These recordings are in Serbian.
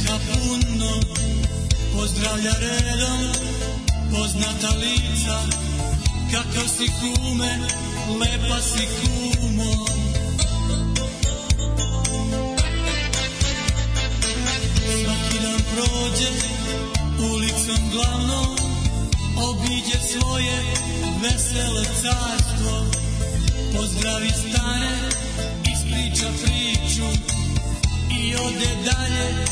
Uspjeha puno, pozdravlja redom poznata lica. Kakav si kume, lepa si kumo. Svaki dan prođe ulicom glavnom, obiđe svoje vesele carstvo. Pozdravi stare, ispriča priču i ode dalje,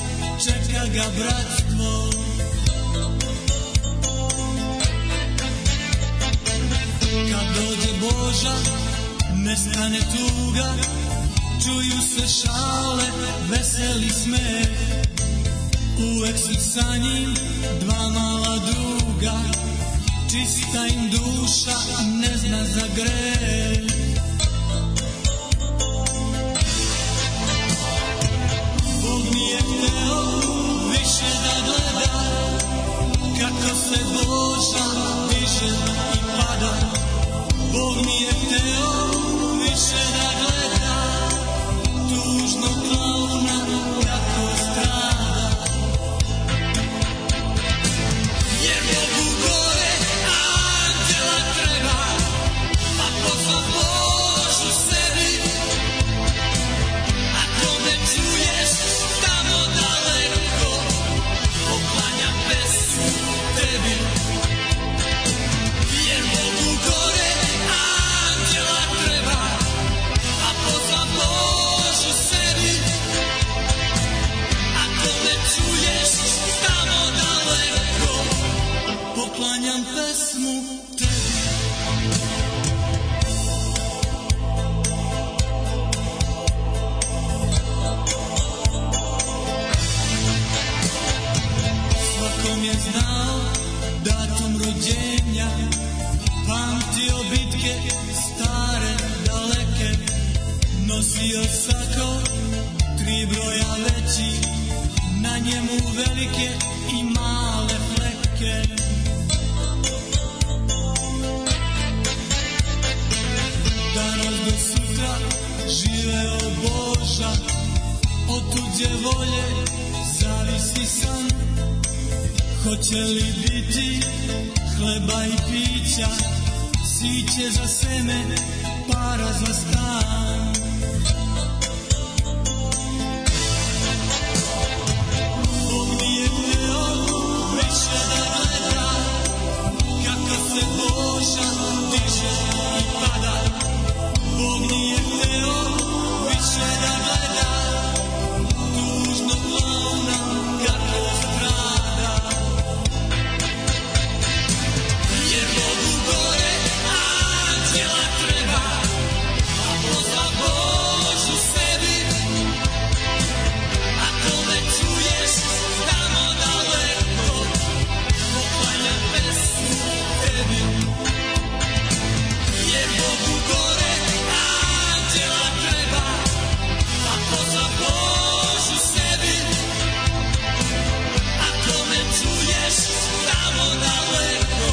čeka ga bratstvo. Kad dođe Boža, nestane tuga, čuju se šale, veseli smeh. Uvek su sa njim dva mala druga, čista im duša, ne zna za greh. Bog nije hteo više da gleda kako se Boža diže i pada. Bog nije hteo više da gleda tužnog klauna kako strada. Jer Bogu gore anđela treba, pa pozva Božu sebi. Ako me čuješ tamo daleko, poklanjam pesmu tebi. Jer Bogu gore anđela treba, pa pozva Božu sebi. Ako me čuješ tamo daleko, poklanjam pesmu tebi. Svakom je znao datum rođenja, pamtio bitke stare, daleke. Nosio sako, 3 broja veći, na njemu velike i male fleke. Danas do sutra živeo Boža, od tuđe volje zavisi san. Hoće li biti hleba i pića, siće za seme, para za stan. Bog nije hteo više da gleda kako se Boža diže i pada. Bog nije hteo više da gleda tužnog klauna kako strada. Jer Bogu gore anđela treba, a pozva Božu sebi. Ako me čuješ tamo daleko, poklanjam pesmu tebi. Jer Bogu gore anđela treba, a pozva Božu sebi. Ako me čuješ tamo daleko,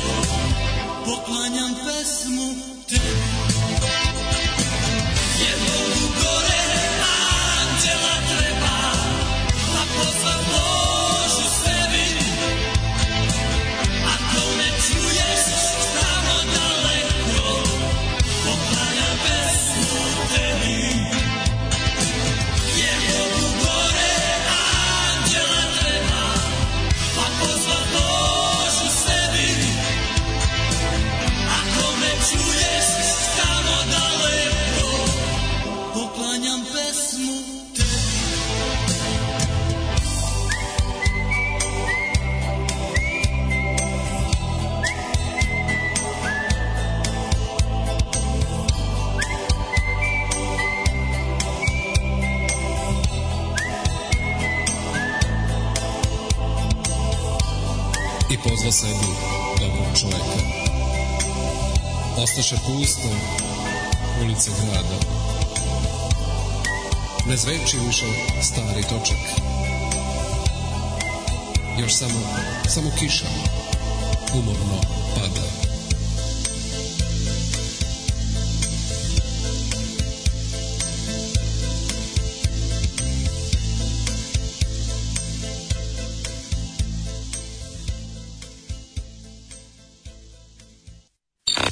poklanjam pesmu tebi. Jer Bogu gore anđela treba, a pozva Božu sebi. Ako me čuješ tamo daleko, poklanjam pesmu tebi. Jer Bogu gore anđela treba, a pozva Božu sebi. Ako me čuješ tamo daleko, poklanjam pesmu tebi. I pozva sebi dobrog čoveka. Ostaše pusto ulice grada, ne zveči više stari točak. Još samo kiša umorno pada.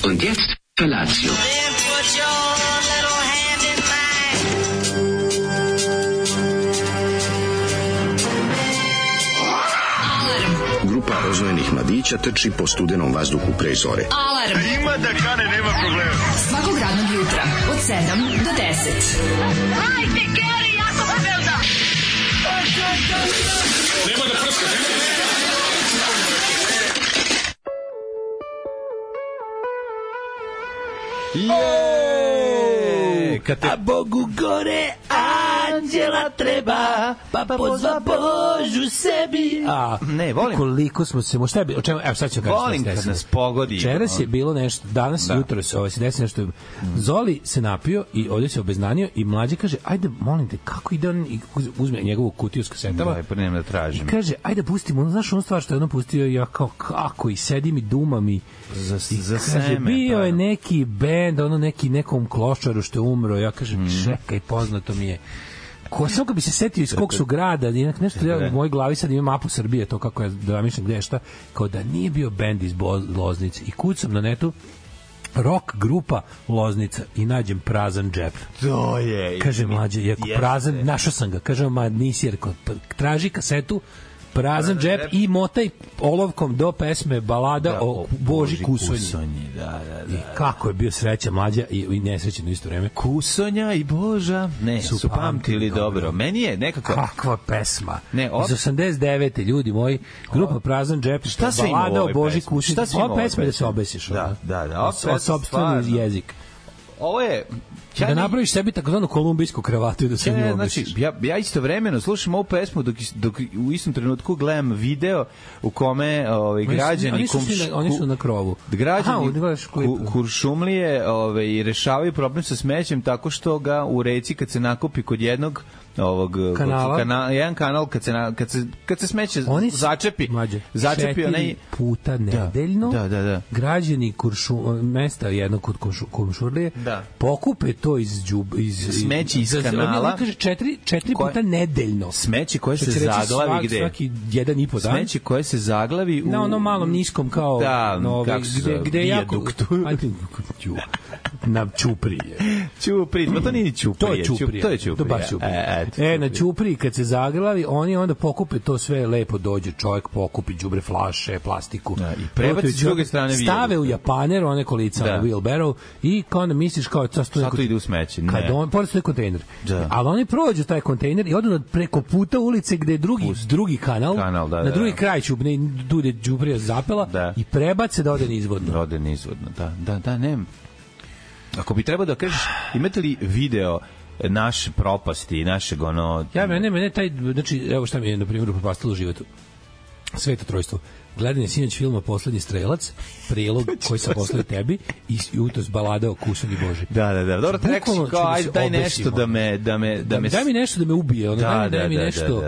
Und jetzt Felatio. Then put your little hand in mine. Grupa oznojenih mladića trči po studenom vazduhu pre zore. Alarm. Ima da kane, nema problema. Svakog radnog jutra od 7 do 10. Hajde, Geri, jako se velda. Nema da prska, nema da prska. A Bogu gore anđela treba, pa pozva Božu sebi. Ne, volim. Koliko smo se, šta je bilo, evo sad ću kažem. Volim kad nas pogodi. Večeras je bilo nešto, danas, jutro se desi nešto. Zoli se napio i ovdje se obeznanio i mlađe kaže, ajde, molim te, kako ide on, i uzme njegovu kutiju s kasetama. Daj, pa nema da tražim. I kaže, ajde, pustimo, znaš onu stvar što je ono pustio, ja kao, kako, i sedim i dumam i Za kaže, seme. bio je neki bend, ono nekom klošaru što je umro, ja kažem, čekaj, poznato mi je. Samo kad bi se setio iz kog su grada, nešto ja u mojoj glavi sad ima mapu Srbije, to kako ja zamišljam gde je šta, kao da nije bio bend iz Loznice. I kucam na netu rock grupa Loznica i nađem prazan džep. To je. Kaže mlađe, jako prazan, našao sam ga. Kaže, ma nisi, jer traži kasetu, prazan džep i motaj olovkom do pesme balada o Boži Kusonji. Da. I kako je bio sreća mlađa i nesrećen u isto vreme. Kusonja i Boža su pamtili dobro. Meni je nekako... Kakva pesma. Ne, iz 89. ljudi moji, grupa Prazan džep, šta se ima balada u o Boži pesmi? Kusonji. Šta se ima u Ova pesma je da se pesmi? obesiš. Da. O sopstveni jezik. Ovo je... Da napraviš sebi takozvanu kolumbijsku kravatu i da se nju obesiš. Znači, ja istovremeno slušam ovu pesmu dok u istom trenutku gledam video u kome građani oni su na krovu. Građani Kuršumlije rešavaju problem sa smećem tako što ga u reci kad se nakupi kod jednog jedan kanal kad se smeće začepi onaj puta nedeljno građani mesta jednog kod Kuršumlije pokupe to iz smeće iz kanala. On kaže 4 puta nedeljno. Smeće koje se zaglavi gde? Svaki 1,5 dan. Smeće koje se zaglavi na onom malom niskom kao gde je jako na Ćuprije. Pa to nije Ćuprije. To je Ćuprije. Na Ćupriji kad se zaglavi, oni onda pokupe to sve, lepo dođe čovjek, pokupi đubre, flaše, plastiku. I prebaci s druge strane stave u japaner, one kolica na wheelbarrow i kao onda misliš kao sad to ide u smeće. Kad on pored stoji kontejner. Ali oni prođu taj kontejner i odu preko puta ulice gde je drugi kanal na drugi kraj Ćuprije, tu gde đubrija zapela i prebace da ode nizvodno. Da, nema. Ako bi trebao da kažeš, imate li video naše propasti, našeg ono... Mene taj, znači, evo šta mi je, na primjer, upropastilo životu. Sveto trojstvo. Gledanje sinoć filma Poslednji strelac, prilog koji sam poslao tebi i jutros balada o Kusonji Boži. Da. Dobro, rekao si kao, ajde, daj nešto da me... Daj mi nešto da me ubije, daj mi nešto...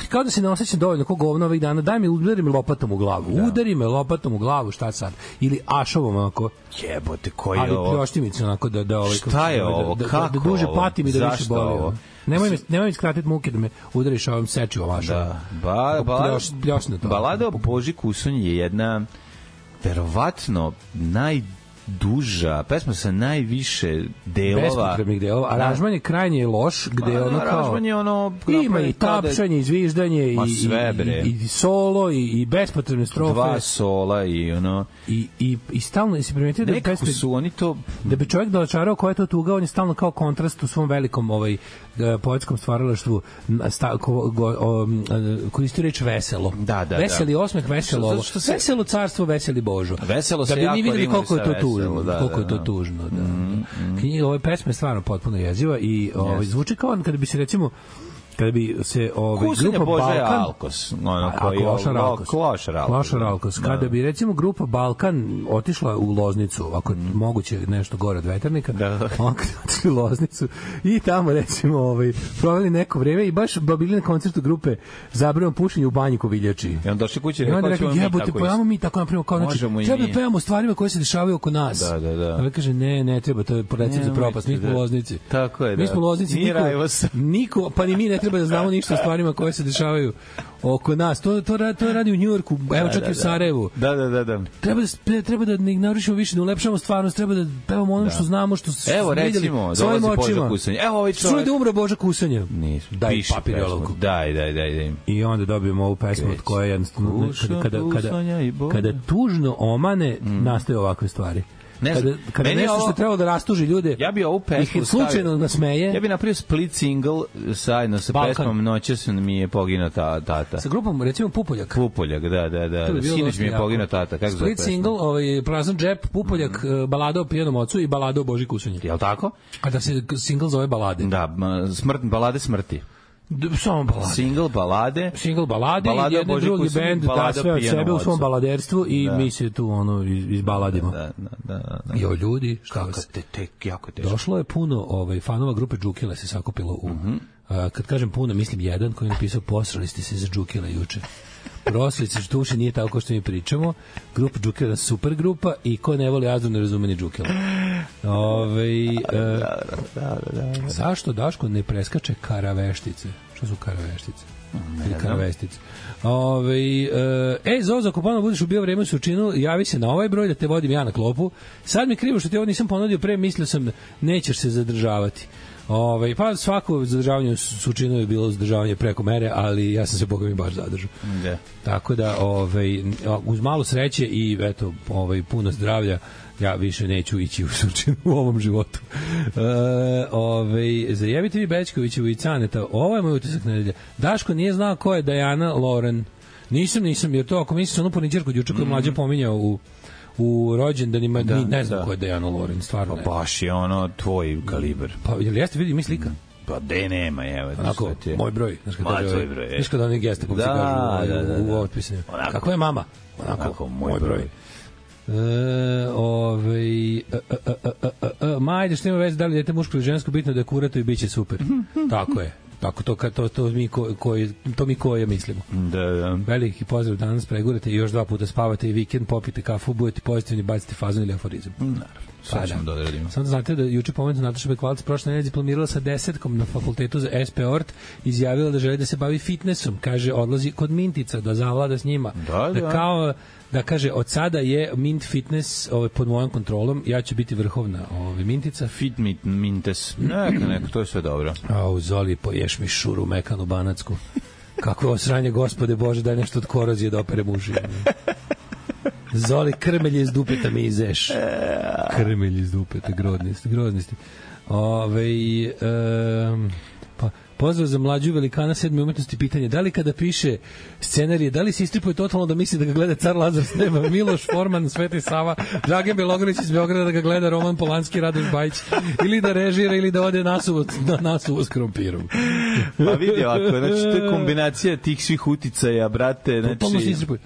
Kao da se ne osjećam dovoljno ko govno ovih dana, udari me lopatom u glavu. Udari me lopatom u glavu, šta sad? Ili ašovom, onako... Jebote, koji je ovo? Ali pljoštimicu, onako, da... Šta je ovo? Kako? Da duže patim i da više boli. Zašto Nemoj mi skratiti muke da me udariš ovom sečivom ašom. Balada o Boži Kusonji je jedna verovatno najduža pesma sa najviše delova. Bespotrebnih delova. Aranžman je krajnje loš, gde ono kao... Aranžman je ono... Ima i tapšanje, i zviždanje, i solo, i bespotrebne strofe. 2 sola i ono... I stalno se primetio da nekako su oni to... Da bi čovjek dočarao koja je to tuga, on je stalno kao kontrast u svom velikom poetskom stvaralaštvu koristio reč veselo. Veseli osmeh, veselo ovo. Veselo carstvo, veseli Božo. Veselo se jako videli koliko je to tužno. Koliko je to tužno, Ove pesme je stvarno potpuno jeziva i zvuči kao kada bi se recimo kada bi se grupa Balkan Alkos, Klošar Alkos, kada bi recimo grupa Balkan otišla u Loznicu, ako moguće nešto gore od Veternika, on kada otišli u Loznicu i tamo recimo proveli neko vreme i baš bili na koncertu grupe Zabranjeno pušenje u banji Koviljači. I on došli kući i rekao, jebote, pojavamo mi tako napravimo, kao znači, treba da pevamo stvarima koje se dešavaju oko nas. Da. Kaže, ne treba, to je recept za propast, mi smo u Loznici. Tako je, mi smo u Loznici, niko, pa ni mi ne treba da znamo ništa o stvarima koje se dešavaju oko nas. To radi u Njujorku, evo čak i u Sarajevu. Da. Treba da ne narušimo više, da ulepšamo stvarnost, treba da pevamo ono što znamo, što smo vidjeli svojim očima. Evo ovaj čovjek. Čuli da umro Boža Kusanja. Daj papir i olovku. Daj. I onda dobijemo ovu pesmu od koje jednostavno kada tužno omane nastaju ovakve stvari. Kada nešto što trebalo da rastuži ljude, ja bi ovu pesmu slučajno nasmeje. Ja bi napravio split single zajedno sa pesmom Noćas mi je poginuo tata. Sa grupom, recimo Pupoljak. Pupoljak, da. Sinoć mi je poginuo tata. Kako split single, Prazan džep, Pupoljak, balada o pijanom ocu i balada o Boži Kusunji. Jel' tako? A da se single zove balade. Da, balade smrti. Samo balade. Single balade i jedan drugi bend da sve od sebe u svom baladerstvu i mi se tu izbaladimo. Da. Jo, ljudi, šta vas? Jako teško. Došlo je puno fanova grupe Džukile se sakupilo u... kad kažem puno, mislim jedan koji je napisao posrali ste se za Džukile juče. Proslice što uši nije tako što mi pričamo. Grupa Džukila je super grupa i ko ne voli Azdu ne razume ni Džukila. Zašto Daško ne preskače karaveštice? Što su karaveštice? Ili karavestice? Zozo, ako ponovno budeš ubio vreme u Surčinu, javi se na ovaj broj da te vodim ja na klopu. Sad mi krivo što ti ovo nisam ponudio pre, mislio sam nećeš se zadržavati. Pa svako zadržavanje u Surčinu je bilo zadržavanje preko mere, ali ja sam se boga mi baš zadržao. Tako da uz malo sreće i eto puno zdravlja ja više neću ići u Surčinu u ovom životu. Zajebite vi Bećkovićevu i Caneta. Ovo je moj utisak nedelja. Daško nije znao ko je Diana Lauren. Nisam, jer to ako misliš onu porničarku juče koju mlađe pominjao u rođendanima, ne znam ko je Diana Lauren, stvarno ne. Baš je ono tvoj kaliber. Pa jel jeste, vidi mi slika? Pa nema, evo. Onako, moj broj. Tvoj broj. Znaš kada oni geste se kažu u otpisima. Kako je mama? Onako, moj broj. Majde, što ima veze da li dete muško ili žensko, bitno da je kurato i bit će super. Tako je. Tako to mi koje mislimo. Da. Veliki pozdrav, danas pregurate i još 2 puta spavate i vikend, popite kafu, budete pozitivni, bacite fazon ili aforizam. Naravno. Sve ćemo da odradimo. Samo da znate da juče pomenuta Nataša Bekvalac prošle nedelje diplomirala sa 10 na fakultetu za SP Ort, izjavila da želi da se bavi fitnessom, kaže odlazi kod Mintica da zavlada s njima. Da. Kao da kaže od sada je Mint Fitness pod mojom kontrolom, ja ću biti vrhovna Mintica. Mintes. Neka, to je sve dobro. Zoli, poješ mi šuru mekanu banacku. Kakvo osranje, gospode Bože, daj nešto od korozije da opere muži. Zoli, krmelje iz dupeta mi izeš. Krmelje iz dupeta, groznosti. Pozdrav za mlađu velikana 7. umetnosti, pitanje, da li kada piše scenarije, da li se istripuje totalno da misli da ga gleda Car Lazar s neba, Miloš Forman, Sveti Sava, Dragan Belogrlić iz Beograda da ga gleda Roman Polanski, Radoš Bajić, ili da režira ili da ode nasuvo s krompirom. Pa vidi ovako, znači to je kombinacija tih svih uticaja, brate. Totalno se istripuje.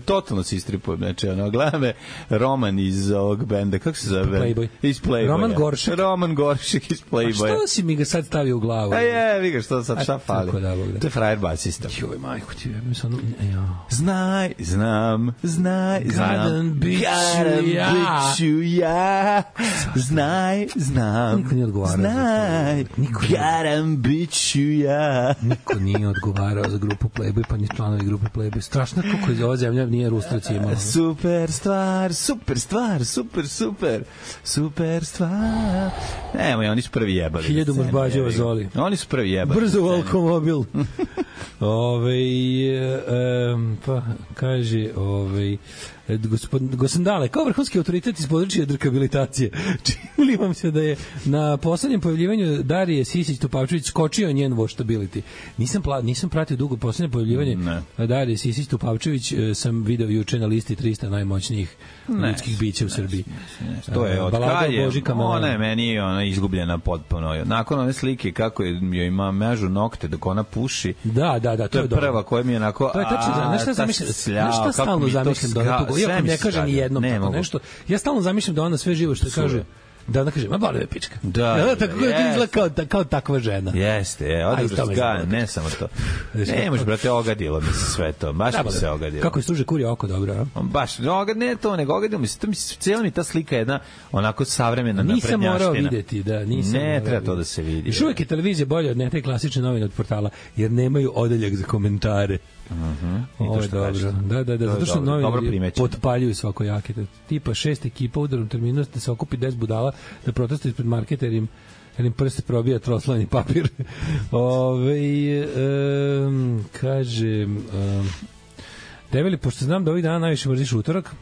Totalno se istripuje. Znači, gleda me Roman iz ovog benda, kako se zove? Playboy. Iz Playboya. Roman Goršek iz Playboya. A što si mi ga sad stavio u glavu? Vi ga što sad šta fali. To je frajer basista. Joj, majko ti, Znaj, znam. Gadan biću ja. Znaj, znam. Niko nije odgovarao. Znaj, gadan biću ja. Niko nije odgovarao za grupu Playboy, pa ni članovi grupe Playboy. Strašno kako iz ova zemlja nije Rustrac imala. Super stvar. Evo, oni su prvi jebali. 1000 mužbađeva Zoli. Oni su prvi jebali. Brzo Volkomobil. Pa kaže Gosandale, kao vrhunski autoritet iz područja drkabilitacije. Čini vam se da je na poslednjem pojavljivanju Darije Sisić-Topavčević skočio njen watchability. Nisam pratio dugo poslednje pojavljivanje Darije Sisić-Topavčević, sam video juče na listi 300 najmoćnijih ljudskih bića u Srbiji. To je od Kalje, ona je meni izgubljena potpuno. Nakon one slike kako joj ima mežu nokte dok ona puši. Da, to je prva koja mi je onako... To je tačno, nešto stalno zamišljam da ona to... Iako ne kaže ni jednom tako nešto. Ja stalno zamišljam da ona sve živo što kaže da ona kaže, ma boli me pička. Da, tako izgleda kao takva žena. Jeste, ne samo to. Ne možeš, brate, ogadilo mi se sve to. Baš mi se ogadilo. Kako je služe kurje oko, dobro, a? Baš, ne to, nego ogadilo mi se. Cijela mi ta slika je jedna onako savremena naprednjaština. Nisam morao videti, da, nisam. Ne, treba to da se vidi. Još uvijek je televizija bolja od ne te klasične novine od portala, jer nemaju odeljak za komentare. Ovo je dobro. Da, zato što novine potpaljuju svakojake. Tipa 6 ekipa u udarnom terminu da se okupi 10 budala da protestuju ispred marketa jer im prste probija troslani papir. Kaže Develi, pošto znam da ovih dana najviše mrziš utorak,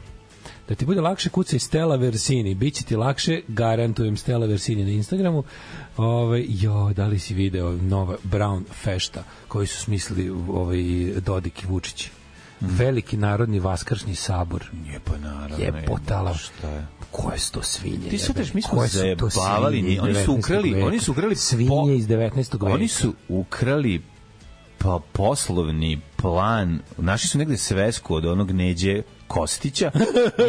da ti bude lakše kucaj Stella Versini, biće ti lakše, garantujem Stella Versini na Instagramu. Da li si video nova Brown fešta koju su smislili Dodik i Vučić? Veliki narodni vaskršnji sabor. Nije pa naravno. Jebotala. Šta je? Koje su to svinje? Ti sad mi smo zajebavali. Oni su ukrali svinje iz 19. veka. Oni su ukrali poslovni plan. Našli su negde svesku od onog Neđe Kostića,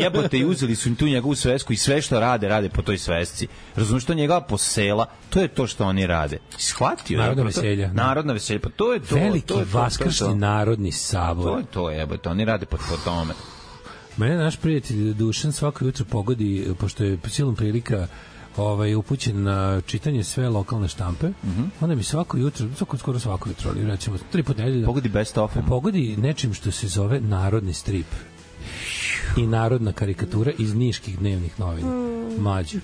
jebote, i uzeli su im tu njegovu svesku i sve što rade po toj svesci. Razumiješ, što njega posela, to je to što oni rade. Shvatio? Narodna veselja. Narodna veselja, pa to je to. Veliki vaskršnji narodni sabor. To je to, jebote, oni rade po tome. Mene naš prijatelj Dušan svako jutro pogodi, pošto je silom prilika upućen na čitanje sve lokalne štampe, onda mi skoro svako jutro, ali recimo 3 puta nedelje, pogodi best of. Pogodi nečim što se zove narodni strip i narodna karikatura iz niških dnevnih novina. Mlađe.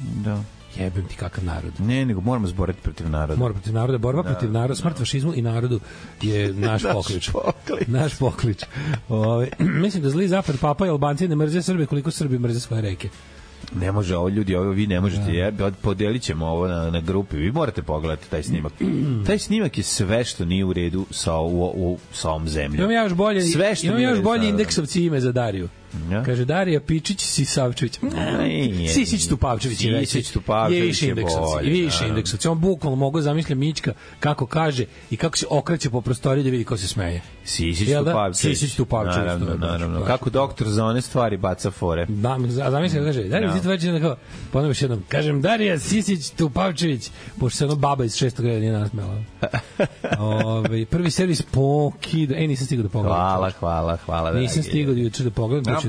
Da. Jebem ti kakav narod. Ne, nego moramo zboriti protiv naroda. Moramo protiv naroda, borba protiv naroda, smrt fašizmu i narodu je naš poklič. Naš poklič. Mislim da zli zapad Papa i Albanci ne mrze Srbe koliko Srbi mrze svoje reke. Ne može ovo, ljudi, ovo vi ne možete. Podelit ćemo ovo na grupi. Vi morate pogledati taj snimak. Taj snimak je sve što nije u redu sa ovom zemljom. Imam ja još bolje indeksovci ime za Dariju. Ja? Kaže Darija Pičić Sisavčević. Sisić Tupavčević je više indeksovci. Više indeksovci. On bukvalno mogu zamisliti Mićka kako kaže i kako se okreće po prostoriji da vidi ko se smeje. Sisić Tupavčević. Naravno. Kako doktor za one stvari baca fore. Zamisli kaže Darija Sisavčević, ponovno još jednom. Kažem Darija Sisić Tupavčević, pošto se ono baba iz 6. reda nije nasmela. Prvi servis pokida. Nisam stigao da pogledam. Hvala. Nisam stigao juče da pogledam.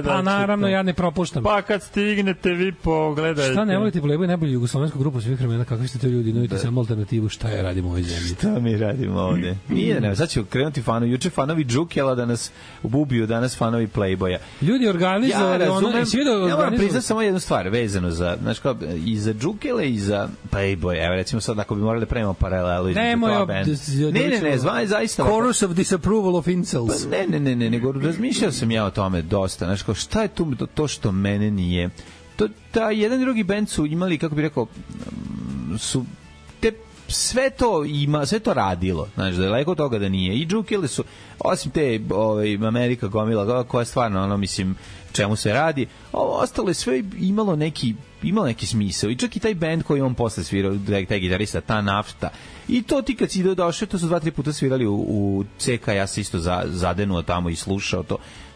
Pa naravno, ja ne propuštam. Pa kad stignete vi pogledajte. Šta ne volite Playboy, najbolju jugoslovensku grupu svih vremena, kakvi ste to ljudi, nudite samo alternativu, šta ja radim u ovoj zemlji. Šta mi radimo ovde? Nije, sad ću krenuti juče fanovi Džukela da nas ubiju, danas fanovi Playboya. Ljudi organizovali ja moram priznati samo jednu stvar vezano za, znaš kao, i za Džukela i za Playboy. Evo recimo sad ako bi morali da pravimo paralelu Ne, zaista. Chorus of disapproval of incels. Ne, nego razmišljao sam ja o tome dosta, znaš kao, šta je tu to što mene nije, ta jedan i drugi bend su imali, kako bih rekao, su sve to radilo, znaš, daleko od toga da nije, i Džukele su, osim te Amerika gomila, koja stvarno, mislim, čemu se radi, ovo ostalo je sve imalo neki smisao, i čak i taj bend koji on posle svirao, taj gitarista, ta Nafta, i to ti kad si došao, to su 2-3 puta svirali u CK, ja se isto zadenuo tamo i slušao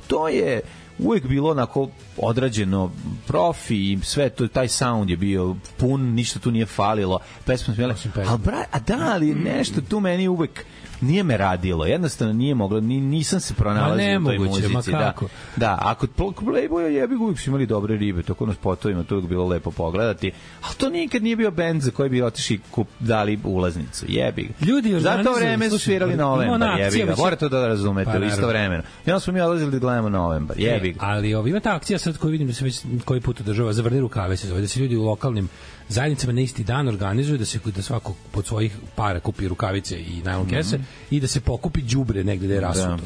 to je uvijek bilo onako odrađeno, profi i sve to, taj sound je bio pun, ništa tu nije falilo, pesma smijela, ali nešto tu meni uvijek nije me radilo, jednostavno nije moglo, nisam se pronalazio u toj muzici. Da, ako Playboya jebi uvijek su imali dobre ribe, toko na spotovima, to uvijek bilo lepo pogledati, ali to nikad nije bio bend za koji bi otišli dali ulaznicu, jebi ga. Za to vreme su svirali Novembar, jebi ga, morate to da razumete u isto vremeno. I onda smo mi odlazili da gledamo Novembar, jebi ga. Ali ima ta akcija sad koju vidim da se već koji put održava, Zavrni rukave se zove, da se ljudi u lokalnim zajednicama na isti dan organizuju da svako pod svojih para kupi rukavice i najlon kese i da se pokupi đubre negde da je rasuto.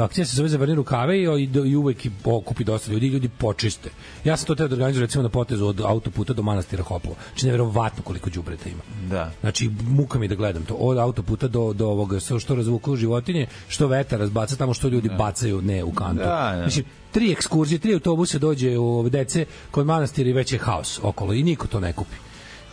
Akcija se zove Zavrni rukave i uvek okupi dosta ljudi počiste. Ja sam to teo da organizujem recimo na potezu od autoputa do manastira Hopovo. Znači neverovatno koliko đubreta ima. Da. Znači muka mi da gledam to od autoputa do ovoga što razvuku životinje, što vetar razbaca tamo, što ljudi bacaju u kantu. Mislim 3 ekskurzije, 3 autobuse dođe u dece kod manastira i već je haos okolo i niko to ne kupi.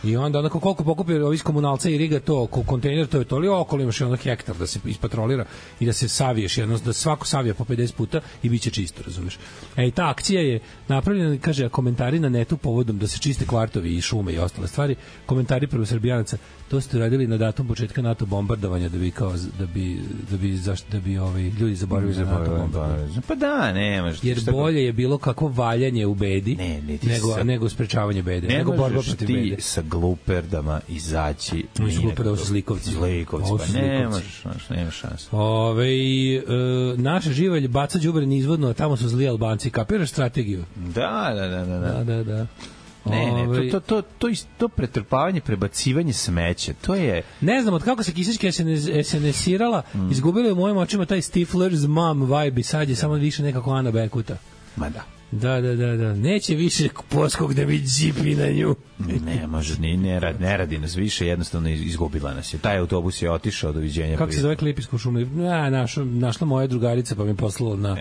I onda onako koliko pokupi ovi komunalca i riga to, kontejner, to je to, ali okolo imaš ono hektar da se ispatrolira i da se saviješ, jedno, da svako savija po 50 puta i bit će čisto, razumeš. I ta akcija je napravljena, kaže, komentari na netu povodom da se čiste kvartovi i šume i ostale stvari, komentari prvo Srbijanaca, to ste radili na datum početka NATO bombardovanja da bi ljudi zaboravili na NATO bombardovanje. Pa da, nemaš. Jer bolje je bilo kako valjanje u bedi nego sprečavanje bede, nego borba protiv bede. Ne sa gluperdama izaći. Nisu gluperdama, su zlikovci. Pa nemaš šanse. Naša živalj baca đubre nizvodno, a tamo su zli Albanci. Kapiraš strategiju? Da. Ne, to pretrpavanje, prebacivanje smeća, to je... Ne znam, od kako se Kisićka SNS-irala, izgubila je u mojim očima taj Stifler's mom vibe i sad je samo više nekako Ana Bekuta. Ma da. Da. Neće više poskog da mi džipi na nju. Ne može, ne radi nas više, jednostavno izgubila nas je. Taj autobus je otišao, doviđenja. Kako se zove klip iz Kuršumlije? Našla moja drugarica pa mi poslala na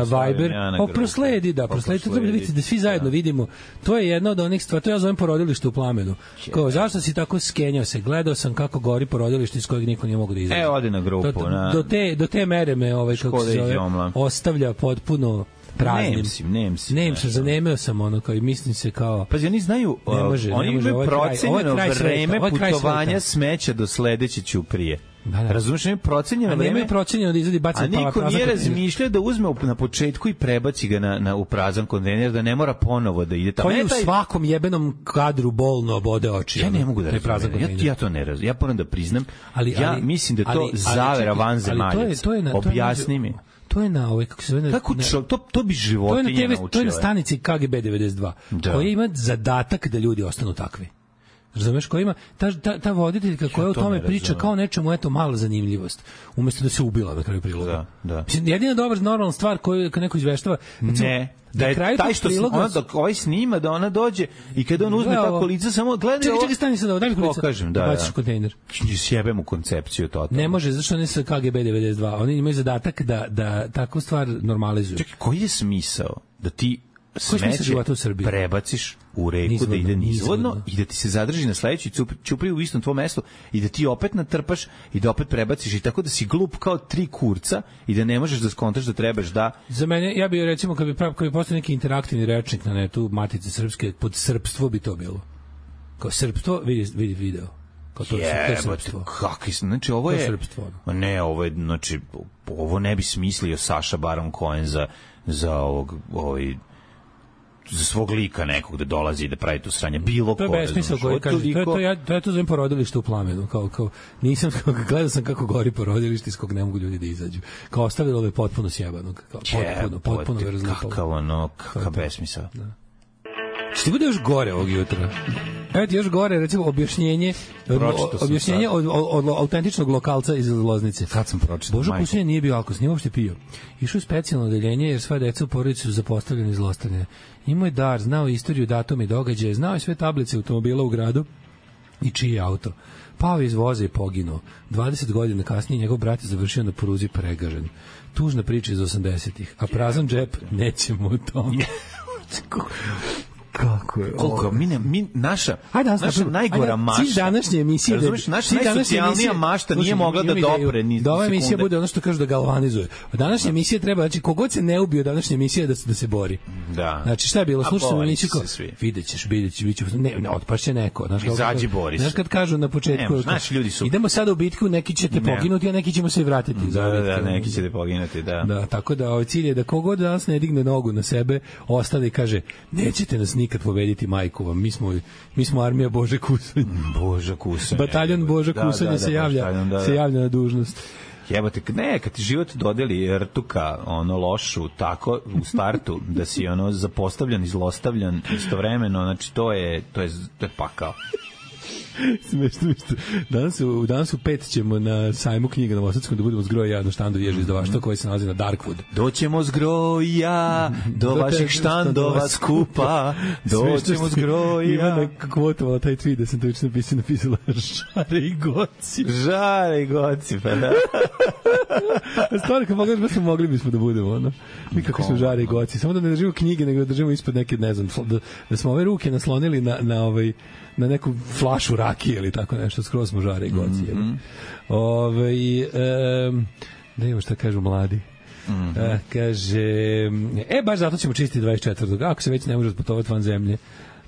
Viber. Prosledi, to treba da vidite, da svi zajedno vidimo. To je jedna od onih stvari, to ja zovem porodilište u plamenu. Kao, zašto si tako skenjao se? Gledao sam kako gori porodilište iz kojeg niko nije mogu da izađe. Odi na grupu. Do te mere me kako se zove, ostavlja potpuno praznim. Zanemeo sam ono, kao i mislim se kao... Pazi, oni znaju, oni imaju procenjeno vreme putovanja smeća do sledeće ćuprije. Razumiješ, imaju procenjeno vreme. Nemaju procenjeno da izvadi baci prazan kontejner. A niko nije razmišljao da uzme na početku i prebaci ga u prazan kontejner, da ne mora ponovo da ide tamo. To je u svakom jebenom kadru bolno obode oči. Ja ne mogu da razumijem. Ja to ne razumijem. Ja moram da priznam. Ja mislim da to zavera vanzemaljac. Objasni mi. To je na kako se zove, to bi životinje naučile. To je na stanici KGB 92, koja ima zadatak da ljudi ostanu takvi. Razumeš, koja ima ta voditeljka koja o tome priča kao nečemu, eto, mala zanimljivost, umesto da se ubila na kraju priloga. Da. Jedina dobra normalna stvar koju neko izveštava, ne, da je taj što ona dok ovaj snima, da ona dođe i kada on uzme tako lice, samo gleda. Čekaj, stani se da daj mi kolica. Baciš u kontejner. Sjebem u koncepciju totalno. Ne može, zašto ne sa KGB 92. Oni imaju zadatak da takvu stvar normalizuju. Čekaj, koji je smisao da ti smeće prebaciš u reku da ide nizvodno i da ti se zadrži na sledećoj ćupriji u istom tvom mestu i da ti opet natrpaš i da opet prebaciš i tako da si glup kao 3 kurca i da ne možeš da skontaš da trebaš da... Za mene, ja bih recimo, kad bi postao neki interaktivni rečnik na netu Matice Srpske, pod srpstvo bi to bilo. Kao srpstvo, vidi video. Kao to je srpstvo. Kakvi, znači ovo je... Ne, ovo je, znači, ovo ne bi smislio Saša Baron Cohen za za svog lika nekog da dolazi i da pravi tu sranje, bilo ko. To je besmisao koji kaže, to je to zovem porodilište u plamenu, kao nisam, gledao sam kako gori porodilište iz kog ne mogu ljudi da izađu. Kao ostavilo me potpuno sjebanog, potpuno verzlipalo. Kakav besmisao. Što ti bude još gore ovog jutra? Evo ti još gore, recimo, objašnjenje od autentičnog lokalca iz Loznice. Kad sam pročitao. Božo Kusunja nije bio alkos, nije uopšte pio. Išao je specijalno odeljenje jer sva deca u porodici su zapostavljene i zlostavljene. Imao je dar, znao istoriju, datume i događaje, znao je sve tablice automobila u gradu i čiji je auto. Pao je iz voza i poginuo. 20 godina kasnije njegov brat je završio na pruzi pregažen. Tužna priča iz 80-ih, a prazan džep nećemo u tom. Kako je koliko naša najgora mašta. Cilj današnje emisije, naša najsocijalnija mašta nije mogla da dopre ni da ova emisija bude ono što kažu da galvanizuje. Današnja emisija treba, znači kogod se ne ubio današnja emisija da se bori. Da. Znači šta je bilo? Slušaj emisiju, videćeš, biće ne otpašće neko, izađi bori. Znaš kad kažu na početku, idemo sada u bitku, neki ćete poginuti, a neki ćemo se vratiti. Da, neki ćete poginuti, da. Da, tako da ovaj cilj je da kogod danas ne digne nogu na sebe, ostane i kaže nećete nas nikad pobediti, majku vam. Mi smo armija Bože Kusanja. Bože Kusanja. Bataljon Bože Kusanja se javlja na dužnost. Jebote, kad ti život dodeli rtuka, lošu, tako u startu, da si zapostavljan i zlostavljan istovremeno, znači to je pakao. Smešno isto. Danas u 5 ćemo na sajmu knjiga na Novosadskom da budemo zgroja na štandu ježi izdavaštva koji se nalazi na Darkwood. Doćemo zgroja do vaših štandova skupa. Doćemo zgroja. Ivana kvotovala taj tweet da sam to već napisala žare i goci. Žare i goci, pa da. Stvarno, kad pogledaš, smo mogli bismo da budemo, ono. Mi kako smo žare i goci. Samo da ne držimo knjige, nego da držimo ispod neke, ne znam, da smo ove ruke naslonili na neku flašu rakije ili tako nešto, skroz smo žare i goci. Da imamo šta kažu mladi. Kaže, baš zato ćemo čistiti 24. Ako se već ne može otputovati van zemlje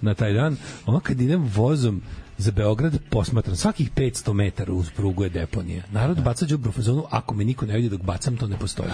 na taj dan, ono kad idem vozom za Beograd posmatram, svakih 500 metara uz prugu je deponija. Narod baca đubre u fazonu, ako me niko ne vidi dok bacam, to ne postoji.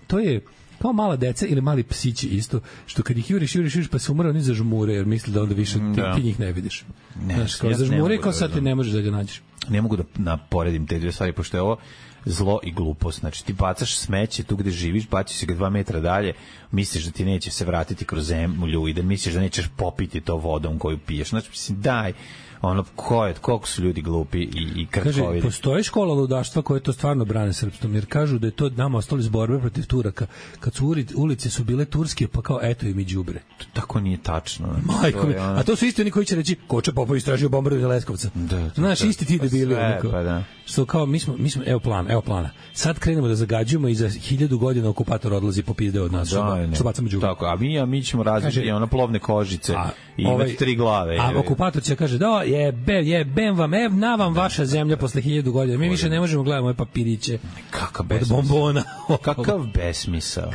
To je kao mala deca ili mali psići isto, što kad ih juriš pa se umre, oni zažmure, jer misle da onda više ti njih ne vidiš. Znaš, kao zažmure i kao sad ti ne možeš da ga nađeš. Ne mogu da naporedim te dve stvari, pošto je ovo zlo i glupost. Znači, ti bacaš smeće tu gde živiš, baciš se ga 2 metra dalje, misliš da ti neće se vratiti kroz zemlju i da misliš da nećeš popiti to vodom koju piješ. Znači, mislim, daj, ono, koliko su ljudi glupi i krkovidi. Kaže, postoji škola ludaštva koje to stvarno brane srpstvom, jer kažu da je to nama ostali iz borbe protiv Turaka. Kad su ulice su bile turske, pa kao eto im i đubre. Tako nije tačno. Majko mi, a to su isti oni koji će reći, Koče Popov istražio bombardovanje Leskovca. Znaš, isti ti debili. Pa da. Što kao, mi smo, evo plana. Sad krenemo da zagađujemo i za 1000 godina okupator odlazi popizde od nas. Što bacamo đubre. Tako, a mi ćemo razviti ono plovne kožice i imati 3 glave. A okupator će kaže, da, jebem vam, na vam vaša zemlja posle 1000 godina. Mi više ne možemo gledati moje papiriće. Kakav od bombona. Kakav besmisao.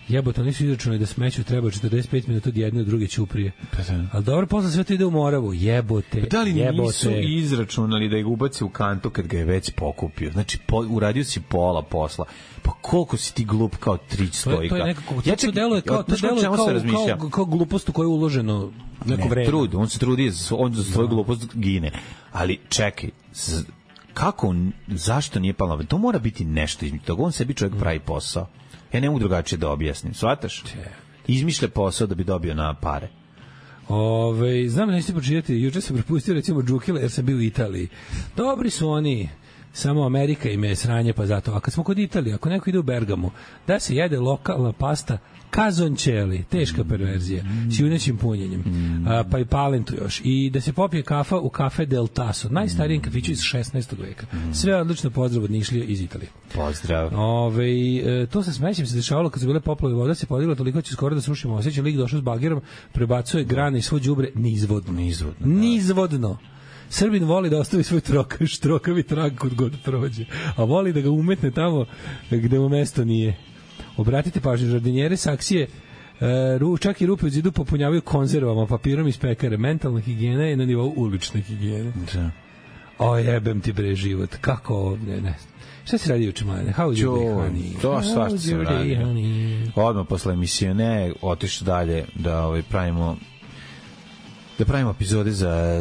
Jebote, nisu izračunali da smeću treba 45 minuta od jedne od druge ćuprije. Ali dobro, posle sve to ide u Moravu. Jebote. Da li nisu izračunali da ih ubaci u kantu kad ga je već pokupio? Znači, uradio si pola posla. Pa koliko si ti glup kao trić stojka? To je nekako, to deluje kao glupost u koju je uloženo neko vreme. On se trudi, on za svoju glupost gine. Ali čekaj, kako, zašto nije palo? To mora biti nešto između toga. On sebi čovjek pravi posao. Ja ne mogu drugačije da objasnim. Shvataš? Izmišlja posao da bi dobio na pare. Znam da nećete pročitati. Juče sam propustio recimo Džukile jer sam bio u Italiji. Dobri su oni. Samo Amerika im je sranje, pa zato. A kad smo kod Italije, ako neko ide u Bergamu, da se jede lokalna pasta kazončeli, teška perverzija, s junećim punjenjem, pa i palentu još. I da se popije kafa u kafe Del Tasso, najstarijem kafiću iz 16. veka. Sve odlično, pozdrav od Nišlije iz Italije. Pozdrav. To sa smećem se dešavalo kad su bile poplave, voda se podigla toliko će skoro da srušimo osjećaj, lik došao s bagerom, prebacuje grane i svo đubre nizvodno. Srbin voli da ostavi svoj štrokavi trag kod god prođe, a voli da ga umetne tamo gde mu mesto nije. Obratite pažnju, žardinjere saksije čak i rupe u zidu popunjavaju konzervama, papirom iz pekare. Mentalna higijena je na nivou ulične higijene. Jebem ti bre život. Kako ovdje, ne. Šta se radi juče, mlade? How you be, honey? To svašta se radi. Odmah posle emisije otišli dalje da pravimo epizode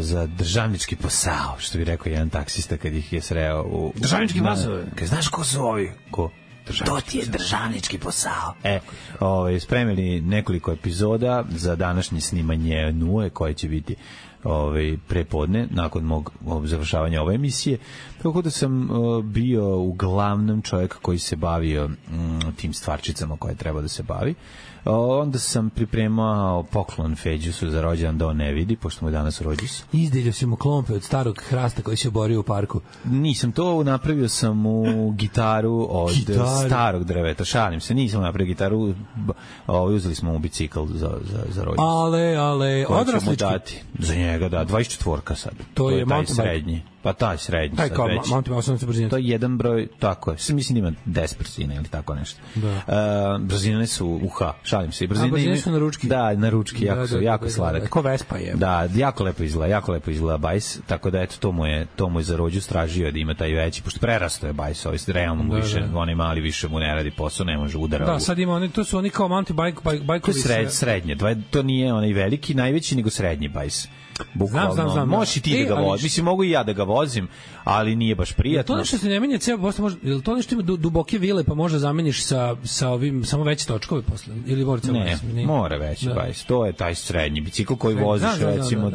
za državnički posao, što bi rekao jedan taksista kad ih je sreo u... Državnički posao? Znaš ko su ovi? Ko? To ti je državnički posao. Spremili nekoliko epizoda za današnje snimanje Nue, koje će biti prepodne, nakon mog završavanja ove emisije. Tako da sam bio uglavnom čovjek koji se bavio tim stvarčicama koje treba da se bavi. Onda sam pripremao poklon Feđusu za rođendan da on ne vidi, pošto mu je danas rođus. Izdelio si mu klompe od starog hrasta koji se borio u parku. Nisam to, napravio sam mu gitaru od starog drveta. Šalim se, nisam napravio gitaru, uzeli smo mu bicikl za rođus. Ale, odraslički. Za njega, 24 sad. To je taj srednji. Pa taj srednji sad već. To je jedan broj, tako je. Mislim da ima 10 brzina ili tako nešto. Brzine su šalim se. Brzine su na ručki. Da, na ručki, jako sladak. Ko Vespa je. Da, jako lepo izgleda bajs, tako da eto, to mu je za rođu stražio da ima taj veći, pošto prerasto je bajs, realno mu više, onaj mali više mu ne radi posao, ne može udara. Da, sad ima oni, to su oni kao mountain bajkovi. To je srednje, to nije onaj veliki, najveći, nego srednji bajs. Znam. Možeš i ti da ga voziš. Mislim, mogu i ja da ga vozim, ali nije baš prijatno. To nešto se ne menja ceo posle, je to nešto ima duboke vile pa možda zameniš sa ovim samo veće točkove posle ili mora ceo? Ne, mora veći bajs. To je taj srednji bicikl koji voziš recimo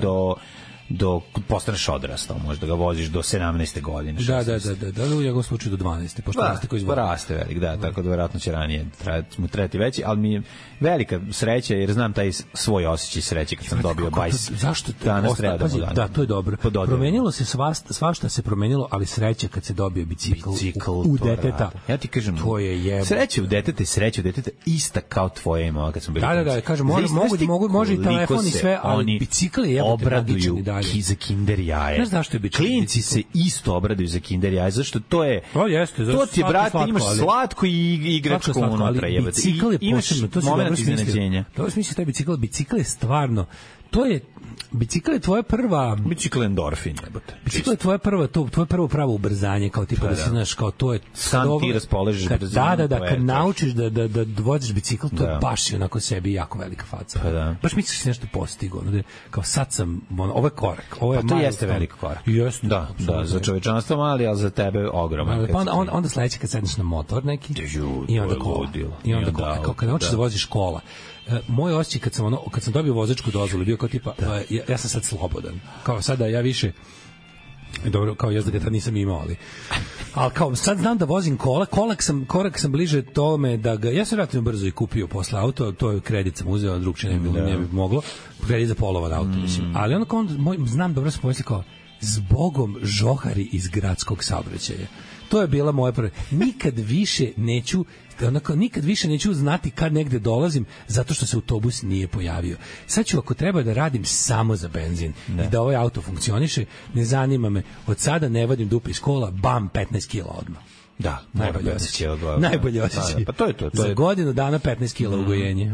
do postaneš odrastao, možda ga voziš do 17. godine. Da, u njegovom slučaju do 12. Pošto raste koji izvodi. Raste velik, tako da verovatno će ranije trebati veći, ali mi je velika sreća jer znam taj svoj osjećaj sreće kad sam dobio bajs. Zašto? Danas treba da mu dam. Da, to je dobro. Promenilo se svašta se promenilo, ali sreća kad se dobije bicikl u deteta. Ja ti kažem, to je jebo. Sreća u deteta ista kao tvoja ima kad sam bio. Da, kažem, može i telefon i sve, ali bicikl je jebote tragičan i dalje. Za Kinder jaje. Znaš zašto je bicikl? Klinci se isto obraduju za Kinder jaje, zašto to je... To ti je, brate, imaš slatko i igračko unutra. Bicikl je posebno, to se dobro smislio. To je smislio taj bicikl. Bicikl je stvarno, bicikl je tvoja prva... Bicikl endorfin, jebote. Bicikl je tvoja prva, to je prvo pravo ubrzanje, kao tipa da se znaš, kao to je... Sam ti raspoložiš brzinom. Da, kad naučiš da voziš bicikl, to je baš i onako sebi jako velika faca. Baš misliš da si nešto postigao, kao sad sam, ovo je korak. Pa to jeste veliki korak. Jeste. Da, za čovečanstvo mali, ali za tebe ogroman. Onda sledeće kad sedneš na motor neki i onda kola. I onda kola. Kao kad naučiš da voziš kola. Moj osjećaj kad sam dobio vozačku dozvolu bio kao tipa ja sam sad slobodan. Kao sada ja više dobro, kao jezda ga tad nisam imao, ali kao sad znam da vozim korak sam bliže tome da ga, ja sam relativno brzo i kupio posle auto, to je kredit sam uzeo, drugčije ne bi moglo, kredit za polovan auto, mislim. Ali onda kao znam dobro sam pomislio kao zbogom žohari iz gradskog saobraćaja. To je bila moja prva. Nikad više neću znati kad negde dolazim zato što se autobus nije pojavio. Sad ću ako treba da radim samo za benzin i da ovaj auto funkcioniše, ne zanima me. Od sada ne vadim dupe iz kola, bam, 15 kila odmah. Da, najbolje osjećaj. Pa to je to. Za godinu dana 15 kila ugojenje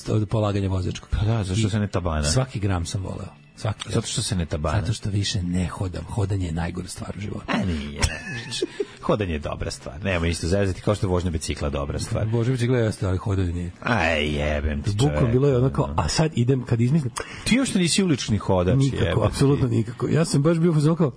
od polaganja vozačkog. Pa da, zašto se ne tabana? Svaki gram sam voleo. Zato što se ne tabana. Zato što više ne hodam. Hodanje je najgora stvar u životu. Nije. Hodanje je dobra stvar. Nema isto zezati kao što je vožnja bicikla dobra stvar. Vožnja bicikla jeste, ali hodanje nije. Aj, jebem ti čovjek. Bukom bilo je onako, a sad idem kad izmislim. Ti još nisi ulični hodač. Nikako, apsolutno nikako. Ja sam baš bio kao,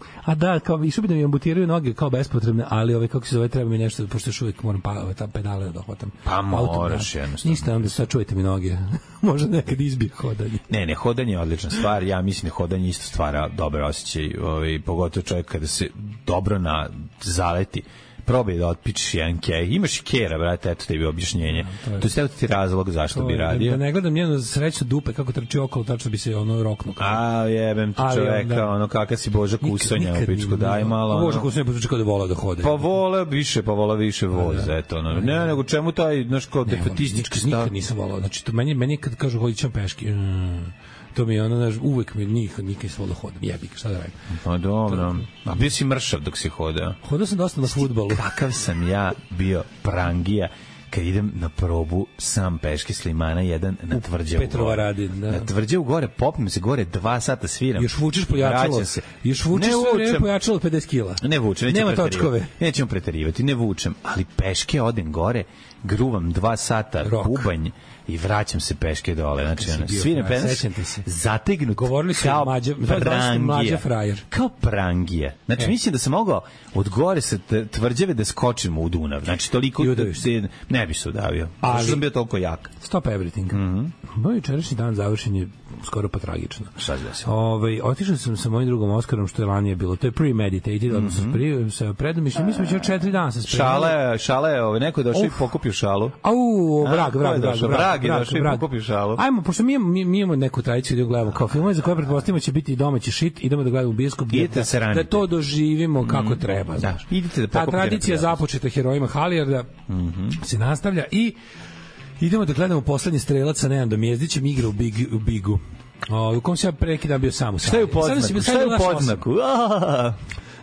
kao išao bi da mi amputiraju noge kao bespotrebne, ali kako se zove, treba mi nešto, pošto još uvijek moram ta pedale da dohvatam. Pa moraš jednostavno. Ništa, onda sad čujete mi noge. Možda nekad izbije hodanje. Ne, hodanje je odlična stvar. Ja mislim da hodanje isto stvara dobar osjećaj, pogotovo čovjek kada se dobro zaleti. Probaj da otpičiš jedan kej. Imaš i kera, brate, eto tebi objašnjenje. To je sve ti razlog zašto bi radio. Da ne gledam njeno sreću dupe kako trči okolo, tačno bi se roknuo. A jebem ti čoveka, kakav si Boža Kusonja u pičku, daj malo. Boža Kusonja počuči kao da volao da hode. Pa volao više voz, eto. Ne, nego čemu taj, znaš, kao defetistički stav. Nikad nisam volao, znači, meni kad kažu hodit ćem peški, to mi je ono, uvek mi nikad nisam volao hodam, jebik, šta da radim. Pa dobro, a bio si mršav dok si hodao. Hodao sam dosta na fudbalu. Kakav sam ja bio prangija kad idem na probu sam peške s Limana 1 na Tvrđavu. Petrova radi, da. Na Tvrđavu gore, popnem se gore 2 sata sviram. Još vučeš pojačalo. Još vučeš sve pojačalo 50 kila. Ne vučem, nema točkove. Nećemo preterivati, ne vučem, ali peške odem gore, gruvam 2 sata bubanj i vraćam se peške dole. Znači, sviram zategnut kao mlađa frajer. Kao prangija. Znači, mislim da sam mogao od gore sa Tvrđave da skočim u Dunav. Znači, toliko ne bi se udavio. Zašto sam bio toliko jak? Stop everything. Moj jučerašnji dan završen je skoro pa tragično. Šta se desilo? Otišao sam sa mojim drugom Oskarom, što je ranije bilo. To je premeditated, odnosno sa predomišljem. Mi smo već 4 dana se spremali. Šala je, neko je došao i pokupio šalu. Vrag je došao i pokupio šalu. Ajmo, pošto mi imamo neku tradiciju da gledamo kao filmove za koje pretpostavimo će biti domaći shit, idemo da gledamo u bioskop da to doživimo kako treba. Ta tradicija započeta herojima Halijarda se nastavlja i idemo da gledamo poslednji strelac sa Nenadom Jezdićem, igra u Bigu. U kom se ja prekidam bio sam u sali. Šta je u podznaku?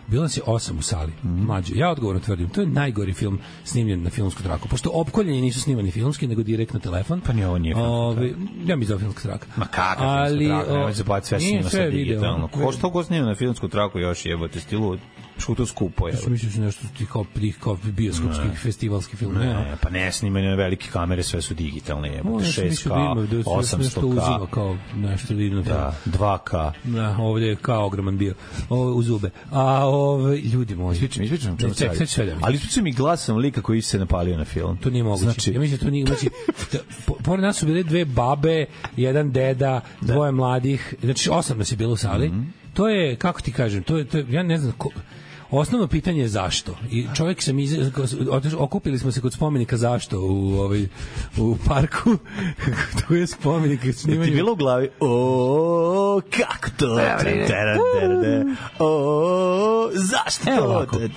bilo nas je 8 u sali. Mlađe, ja odgovorno tvrdim, to je najgori film snimljen na filmsku traku, pošto Opkoljenje nisu snimani filmski, nego direktno telefon. Pa ni ovo nije filmska traka. Ja mi zove filmska traka. Ma kakva filmska traka, nemoj se baviti, sve snima sa digitalno. Ko snima na filmsku traku još jebote, stilu što to skupo je. Mislim su nešto kao bioskopskih festivalskih filmova. Ne, pa ne snimaju na velike kamere, sve su digitalne, jebote, 6K, 800K, kao nešto divno. Da, 2K. Da, ovdje je kao ogroman bio u zube. A ljudi moji. Ispričam. Ali ispričam mi glasom lika koji se napalio na film. To nije moguće. Znači, ja mislim da to nije moguće. Pored nas su bile 2 babe, jedan deda, 2 mladih, znači 8 nas je bilo u sali. To je, kako ti kažem, to je ja ne znam osnovno pitanje je zašto. I čovjek sam okupili smo se kod spomenika zašto u parku. Tu je spomenik snimanje. Ti bilo u glavi? O, kako to? O, zašto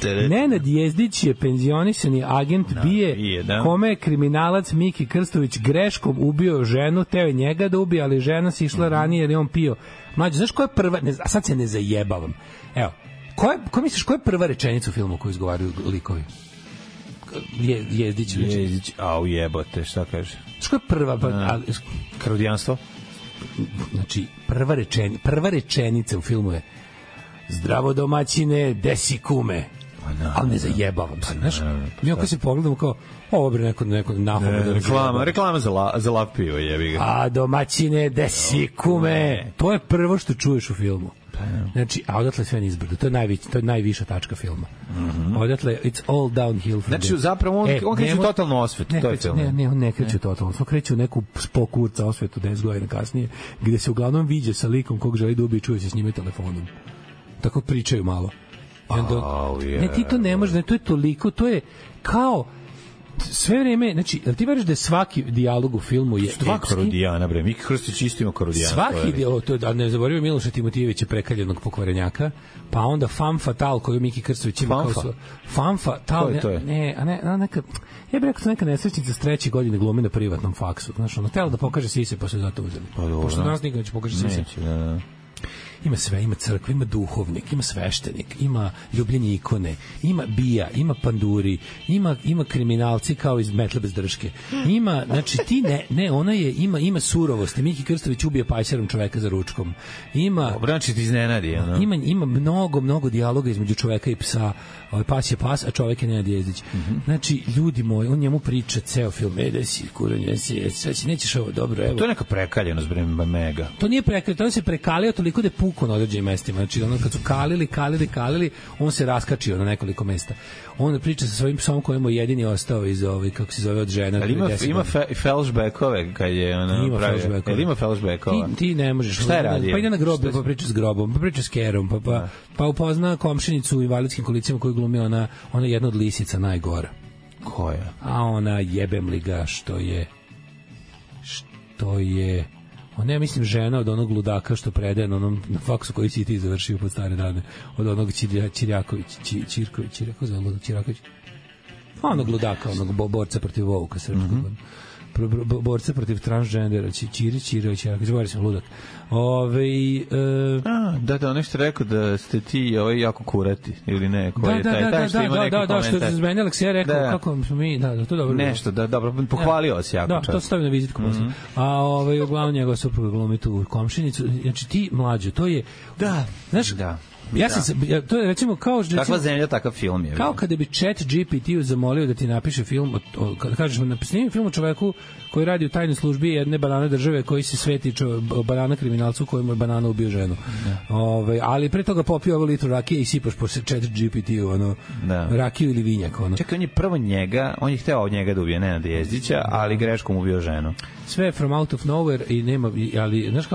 to? Nenad Jezdić je penzionisani agent BIA, kome je kriminalac Miki Krstović greškom ubio ženu, teo je njega da ubije, ali žena se išla ranije jer je on pio. Mlađe, znaš ko je prva, a sad se ne zajebavam. Evo, ko misliš, koja je prva rečenica u filmu koju izgovaraju likovi? Jezdić. Au jebote, šta kaže? Znaš koja je prva? Karodijanstvo? Znači, prva rečenica u filmu je zdravo domaćine, desi kume. Ali ne zajebavam se, znaš? Mi ako se pogledamo kao, ovo bre neko nahom. Reklama za lav pivo, jebi ga. A domaćine, desi kume. To je prvo što čuješ u filmu. Znači, a odatle sve nizbrdo. To je najviša tačka filma. Odatle, it's all downhill. Znači, zapravo on kreće u totalnu osvetu. Ne, on ne kreće u totalnu. On kreće u neku spokurca osvetu 10 godina kasnije, gde se uglavnom viđe sa likom kog želi da ubije i čuje se s njime telefonom. Tako pričaju malo. Ne, ti to ne možeš, to je toliko, to je kao sve vreme, znači, ti veriš da je svaki dijalog u filmu je dva Karodijana, bre, Miki Krstić isto ima Karodijana. Svaki dijalog, to je, da ne zaboravimo Miloša Timotijevića, prekaljenog pokvarenjaka, pa onda Femme Fatale koju Miki Krstović ima kao Femme Fatale, neka, ja bih rekao neka nesrećnica s 3. godine glumi na privatnom faksu, znaš, ono, tela da pokaže sise, pa se zato uzeli. Pošto nas nikad neće pokaže sise. Ima sve, ima crkva, ima duhovnik, ima sveštenik, ima ljubljenje ikone, ima bija, ima panduri, ima kriminalci kao iz Metle bez drške. Ima, znači ti ona je, ima surovost. Miki Krstović ubije pajserom čoveka za ručkom. Ima, znači ti iznenadi, ono. Ima mnogo dijaloga između čoveka i psa. Pas je pas, a čovek je Nenad Jezdić. Znači, ljudi moji, on njemu priča ceo film, da si kuranje, sve si, nećeš ovo dobro, evo. To je neka prekaljenost, bre, mega. To nije prekaljenost, on se prekalio toliko da je pukao na određenim mestima. Znači, ono, kad su kalili, on se raskačio na nekoliko mesta. On priča sa svojim psom kojemu je jedini ostao iz kako se zove, od žena. Ali ima flashbackove kad je ona pravi. Ima flashbackova. Ti ne možeš. Šta je radio? Pa ide na groblje, pa priča s grobom, pa priča s kerom, pa upozna komšinicu u invalidskim kolicima koju glumi ona jedna od lisica najgora. Koja? A ona jebem li ga što je ona je, mislim, žena od onog ludaka što predaje na onom na faksu koji si ti završio pod stare dane, od onog Čiraković, onog ludaka, onog borca protiv Vovuka srpskog, borca protiv transgendera, Čirić, govori sam ludak. Da, nešto rekao da ste ti jako kurati, ili ne? Da, što je meni Aleksija rekao, kako smo mi, to dobro. Nešto, dobro, pohvalio se jako. Da, to stavio na vizitku posle. A uglavnom njegova supruga glumi tu komšinicu, znači ti mlađe, to je, znaš, to je recimo kao kakva zemlja, takav film je. Kao kada bi Chat GPT zamolio da ti napiše film, kada kažeš snimi film o čoveku koji radi u tajnoj službi jedne banane države koji se sveti banana kriminalcu kojemu je banana ubio ženu. Ali pre toga popio ovo litru rakije i sipaš po Chat GPT-u rakiju ili vinjak. Čekaj, on je prvo on je hteo od njega da ubije Nenada Jezdića, ali greškom ubio ženu. Sve from out of nowhere i nema, ali znaš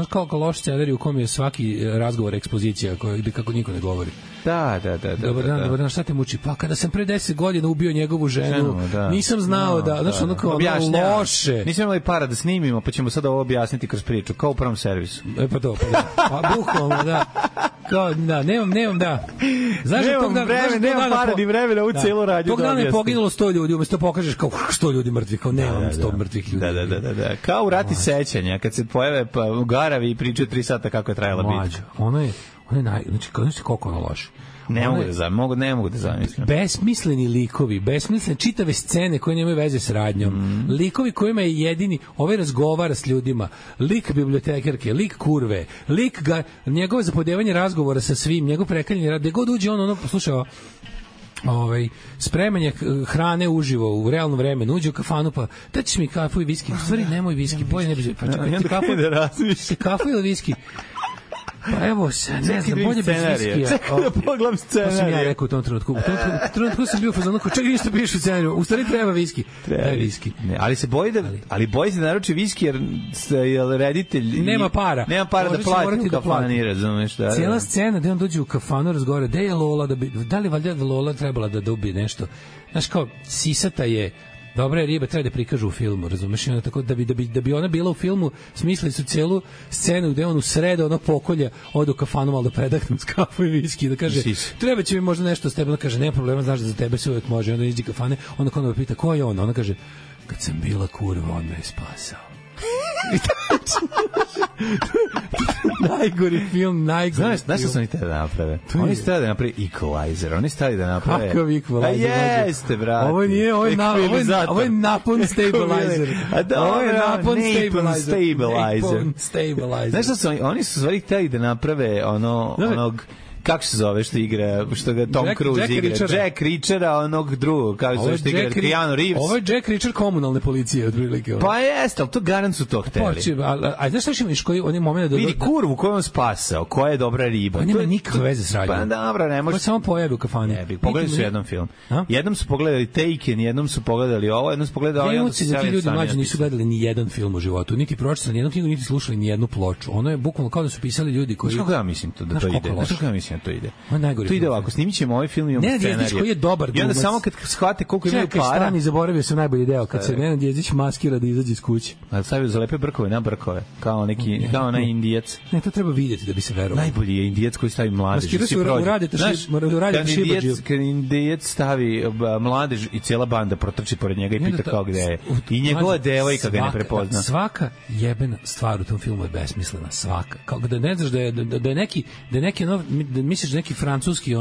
kako loš scenarij u kom je svaki razgovor ekspozicija gde kako niko ne govori. Da. Dobar dan, šta te muči? Pa kada sam pre 10 godina ubio njegovu ženu, nisam znao da, znaš, ono kao loše. Nisam imali para da snimimo, pa ćemo sada ovo objasniti kroz priču, kao u prvom servisu. Pa bukvalno, da. Kao, nemam, da. Znaš, nemam para ni vremena u celu radnju. Tog dana je poginulo 100 ljudi, umesto pokažeš kao 100 ljudi mrtvih, kao nemam 100 mrtvih ljudi. Da. Kao u Rati sećanja, kad se pojave u Garavi i pričaju 3 sata kako je trajala bitka. Ono je znači, koliko ono loše. Ne mogu da zamislim. Besmisleni likovi, besmislene čitave scene koje nemaju veze s radnjom. Likovi kojima je jedini, ovaj razgovara s ljudima, lik bibliotekarke, lik kurve, lik njegovo zapodevanje razgovora sa svim, njegov prekaljeni rad, gde god uđe on slušao spremanje hrane uživo u realnom vremenu, uđe u kafanu pa da ćeš mi kafu i viski, u stvari nemoj viski, bolje ne bi pa čekaj, kafu ili viski. Pa evo se, ne znam, bolje bez viskija. Čekaj da pogledam scenariju. To sam ja rekao u tom trenutku. U tom trenutku sam bio u fazonu, čekaj, ništa piše u scenariju. U stvari treba viski. Treba viski. Ne, ali se boji da naruči viski jer reditelj nema para. Nema para da plati u kafani, razumeš? Cijela scena gde on dođe u kafanu, razgovara, gde je Lola, da li valjda Lola trebala da dobije nešto. Znaš kao, sisata je dobra je riba, treba da prikažu u filmu, razumeš? I onda tako, da bi ona bila u filmu, smislili su celu scenu gde on u sredo ono pokolja, ode u kafanu malo da predahnem s kafu i viski, da kaže, treba će mi možda nešto s tebe, da kaže, nema problema, znaš da za tebe se uvek može, onda iđe kafane, onda kada me pita, ko je on? Ona kaže, kad sam bila kurva, on me je spasao. Najgori film, najgori. Znaš što su oni tada naprave? Oni su tada da naprave Equalizer, oni su tada da naprave. Kakav Equalizer? Jeste, brate. Ovo nije, ovo je napon stabilizer. Ovo je napon stabilizer. Znaš što su oni su stvari hteli da naprave onog kako se zove što igra, što ga Tom Cruise igra? Jack Reachera, onog drugog, kako se zove što igra Keanu Reeves. Ovo je Jack Reacher komunalne policije, otprilike. Pa jeste, ali to garant su to hteli. A znaš što imaš koji oni moment da... Vidi kurvu koju on spasao, koja je dobra riba. On nema nikakve veze s radnjom. Pa dobro, ne može... Ko samo pojavi u kafani. Pogledali su jedan film. Jednom su pogledali Taken, jednom su pogledali ovo, jednom su pogledali ovo, jednom su ti ljudi mlađi nisu gledali ni jedan film u životu, niti pročitali ni jednu knjigu, niti slušali ni jednu ploču. Ono je bukvalno kao da su pisali ljudi koji... Kako ja mislim da to ide? Kako ja mislim da to ide? To ide ovako, snimit ćemo ovaj film i imamo scenariju. Nenad Jezdić koji je dobar glumac. I onda samo kad shvate koliko imaju para... Čekaj, stani, zaboravio sam najbolji deo, kad se Nenad Jezdić maskira da izađe iz kuće. A stavio zalepe brkove na brkove, kao onaj Indijac. Ne, to treba vidjeti da bi se verovalo. Najbolji je Indijac koji stavi mladež. Maskira se uradite šibađiju. Kad Indijac stavi mladež i cijela banda protrči pored njega i pita kao gde je. I njegova devojka ga ne prepozna. Svaka jebena stvar u tom filmu je besmislena, svaka. Kao da ne znaš da je neki misliš da neki francuski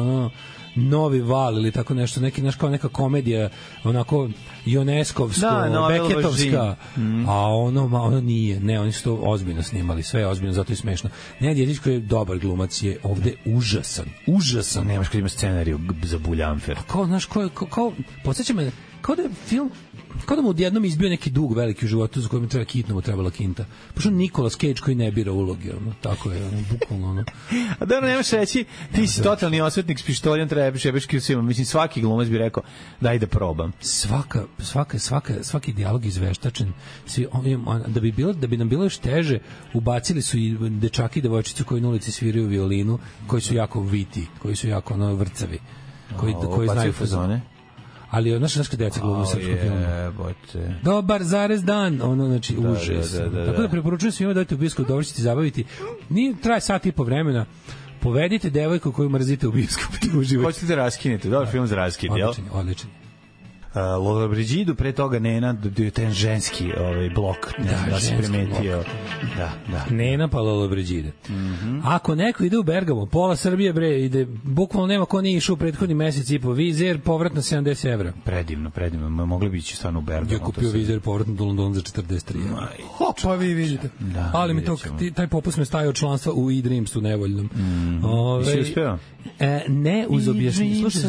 novi val ili tako nešto, kao neka komedija onako Ioneskovsko, Beketovska, a ono nije, ne, oni su to ozbiljno snimali, sve je ozbiljno, zato je smešno. Nenad Jezdić koji je dobar glumac je ovde užasan. Nemaš kad ima scenariju za Buljanfer. Kao, znaš, podsjeća me, kao da je film, kao da mu odjednom izbio neki dug veliki u životu za kojim treba hitno mu trebala kinta. Pošto Nicolas Cage koji ne bira uloge, tako je, bukvalno. A dobro, nemaš reći, ti si totalni osvetnik s pištoljem, trebaš jebeški u svima. Mislim, svaki glumac bi rekao, daj da probam. Svaki dijalog izveštačen. Da bi nam bilo još teže, ubacili su i dečaki i devojčicu koji na ulici sviraju violinu, koji su jako viti, koji su jako vrcavi, koji znaju fazone. Ali naša deca glume u srpskom filmu. Dobar zarez dan, znači užas. Tako da preporučujem svima da dajte u bioskop, dobro ćete zabaviti. Nije traje sat i po vremena. Povedite devojku koju mrzite u bioskopu da uživate. Hoćete da raskinete, dobar film za raskid, jel? Odličan. Lollobrigidu, pre toga Nena, ten ženski blok, da se primetio. Da. Nena pa Lollobrigida. Ako neko ide u Bergamo, pola Srbije ide, bukvalno nema ko nije išao u prethodni mesec i po, vizer, povrat na 70 evra. Predivno, mogli bi ići stvarno u Bergamo. Ja kupio vizer, povrat na London za 43 evra. Pa vi vidite. Ali mi taj popust me stajao članstva u e-Dreamsu nevoljnom. Si uspeo? Ne, uz objašnjenje. Slušaj,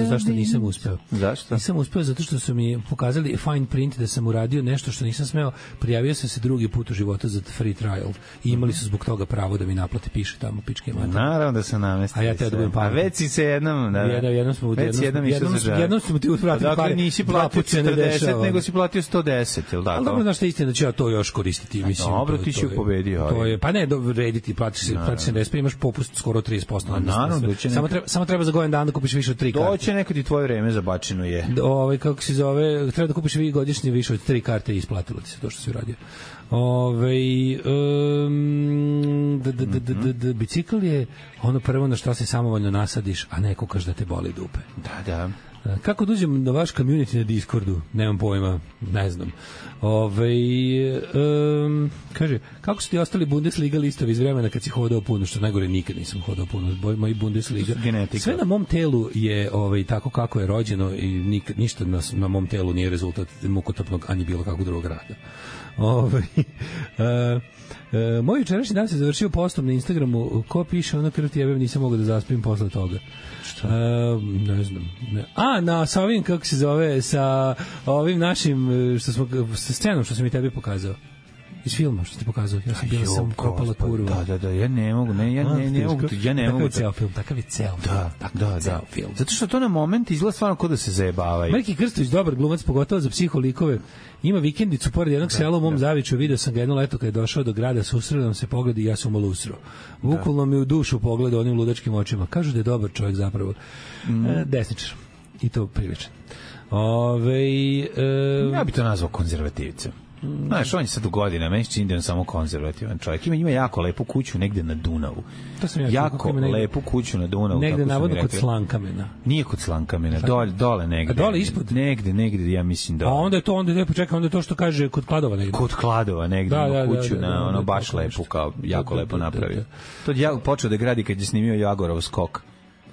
zašto nisam uspeo? Zašto? Nisam uspeo zato što su mi pokazali fine print da sam uradio nešto što nisam smeo. Prijavio sam se drugi put u životu za free trial i imali su zbog toga pravo da mi naplate, piše tamo pičke mater. Naravno da sam namestio. A ja te da budem pametan. A već si se jednom... Jednom smo ti uspratili pare. Dakle, nisi platio 40, nego si platio 110, je li tako? Ali dobro, znaš šta je istina da ću ja to još koristiti. Dobro, ti si pobedio. Pa ne, rediti, platiš 70, imaš popust skoro 30%. Naravno, samo treba za godin dan da kupiš više od 3 karte. Doće nekad i tvoje vreme zabačeno je. Kako se zove, treba da kupiš godišnje više od 3 karte i isplatilo ti se to što si uradio. Bicikl je ono prvo na što se samovoljno nasadiš, a ne kukaš da te boli dupe. Da. Kako dođem na vaš community na Discordu? Nemam pojma, ne znam. Kaže, kako su ti ostali Bundesliga listovi iz vremena kad si hodao puno, što najgore nikad nisam hodao puno, moji Bundesliga. Genetika. Sve na mom telu je tako kako je rođeno i ništa na mom telu nije rezultat mukotrpnog ani bilo kakvog drugog rada. Moj jučerašnji dan se završio postom na Instagramu. Ko piše ono krv ti jebem, nisam mogao da zaspim posle toga. Ne znam. Sa ovim, kako se zove, sa ovim našim sa scenom što sam i tebi pokazao. Iz filma što ti pokazao. Ja sam bila sam kopala kurva. Da, ja ne mogu, Takav je ceo film. Zato što to na moment izgleda stvarno kao da se zajebavaju. Marki Krstović, dobar glumac, pogotovo za psiholikove. Ima vikendicu pored jednog sela u mom Zaviču, video sam ga jedno leto kad je došao do grada, susreo nam se pogled i ja sam malo usro. Bukvalno mi u dušu pogled onim ludačkim očima. Kažu da je dobar čovjek zapravo. Desničar. I to priličan. Ja bi to nazvao konzervativicem. Znaš, on je sad u godina, meni se čini da je samo konzervativan čovjek. Ima jako lepu kuću negde na Dunavu. Jako lepu kuću na Dunavu. Negde navodno kod Slankamena. Nije kod Slankamena, dole negde. A dole ispod? Negde, ja mislim dole. A onda je to što kaže kod Kladova negde. Kod Kladova negde, kuću na ono baš lepu, kao jako lepo napravio. To je počeo da gradi kad je snimio Jagorov skok.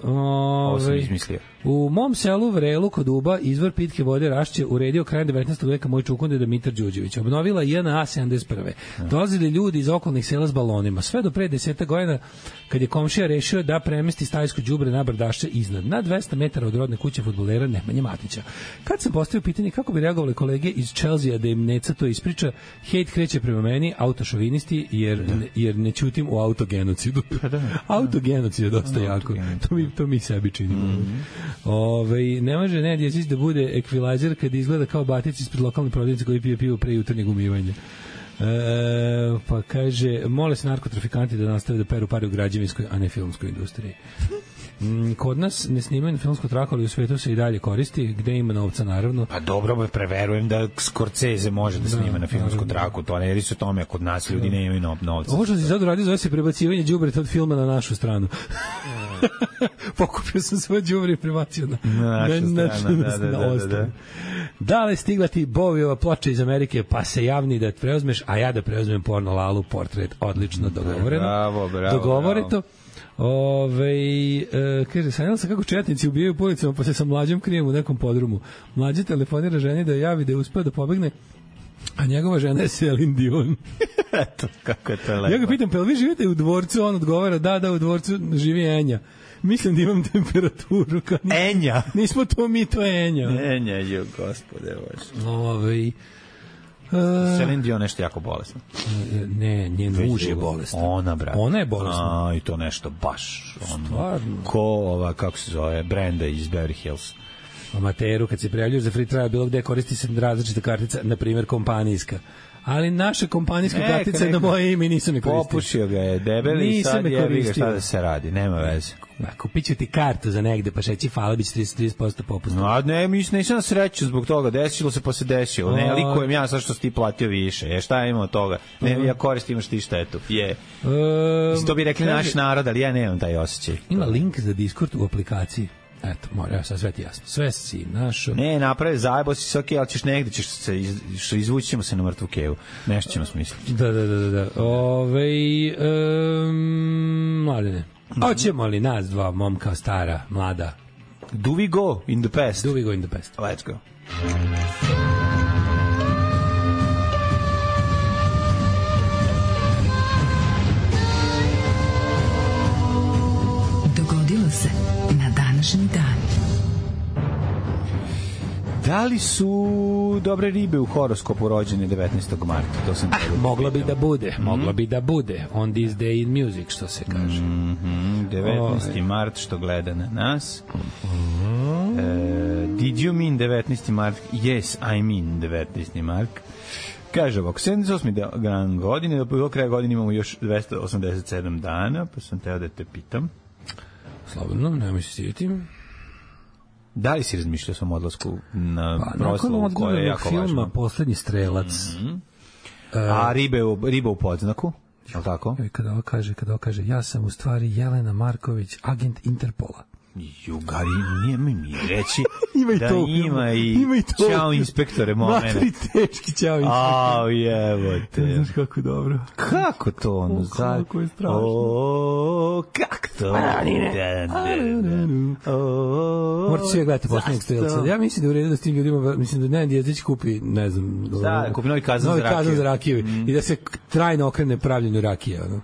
Ovo sam izmislio. U mom selu Vrelu kod Uba izvor pitke vode Rašće uredio krajem 19. veka moj čukunde Dimitar Đuđević. Obnovila JNA 71. Dolazili ljudi iz okolnih sela s balonima. Sve do pre 10 godina kad je komšija rešio da premesti stajsko đubre na brdašće iznad. Na 200 metara od rodne kuće fudbalera Nemanje Matića. Kad sam postavio pitanje kako bi reagovali kolege iz Chelsea da im Neca to ispriča, hejt kreće prema meni, autošovinisti, jer ne ćutim u autogenocidu. Autogenocid je dosta jako. To mi sebi činimo. Ne može Nedjezić da bude ekvilajzer kad izgleda kao Batić ispred lokalne prodavnice koji pije pivo pre jutarnjeg umivanja. Pa kaže, mole se narkotrafikanti da nastave da peru pare u građevinskoj, a ne filmskoj industriji. Kod nas ne snimaju na filmsku traku, ali u svetu se i dalje koristi, gde ima novca naravno. Pa dobro, preverujem da Scorsese može da snima na filmsku traku, to ne se o tome, kod nas ljudi ne imaju novca. Ovo što si sad uradio zove se prebacivanje đubreta od filma na našu stranu. Pokupio sam svoje đubre i prebacio na našu stranu. Da li stigla ti Boviova ploča iz Amerike, pa se javni da preuzmeš, a ja da preuzmem porno Lalu portret, odlično dogovoreno. Dogovoreno. Kaže, sanjala sam kako četnici ubijaju po ulicama, pa se sa mlađom krijem u nekom podrumu. Mlađi telefonira ženi da javi da je uspeo da pobegne, a njegova žena je Celine Dion. Eto, kako je to lepo. Ja ga pitam, pa vi živite u dvorcu? On odgovara, da, u dvorcu živi Enja. Mislim da imam temperaturu. Enja? Nismo to mi, to je Enja. Enja, jo, gospode Bože. Celine Dion nešto jako bolesno. Ne, njen muž je bolesno. Ona, brate. Ona je bolesna. I to nešto baš. Stvarno. Ko kako se zove, Brenda iz Beverly Hills. Amateru, kad se prijavljuš za free trial, bilo gde koristi se različita kartica, na primjer kompanijska. Ali naša kompanijska kartica je na moje ime i nisam je koristio. Popušio ga je debeli i sad jebi ga šta da se radi, nema veze. Kupit ću ti kartu za negde, pa šeći hvala, bit će 30% popusta. No, ne, nisam na sreću zbog toga, desilo se pa se desilo. Ne, likujem ja sad što si ti platio više. Šta ima od toga? Ne, ja koristim, imaš ti štetu. To bi rekli naš narod, ali ja nemam taj osjećaj. Ima link za Discord u aplikaciji. Eto, mora, sve ti jasno. Sve si našo. Ne, napravi, zajebo si se, ali ćeš negde, ćeš se, izvući ćemo se na mrtvu kevu. Nešto ćemo smisliti. Da. Mladene. Hoćemo li nas dva, momka stara, mlada? Do we go in the past? Do we go in the past? Let's go. Dogodilo se na današnji dan. Da li su dobre ribe u horoskopu rođene 19. marta? To sam mogla bi da bude. On this day in music, što se kaže. 19. mart, što gleda na nas. Did you mean 19. mart? Yes, I mean 19. mart. Kaže ovako, 78. godine, do kraja godine imamo još 287 dana, pa sam teo da te pitam. Slobodno, nemoj se sjetiti. Da li si razmišljao sam odlasku na proslavu koja je jako važna? Filma Poslednji strelac. A riba u podznaku? Je li tako? Kada ovo kaže, ja sam u stvari Jelena Marković, agent Interpola. Jugari, nije mi reći Ima i da to. Ima i Ćao inspektore momene. Matri tečki, ćao inspektore. Au, jebote. Znaš kako dobro. Kako to ono? Kako je strašno. O, kako to? Morate svi gledati Poslednjeg strelca. Ja mislim da u redu da s tim ljudima, mislim da Nenad Jezdić kupi, ne znam, da, kupi novi kazan za rakiju i da se trajno okrene pravljenju rakije. Ono.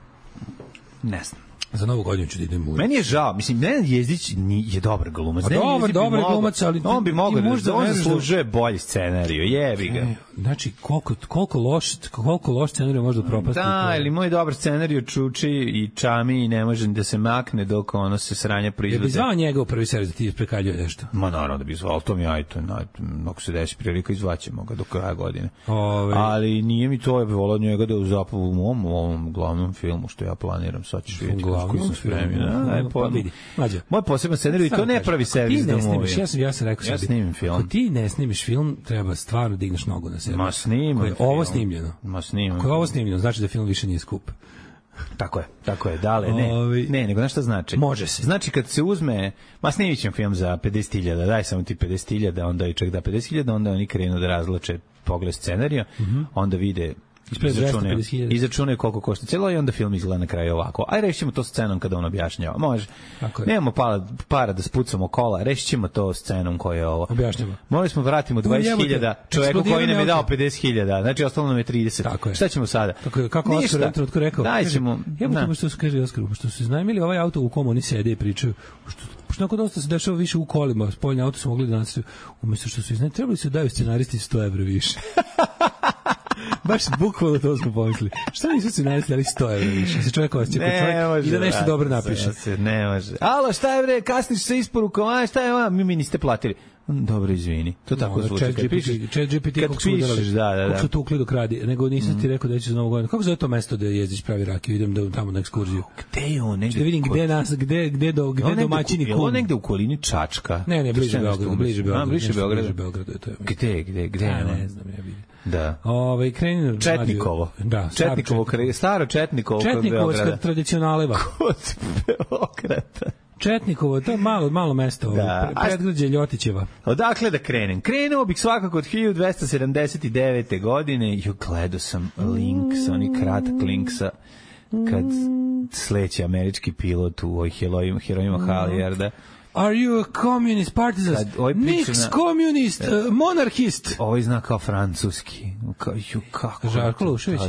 Ne znam. Za Novu godinu ću da idem u... Meni je žao, mislim, Nenad Jezdić je dobar glumac. Dobar glumac, ali... On bi mogao da on zaslužuje bolji scenariju, jebi ga. Znači, koliko loš scenariju može da propasti. Da, ili moj dobar scenariju čuči i čami i ne može da se makne dok ono se sranja proizvode. Je bi zvao njega u prvi servis da ti isprekaljuje nešto? Ma naravno da bi zvao, to mi je ajto, ako se desi prilika izvaćemo ga do kraja godine. Ali nije mi to, ja bih volao njega da u ovom glavnom filmu što ja planiram, sad ćeš vidjeti koji sam spremio. Moj poseban scenarij, to ne pravi servis da movi. Ja sam rekao ja snimim film. Ako ti ne snimiš film, treba stvarno digneš nogu na sebe. Ma snimam. Ovo snimljeno. Ma snimam. Ako je ovo snimljeno, znači da film više nije skup. Tako je, dale, ne, nego znaš šta znači? Može se. Znači kad se uzme, ma snimit ćem film za 50.000, daj samo ti 50.000, onda i čak da 50.000, onda oni krenu da razlače pogled scenarija, onda vide izračunaju koliko košta celo i onda film izgleda na kraju ovako. Aj rešimo to scenom kada on objašnjava. Može. Nemamo para da spucamo kola, rešićemo to scenom koja je ovo. Objašnjava. Morali smo vratimo 20.000 čoveku koji nam je dao 50.000, znači ostalo nam je 30. Šta ćemo sada? Kako Oskar trenutku rekao? Daćemo. Što se kaže Oskaru, što su iznajmili ovaj auto u kom oni sede i pričaju. Pošto nakon dosta se dešava više u kolima, spoljne auto su mogli da nas umesto što su iznajmili, trebali su daju scenaristi 100 € više. Baš bukvalno to smo pomislili. Šta nisu scenaristi dali 100 € više? Se čovjek osjeća i da nešto dobro napiše. Ne može. Alo, šta je bre, kasniš sa isporukom, šta je vam? Mi niste platili. Dobro, izvini. To tako zvuči. Chat GPT kako su udarali. Kako su tukli dok radi. Nego nisam ti rekao da će za Novu godinu. Kako zove to mesto da Jezdić pravi rakiju? Idem tamo na ekskurziju. Gde je on? Da vidim gde domaćini kum. On negde u okolini Čačka. Ne, bliže Beogradu. Gde? Ne znam, ja vidim. Da. Kreni Četnikovo. Da, staro Četnikovo kod Beograda. Četnikovska tradicionaleva. Kod Beograda. Četnikovo, to je malo mesto, predgrađe Ljotićeva. Odakle da krenem? Krenuo bih svakako od 1279. godine. Gledao sam link, oni kratak link sa kad sleće američki pilot u ovih herojima Halliarda. Are you a communist partisan? Nix communist, monarchist. Ovo zna kao francuski. Kako? Žarko Lušević.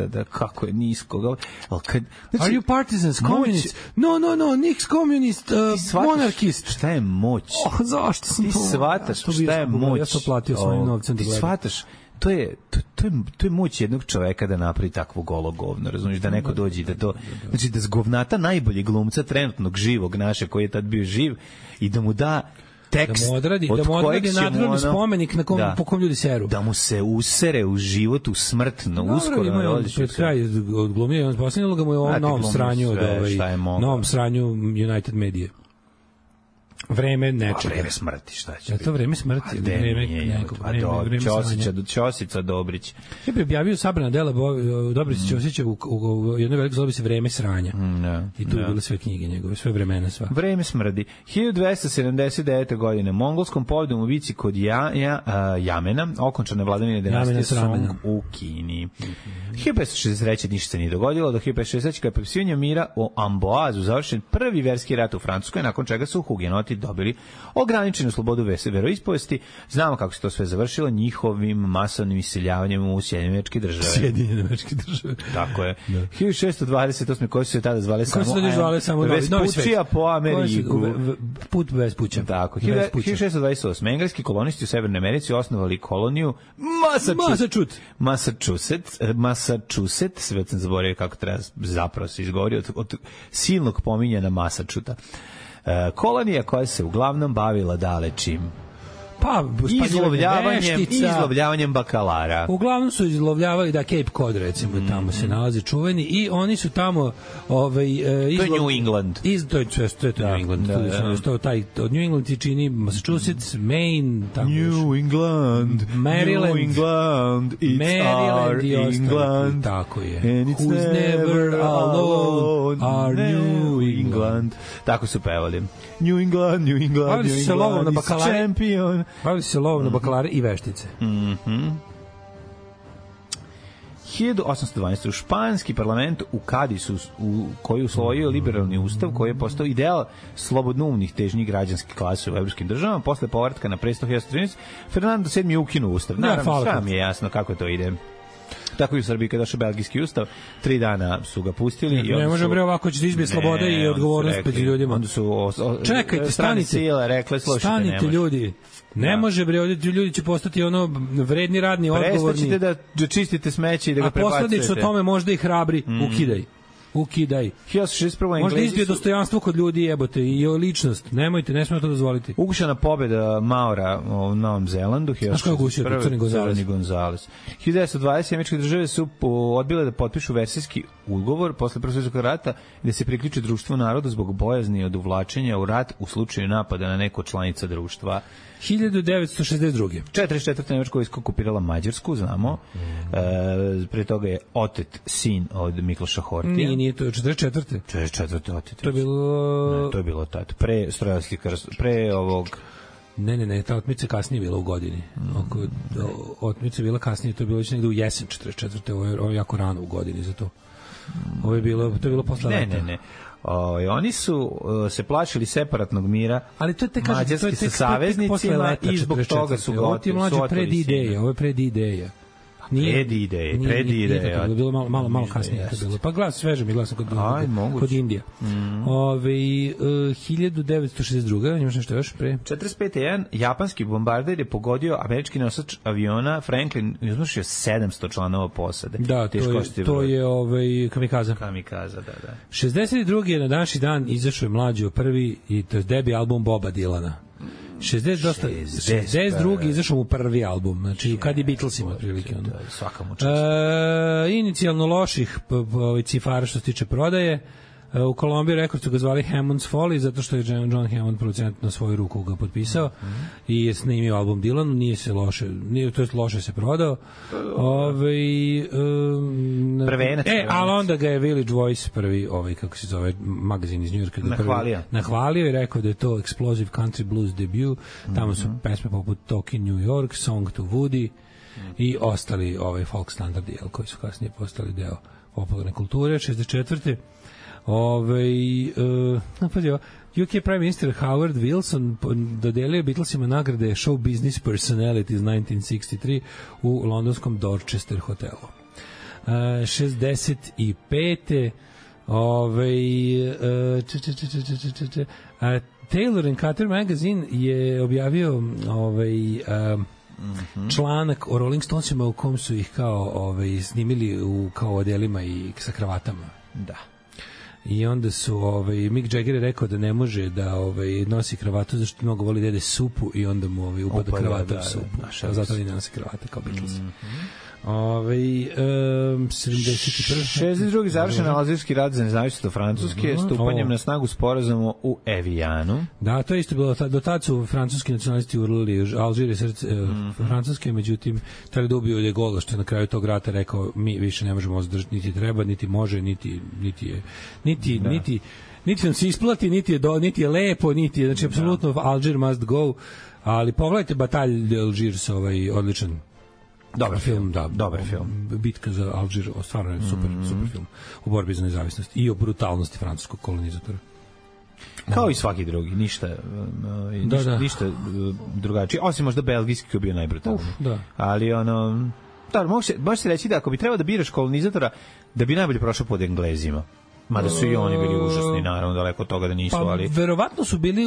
Da, kako je nisko. Are you partisans, communist? No, Nix communist, monarchist. Šta je moć? Zašto sam to? Ti shvataš šta je moć? Ja sam platio svojim novcem da gledam. Ti shvataš? To je moć jednog čoveka da napravi takvo golo govno, razumiješ, da neko dođe i da to, znači da zgovnata najbolje glumca trenutnog živog naše koji je tad bio živ i da mu da tekst da mu odradi nadgrobni spomenik na po kom ljudi seru. Da mu se usere u život, u smrtno, uskoro. Pred kraj odglumio, on posljednilo ga mu je ovom novom sranju novom sranju United Media. Vreme nečega. Vreme smrti, šta će biti? To vreme smrti. Vreme Ćosica Dobrić. Ja bih objavio sabrana dela Dobrić Ćosića u jednoj velikoj zlobi se Vreme sranja. I tu je bile sve knjige njegove, sve vremena sva. Vreme smrdi. 1279. godine mongolskom pobjedom u bici kod Jamena okončane vladavine dinastije Song u Kini. 1563. ništa se nije dogodilo, do 1563. kada je potpisivanje mira o Amboazu završen prvi verski rat u Francuskoj, nakon čega su hugenoti dobili ograničenu slobodu veroispovesti. Znamo kako se to sve završilo njihovim masovnim iseljavanjem u Sjedinjene Američke Države. Tako je. 1628. koji su se tada zvale samo Vespučija po Ameriku. Put Vespuća. Tako. 1628. Engleski kolonisti u Severnoj Americi osnovali koloniju Massachusetts, sve sam zaboravio kako treba zapravo se izgovori od silnog pominjanja Massachusetts. Kolonija koja se uglavnom bavila dalečim. Pa, izlovljavanjem bakalara. Uglavnom su izlovljavali, da, Cape Cod, recimo, tamo se nalazi čuveni, i oni su tamo to je New England. To je New England. Od New England ti čini Massachusetts, Maine, tamo New England, Maryland, it's our England. Tako je. And it's Who's never alone, our New England. Tako su pevali. New England, it's champion. Bavili se lovom na bakalare i veštice. 1812. u španski parlament u Kadisu, koji je usvojio liberalni ustav, koji je postao ideal slobodnoumnih težnjih građanskih klasa u evropskim državama. Posle povratka na presto 1913. Fernando VII je ukinuo ustav. Naravno, sve mi je jasno kako to ide. Tako i u Srbiji, kada došao belgijski ustav, 3 dana su ga pustili. Ne može bre, ovako će izbije sloboda i odgovornost pred ljudima. Onda su čekajte, stanite ljudi. Ne može bre, ljudi će postati ono vredni, radni, odgovorni. Prestaćete da čistite smeće i da ga prebacujete. A posledično tome možda i hrabri, ukidaj. 1961. Možda izbije dostojanstvo kod ljudi, jebote, i ličnost. Nemojte, ne smemo to dozvoliti. Ugušena pobjeda Maura u Novom Zelandu. Znaš kako je ugušio? Crni Gonzales. 1920. američke države su odbile da potpišu versijski ugovor posle Prvog svjetskog rata i da se priključe društvu naroda zbog bojazni od uvlačenja u rat u slučaju napada na neko članica društva. 1962. 44. Nemačka vojska okupirala Mađarsku, znamo. Pre toga je otet sin od Mikloša Hortija. Nije to 44. 44. otet. To je bilo... Ne, to je bilo tad. Pre ovog... Ne, ta otmica kasnije bila u godini. Otmica bila kasnije, to je bilo već negde u jesen 44. Ovo je jako rano u godini za to. To je bilo posle leta. Ne. Oni su se plašili separatnog mira, ali to je Mađarski sa saveznicima i zbog toga su ovo ti je mlađe pred-ideja, ovo je pred-ideja. Pred-ideja. To je bilo malo kasnije. Pa glas sveže mi glasom kod Indija. 1962. Imaš nešto još pre? 45. jedan japanski bombarder je pogodio američki nosač aviona Franklin i iznošio 700 članova posade. Da, to je Kamikaza. Kamikaza, da. 62. na današnji dan izašao je mlađo prvi, i to je debi album Boba Dylana. 62. izašao mu prvi album, znači kad je Beatlesima otprilike. Svaka mu čast. Inicijalno loših cifara što se tiče prodaje. U Columbia Records su ga zvali Hammond's Folly, zato što je John Hammond producent na svoju ruku ga potpisao i je snimio album Dylan, loše se prodao. Ali onda ga je Village Voice, prvi, kako se zove, magazin iz Njujorka, nahvalio i rekao da je to Explosive Country Blues debut. Tamo su pesme poput Talking New York, Song to Woody i ostali folk standardi, koji su kasnije postali deo popularne kulture. 64. UK Prime Minister Howard Wilson dodelio Beatlesima nagrade Show Business Personalities 1963 u londonskom Dorchester hotelu. 65. Taylor and Carter magazine je objavio članak o Rolling Stonesima u kom su ih kao snimili u kao odelima i sa kravatama. Da. I onda su Mick Jagger je rekao da ne može da nosi kravatu zašto mnogo voli da jede supu i onda mu upada kravata u supu. Zato ne nosi kravata kao Beatles. 62. završen Alžirski rat za nezavisnost Francuske stupanjem na snagu sporazuma u Evijanu. Da, to je isto bilo. Do tad su francuski nacionalisti urlili Alžir je srce Francuske, međutim tada dobio je Gola što je na kraju tog rata rekao mi više ne možemo zadržati, niti treba, niti može, niti nam se isplati, niti je lepo, znači apsolutno Alžir must go, ali pogledajte Batalj Alžirs, odličan dobar film. Bitka za Alžir, stvarno je super film u borbi za nezavisnost i o brutalnosti francuskog kolonizatora. Kao i svaki drugi, ništa drugačije, osim možda belgijski koji je bio najbrutalniji. Ali može se reći da ako bi trebao da biraš kolonizatora, da bi najbolje prošao pod Englezima. Mada su i oni bili užasni, naravno, daleko od toga da nisu, ali... Verovatno su bili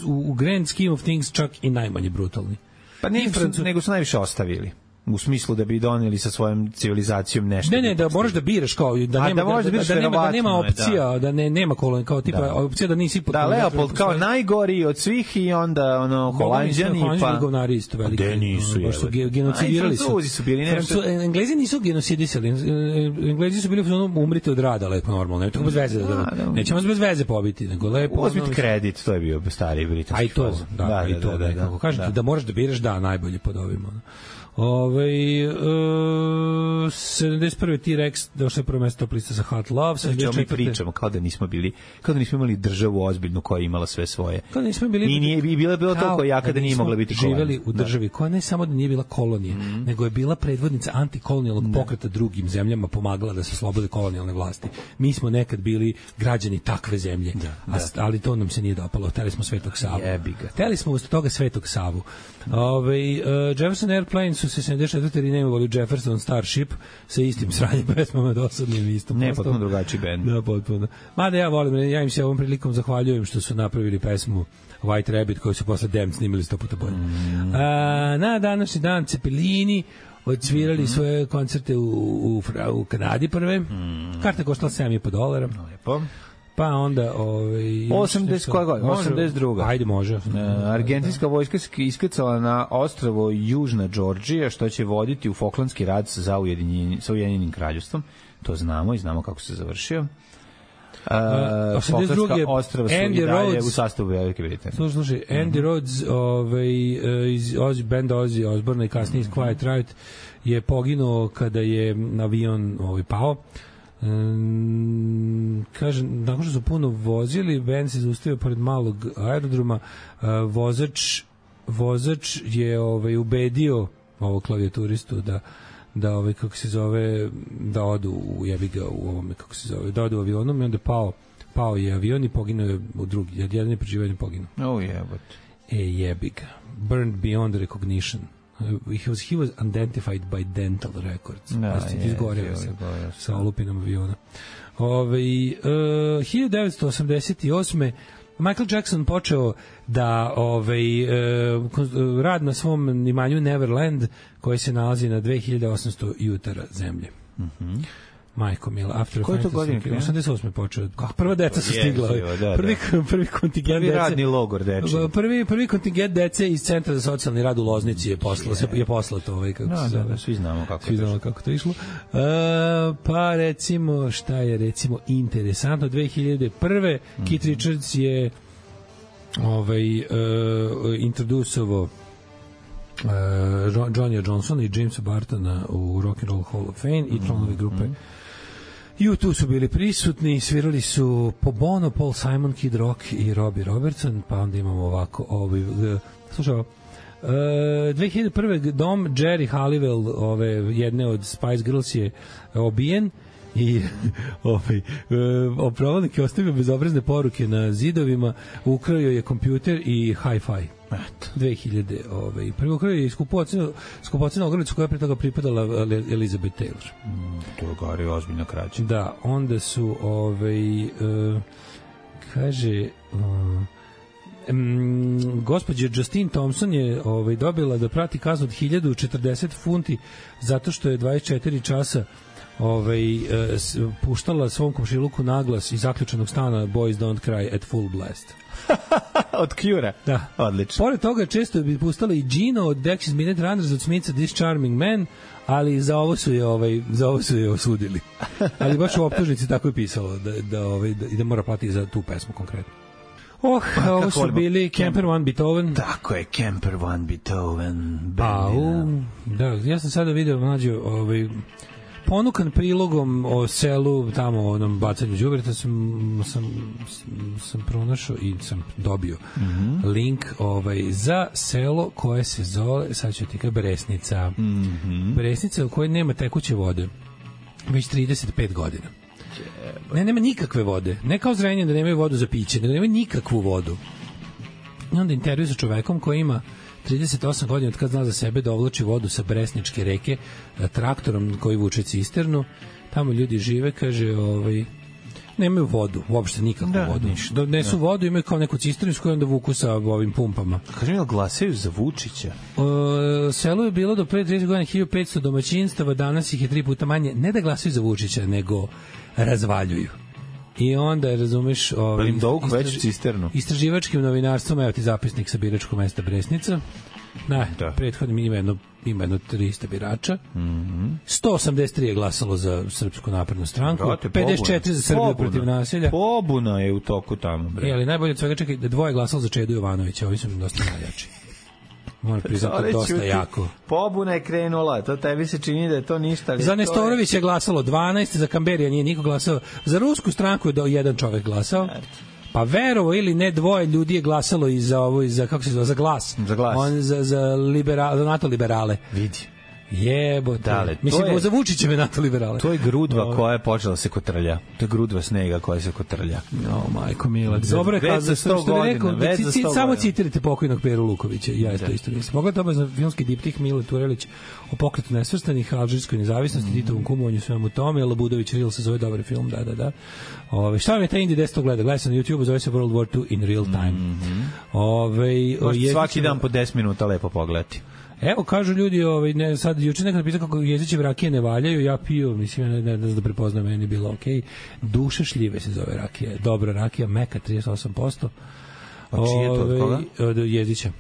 u grand scheme of things čak i najmanje brutalni. Pa nije, nego su najviše ostavili. u smislu da bi doneli sa svojom civilizacijom nešto. Ne, da možeš da biraš kao da nema opcija, da nema kolonija kao tipa opcija da nisi da Leopold kao najgori od svih i onda Holanđani pa govnari isto veliki. Da nisu su genocidirali su bili nešto. Englezi nisu genocidisali. Englezi su bili umrite od rada lepo normalno. Ne tako bez veze nećemo bez veze pobiti, nego lepo uzmite kredit, to je bio stari britanski. Aj to, da, kako kažete da možeš da biraš najbolje pod ovim. 71. T-Rex došao prvo mesto top lista za Hot Love. Mi pričamo kao da nismo imali državu ozbiljnu koja je imala sve svoje. Kao da nismo bili i nije bilo toliko jaka da nije mogla biti kolonija. Živeli u državi koja ne samo da nije bila kolonija, nego je bila predvodnica antikolonijalnog pokreta drugim zemljama, pomagala da se oslobode kolonijalne vlasti. Mi smo nekad bili građani takve zemlje, ali to nam se nije dopalo. Hteli smo Svetog Savu. Hteli smo usto toga Svetog Savu. Jefferson Airplane su se 74. reimenovali Jefferson Starship sa istim sranjem pesmama dosadnim istom. Ne, potpuno drugačiji bend. Da, potpuno. Mada ja volim, ja im se ovom prilikom zahvaljujem što su napravili pesmu White Rabbit koju su posle Damned snimili 100 puta bolje. Na današnji dan Cepelini odsvirali svoje koncerte u Kanadi prve. Karta koštala $7,5. Lepo. Pa onda 82. Ajde, može. Argentinska vojska se iskrcala na ostrvo Južna Džordžija, što će voditi u Falklandski rat sa Ujedinjenim kraljevstvom. To znamo i znamo kako se završio. Falklandska ostrva su i dalje u sastavu Velike Britanije. Slušaj, Andy Rhodes iz benda Ozzy Osbourne i kasnije iz Quiet Riot je poginuo kada je avion pao. Kažem, nakon što su puno vozili, band se zaustavio pored malog aerodroma, vozač je ubedio ovog klavijaturistu da kako se zove, da odu u jebiga u ovome, kako se zove, da odu u avionom i onda pao je avion i poginuo je u drugi, jedan je preživljen poginuo. Jebiga. Burned beyond recognition. He was identified by dental records. Izgoreo se sa olupinom aviona. 1988. Michael Jackson počeo da rad na svom imanju Neverland, koji se nalazi na 2800 jutara zemlje. Majko Mila, Koje to godine? 88. počeo. Prva deca su stigla. Prvi kontingent dece. Prvi radni logor deče. Prvi kontingent dece iz Centra za socijalni rad u Loznici je poslato. Svi znamo kako to išlo. Pa recimo, šta je recimo interesantno, 2001. Keith Richards je introducovao Johnny Johnsona i Jamesa Bartona u Rock and Roll Hall of Fame i članovi grupe U2 su bili prisutni, svirali su Po Bono, Paul Simon, Kid Rock i Robbie Robertson, pa onda imamo ovako slušaj, 2001. dom Jerry Halliwell, jedne od Spice Girls je obijen i provodnik je ostavio bezobrazne poruke na zidovima, ukrao je kompjuter i hi-fi. 2000 prvo kraj je skupocena ogrlicu koja je pre toga pripadala Elizabeth Taylor. To je gari ozbiljno kraće. Da, onda su kaže gospođa Justine Thompson je dobila da prati kaznu od 1040 funti zato što je 24 časa puštala svom komšiluku naglas iz zaključenog stana Boys Don't Cry at Full Blast. Od Cure? Da. Odlično. Pored toga često bi pustala i Gino od Dexys Midnight Runners, od Smitha This Charming Man, ali za ovo su je osudili. Ali baš u optužnici tako je pisalo da mora platiti za tu pesmu konkretno. Ovo su bili Camper One Beethoven. Tako je, Camper One Beethoven. Da, ja sam sada video mlađo ponukan prilogom o selu tamo o onom bacanju đubreta sam pronašao i sam dobio link za selo koje se zove, sad ću ti kao Bresnica. Bresnica u kojoj nema tekuće vode već 35 godina. Nema nikakve vode. Ne kao Zrenjanin da nemaju vodu za piće, nego nemaju nikakvu vodu. I onda intervju sa čovekom koji ima 38 godina od kad zna za sebe da ovlači vodu sa Bresničke reke traktorom koji vuče cisternu. Tamo ljudi žive, kaže, nemaju vodu, uopšte nikakvu vodu. Donesu vodu, imaju kao neku cisternu s kojom onda vuku sa ovim pumpama. Kažem, jel glasaju za Vučića? Selo je bilo do pre 30 godina 1500 domaćinstava, danas ih je 3 puta manje. Ne da glasaju za Vučića, nego razvaljuju. I onda, razumeš... Pa im dovuku veću cisternu. Istraživačkim novinarstvom, evo ti zapisnik sa biračkog mesta Bresnica. Prethodnim ima jedno 300 birača. 183 je glasalo za Srpsku naprednu stranku, 54 za Srbiju protiv nasilja. Pobuna je u toku tamo, bre. Ali najbolje od svega, čekaj, da 2 je glasalo za Čedu Jovanovića, ovi su dosta najjači. Moram priznati, dosta jako. Pobuna je krenula, to tebi se čini da je to ništa. Za Nestorović je glasalo 12, za Kamberija nije niko glasao. Za rusku stranku je jedan čovek glasao. Pa verovo ili ne, 2 ljudi je glasalo i za ovo, i za, kako se zove, za glas. Za glas. Za NATO liberale. Vidi. Jebote. Mislim, za Vučićeve NATO liberale. To je grudva koja je počela se kotrlja. To je grudva snega koja se kotrlja. No, majko mila. Dobro je kazao, što bi rekao, samo citirajte pokojnog Peru Lukovića. Ja to isto mislim. Mogla to za filmski diptih Mile Turelić o pokretu nesvrstanih, alžirskoj nezavisnosti, Titovom kumovanju, svemu tome, Labudović Reel se zove, dobar film, da. Šta vam je taj indie desto gleda? Gleda se na YouTube, zove se World War II in real time. Svaki dan po 10 minuta lepo pogledati. Evo, kažu ljudi, sad, juče neko napisao kako jezićeve rakije ne valjaju, ja pio, mislim, ne znam da prepoznam, meni je bilo okej. Duše šljive se zove rakija, dobra rakija, meka 38%. A čije to, od koga? Od Jezića.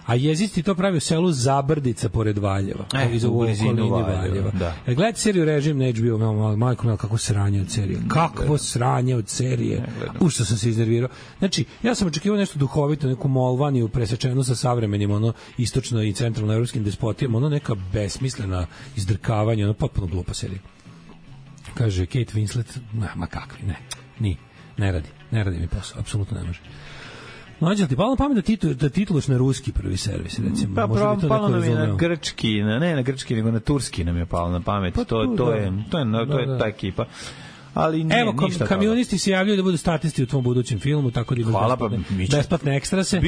A Jezić ti to pravi u selu Zabrdica pored Valjeva. U blizinu Valjeva. Gledajte seriju Režim na HBO, majko mela, kako sranje od serije. Kakvo sranje od serije. Što sam se iznervirao. Znači, ja sam očekivao nešto duhovito, neku Molvaniju presečenu sa savremenim, istočno i centralno evropskim despotijama, neka besmislena izdrkavanja, potpuno glupa serija. Kaže Kate Winslet, ma kakvi, ne radi mi posao, apsolutno ne može. Mlađe, ti palo na pamet da tituluš na ruski prvi servis, recimo? Pa palo nam je na grčki, ne na grčki, nego na turski nam je palo na pamet. To je ta ekipa. Ali nije ništa. Evo, kamionisti se javljaju da budu statisti u tvom budućem filmu, tako da imaš besplatne ekstrase.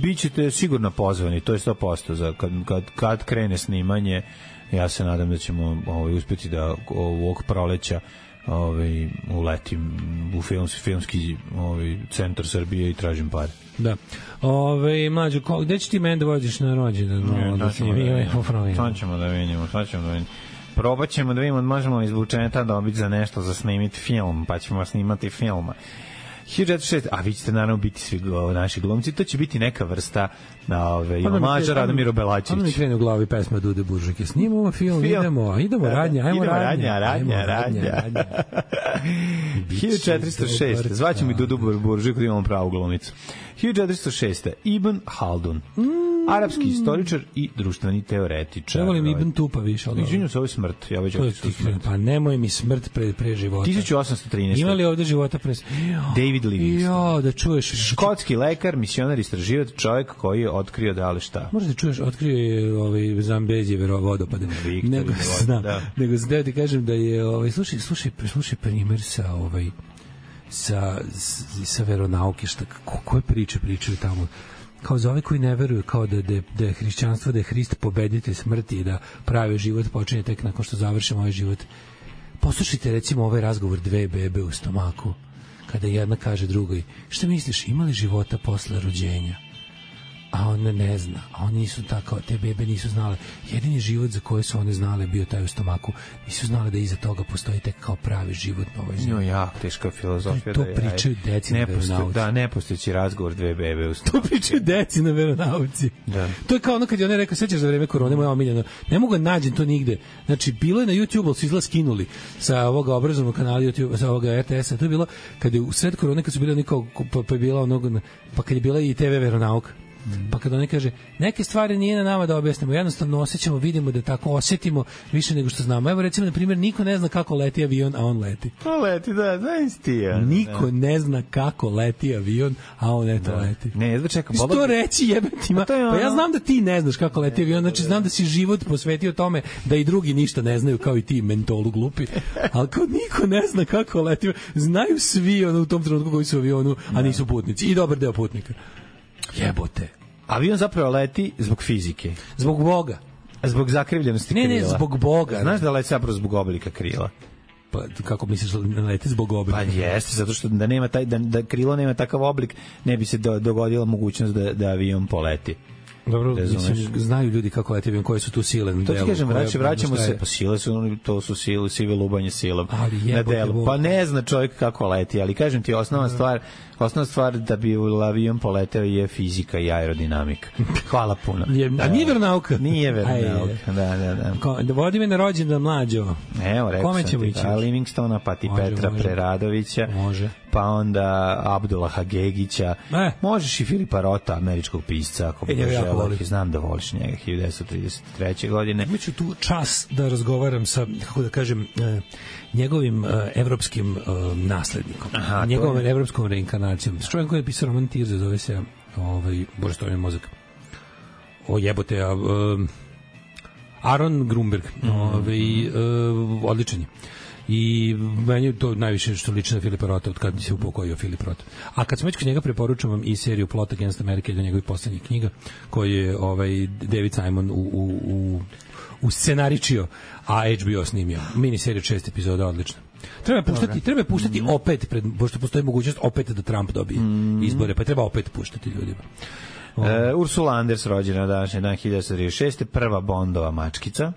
Bićete sigurno pozvani, to je 100%. Kad krene snimanje, ja se nadam da ćemo uspeti da ovog proleća uletim u filmski centar Srbije i tražim pare. Da. Mlađo, gde će ti mene da vođeš na rođendan? Sad ćemo da vidimo. Probat ćemo da vidimo, možemo iz budžeta dobiti za nešto za snimiti film, pa ćemo snimati filma. 1906, a vi ćete naravno biti svi naši glumci, to će biti neka vrsta omaža Radomiru Belačeviću. Ono mi krene u glavi pesma Dude Buržike. Snimamo film, idemo radnja, ajmo radnja. 1406, zvaćemo i Dudu Buržiku da imamo pravu glumicu. 1406. Ibn Haldun, arapski istoričar i društveni teoretičar. Ja volim Ibn Tupa više. Izvinjam se, ovo je smrt. Ja već pa nemoj mi smrt pre života. 1813. Ima li ovde života pre... David Livingstone. Da čuješ. Škotski lekar, misionar, istraživač, čovjek koji je otkrio da li šta. Možda čuješ, otkrio je Zambezijeve vodopade. Nego da ti kažem da je... Slušaj primer sa veronauke, koje priče pričaju tamo, kao za ove koji ne veruju, kao da je hrišćanstvo, da je Hrist pobeditelj smrti i da pravi život počinje tek nakon što završimo ovaj život. Poslušajte recimo ovaj razgovor 2 bebe u stomaku, kada jedna kaže drugoj, šta misliš, ima li života posle rođenja? A ona ne zna, a oni nisu tako, te bebe nisu znale. Jedini život za koje su one znale bio taj u stomaku. Nisu znale da iza toga postoji tek kao pravi život na ovoj zemlji. Jako teška filozofija. To pričaju deci na veronauci. Da, nepostojeći razgovor 2 bebe u stomaku. To pričaju deci na veronauci. Da. To je kao ono kad je ona rekao, sećaš za vreme korone, moja omiljena, ne mogu nađem to nigde. Znači, bilo je na YouTube, ali su izgleda skinuli sa ovoga obrazovnog kanala YouTube, sa ovoga RTS-a. To je bilo kad je u sred korone, kad su bili onako, pa je bila onog, pa kad je bila i TV veronauka. Pa kada oni kaže, neke stvari nije na nama da objasnimo, jednostavno osjećamo, vidimo da tako osjetimo više nego što znamo. Evo recimo, na primjer, niko ne zna kako leti avion, a on leti. To leti, da, znaš ti ja. Niko ne zna kako leti avion, a on eto leti. Ne, jedva čekam. Što reći jebetima? Pa ja znam da ti ne znaš kako leti avion, znači znam da si život posvetio tome da i drugi ništa ne znaju, kao i ti mentolu glupi, ali kao niko ne zna kako leti, znaju svi u tom trenutku koji su u avionu, a nisu putnici. I dobar deo putnika. Jebote. Avion zapravo leti zbog fizike. Zbog Boga. Zbog zakrivljenosti krila. Ne, zbog Boga. Znaš da leti zapravo zbog oblika krila? Pa kako misliš da leti zbog oblika? Pa jeste, zato što da nema taj da krilo nema takav oblik, ne bi se dogodila mogućnost da avion poleti. Dobro, mislim, znaju ljudi kako leti avion, koje su tu sile na delu. To ti kažem, vraćamo se, pa sile su, to su sive lubanje silom na delu. Pa ne zna čovjek kako leti, ali kažem ti, osnovna stvar da bi avion poleteo je fizika i aerodinamika. Hvala puno. A nije veronauka? Nije veronauka, da. Vodi me na rođendan mlađo. Evo, rekao sam ti, Livingstona, pa ti Petra Preradovića, pa onda Abdullaha Gegića, možeš i Filipa Rota, američkog pisca, ako bi želeo. Znam da voliš njega, 1933. godine. Imaću tu čas da razgovaram sa, kako da kažem, njegovim evropskim naslednikom, njegovom evropskom reinkarnacijom. S čovjekom koji je pisao roman Tirza, zove se Bože, stavljam mozak. O jebote, Aron Grunberg, odličan je. I meni je to najviše što liči na Filipa Rota od kada se upokojio Filip Rota. A kad sam već kod njega, preporučujem vam i seriju Plot Against America, do njegovih poslednjih knjiga, koju je David Simon u scenaričio, a HBO snimio. Mini serija 6 epizoda, odlično. Treba puštati opet, pošto postoji mogućnost opet da Trump dobije izbore, pa treba opet puštati ljudima. Ursula Anders, rođena današnji dan 1936. Prva Bondova mačkica.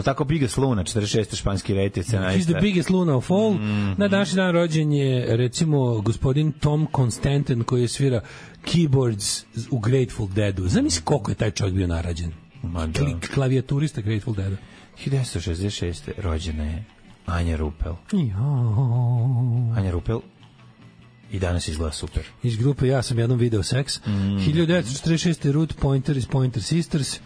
Tako Biggest Luna, 46. španski rejter scenarista. He's the biggest Luna of all. Na današnji dan rođen je, recimo, gospodin Tom Constantin, koji je svira keyboards u Grateful Deadu. Zamisli koliko je taj čovjek bio narađen. Klavijaturista Grateful Deada. 1966. rođena je Anja Rupel. Anja Rupel i danas izgleda super. Iz grupe Ja sam jednom video seks. 1946. Ruth Pointer iz Pointer Sisters.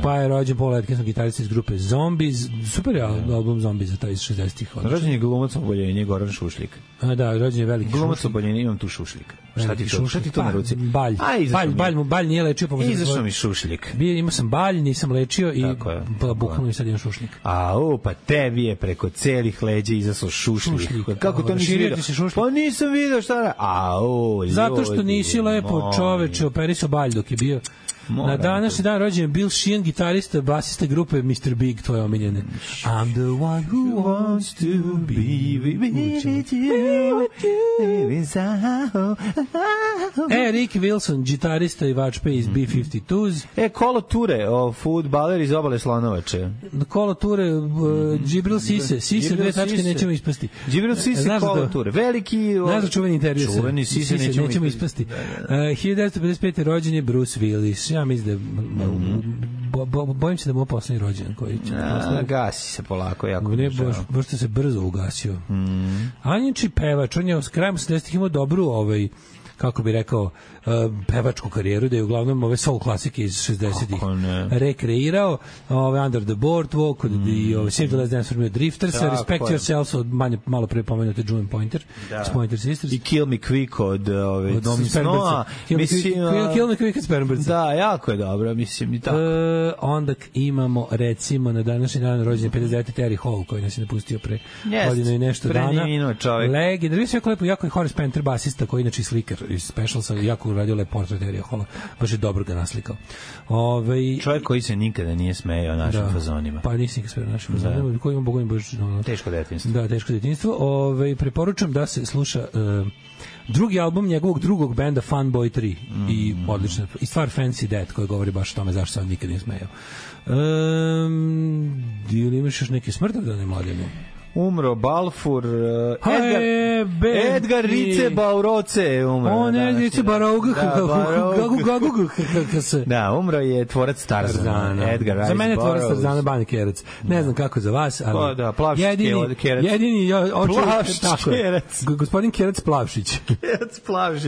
Pa je rođen Paul Atkinson, gitarista iz grupe Zombies. Super je album Zombies za taj iz 60-ih. Rođen je glumac oboljenje Goran Šušlik. Da, rođen je veliki glumac oboljenje, imam tu Šušlika. Šta ti to na ruci? Balj nije lečio. Izašao mi Šušlik. Imao sam balj, nisam lečio i bukvalno mi sad imam Šušlik. Pa tebi je preko celih leđa izašao Šušlik. Kako to nisi vidio? Pa nisam vidio šta. Zato što nisi lepo čoveče operisao balj dok je bio. Na današnji dan rođen je Bill Sheehan, gitarista, basista grupe Mr. Big, tvoje omiljene. I'm the one who wants to be with you. Ricky Wilson, gitarista i vačpe iz B-52s. Kolo Ture, fudbaler iz Obale Slonovače. Kolo Ture, Džibril Sise. Sise, dve tačke, nećemo ispasti. Džibril Sise, Kolo Ture. Veliki... Znaš čuveni intervju. Čuveni Sise, nećemo ispasti. 1955. rođen je Bruce Willis. Ja mislim da bojim se da mu je poslednji rođen koji će gasi se polako jako baš se brzo ugasio. Anjiči pevač, on je s krajem 70-ih imao dobru kako bi rekao, pevačku karijeru, da je uglavnom ove soul klasike iz 60-ih rekreirao, Under the Boardwalk i Save the Last Dance for Me Drifters, Respect Yourself od malo pre pomenute Julian Pointer iz Pointer Sisters i Kill Me Quick od Snowa. Kill Me Quick od Spermberca. Da, jako je dobro, mislim i tako. Onda imamo, recimo, na današnji dan rođen 59. Terry Hall, koji nas je napustio pre godinu i nešto dana. Legend, da jako lepo, jako je Horace Panther, basista, koji inače slikar iz Specialsa, jako uradio lep portret Terry Halla, baš je dobro ga naslikao. Čovjek koji se nikada nije smejao našim fazonima. Pa nisi nikada smejao našim fazonima, koji ima bogovim baš... Teško detinjstvo. Da, teško detinjstvo. Preporučujem da se sluša drugi album njegovog drugog benda Funboy 3 i odlična, i stvar Fancy Death, koji govori baš o tome zašto se on nikada nije smejao. Ili imaš još neke smrtavdane mladene? Umro Balfour, Edgar Rice Bauroce umro. Edgar Rice Bauroce. Da, umro je tvorac Tarzana. Edgar Rice. Za mene je tvorac Tarzana Bani Kerac. Ne znam kako za vas, ali jedini Plavšić Kerac. Gospodin Kerac Plavšić.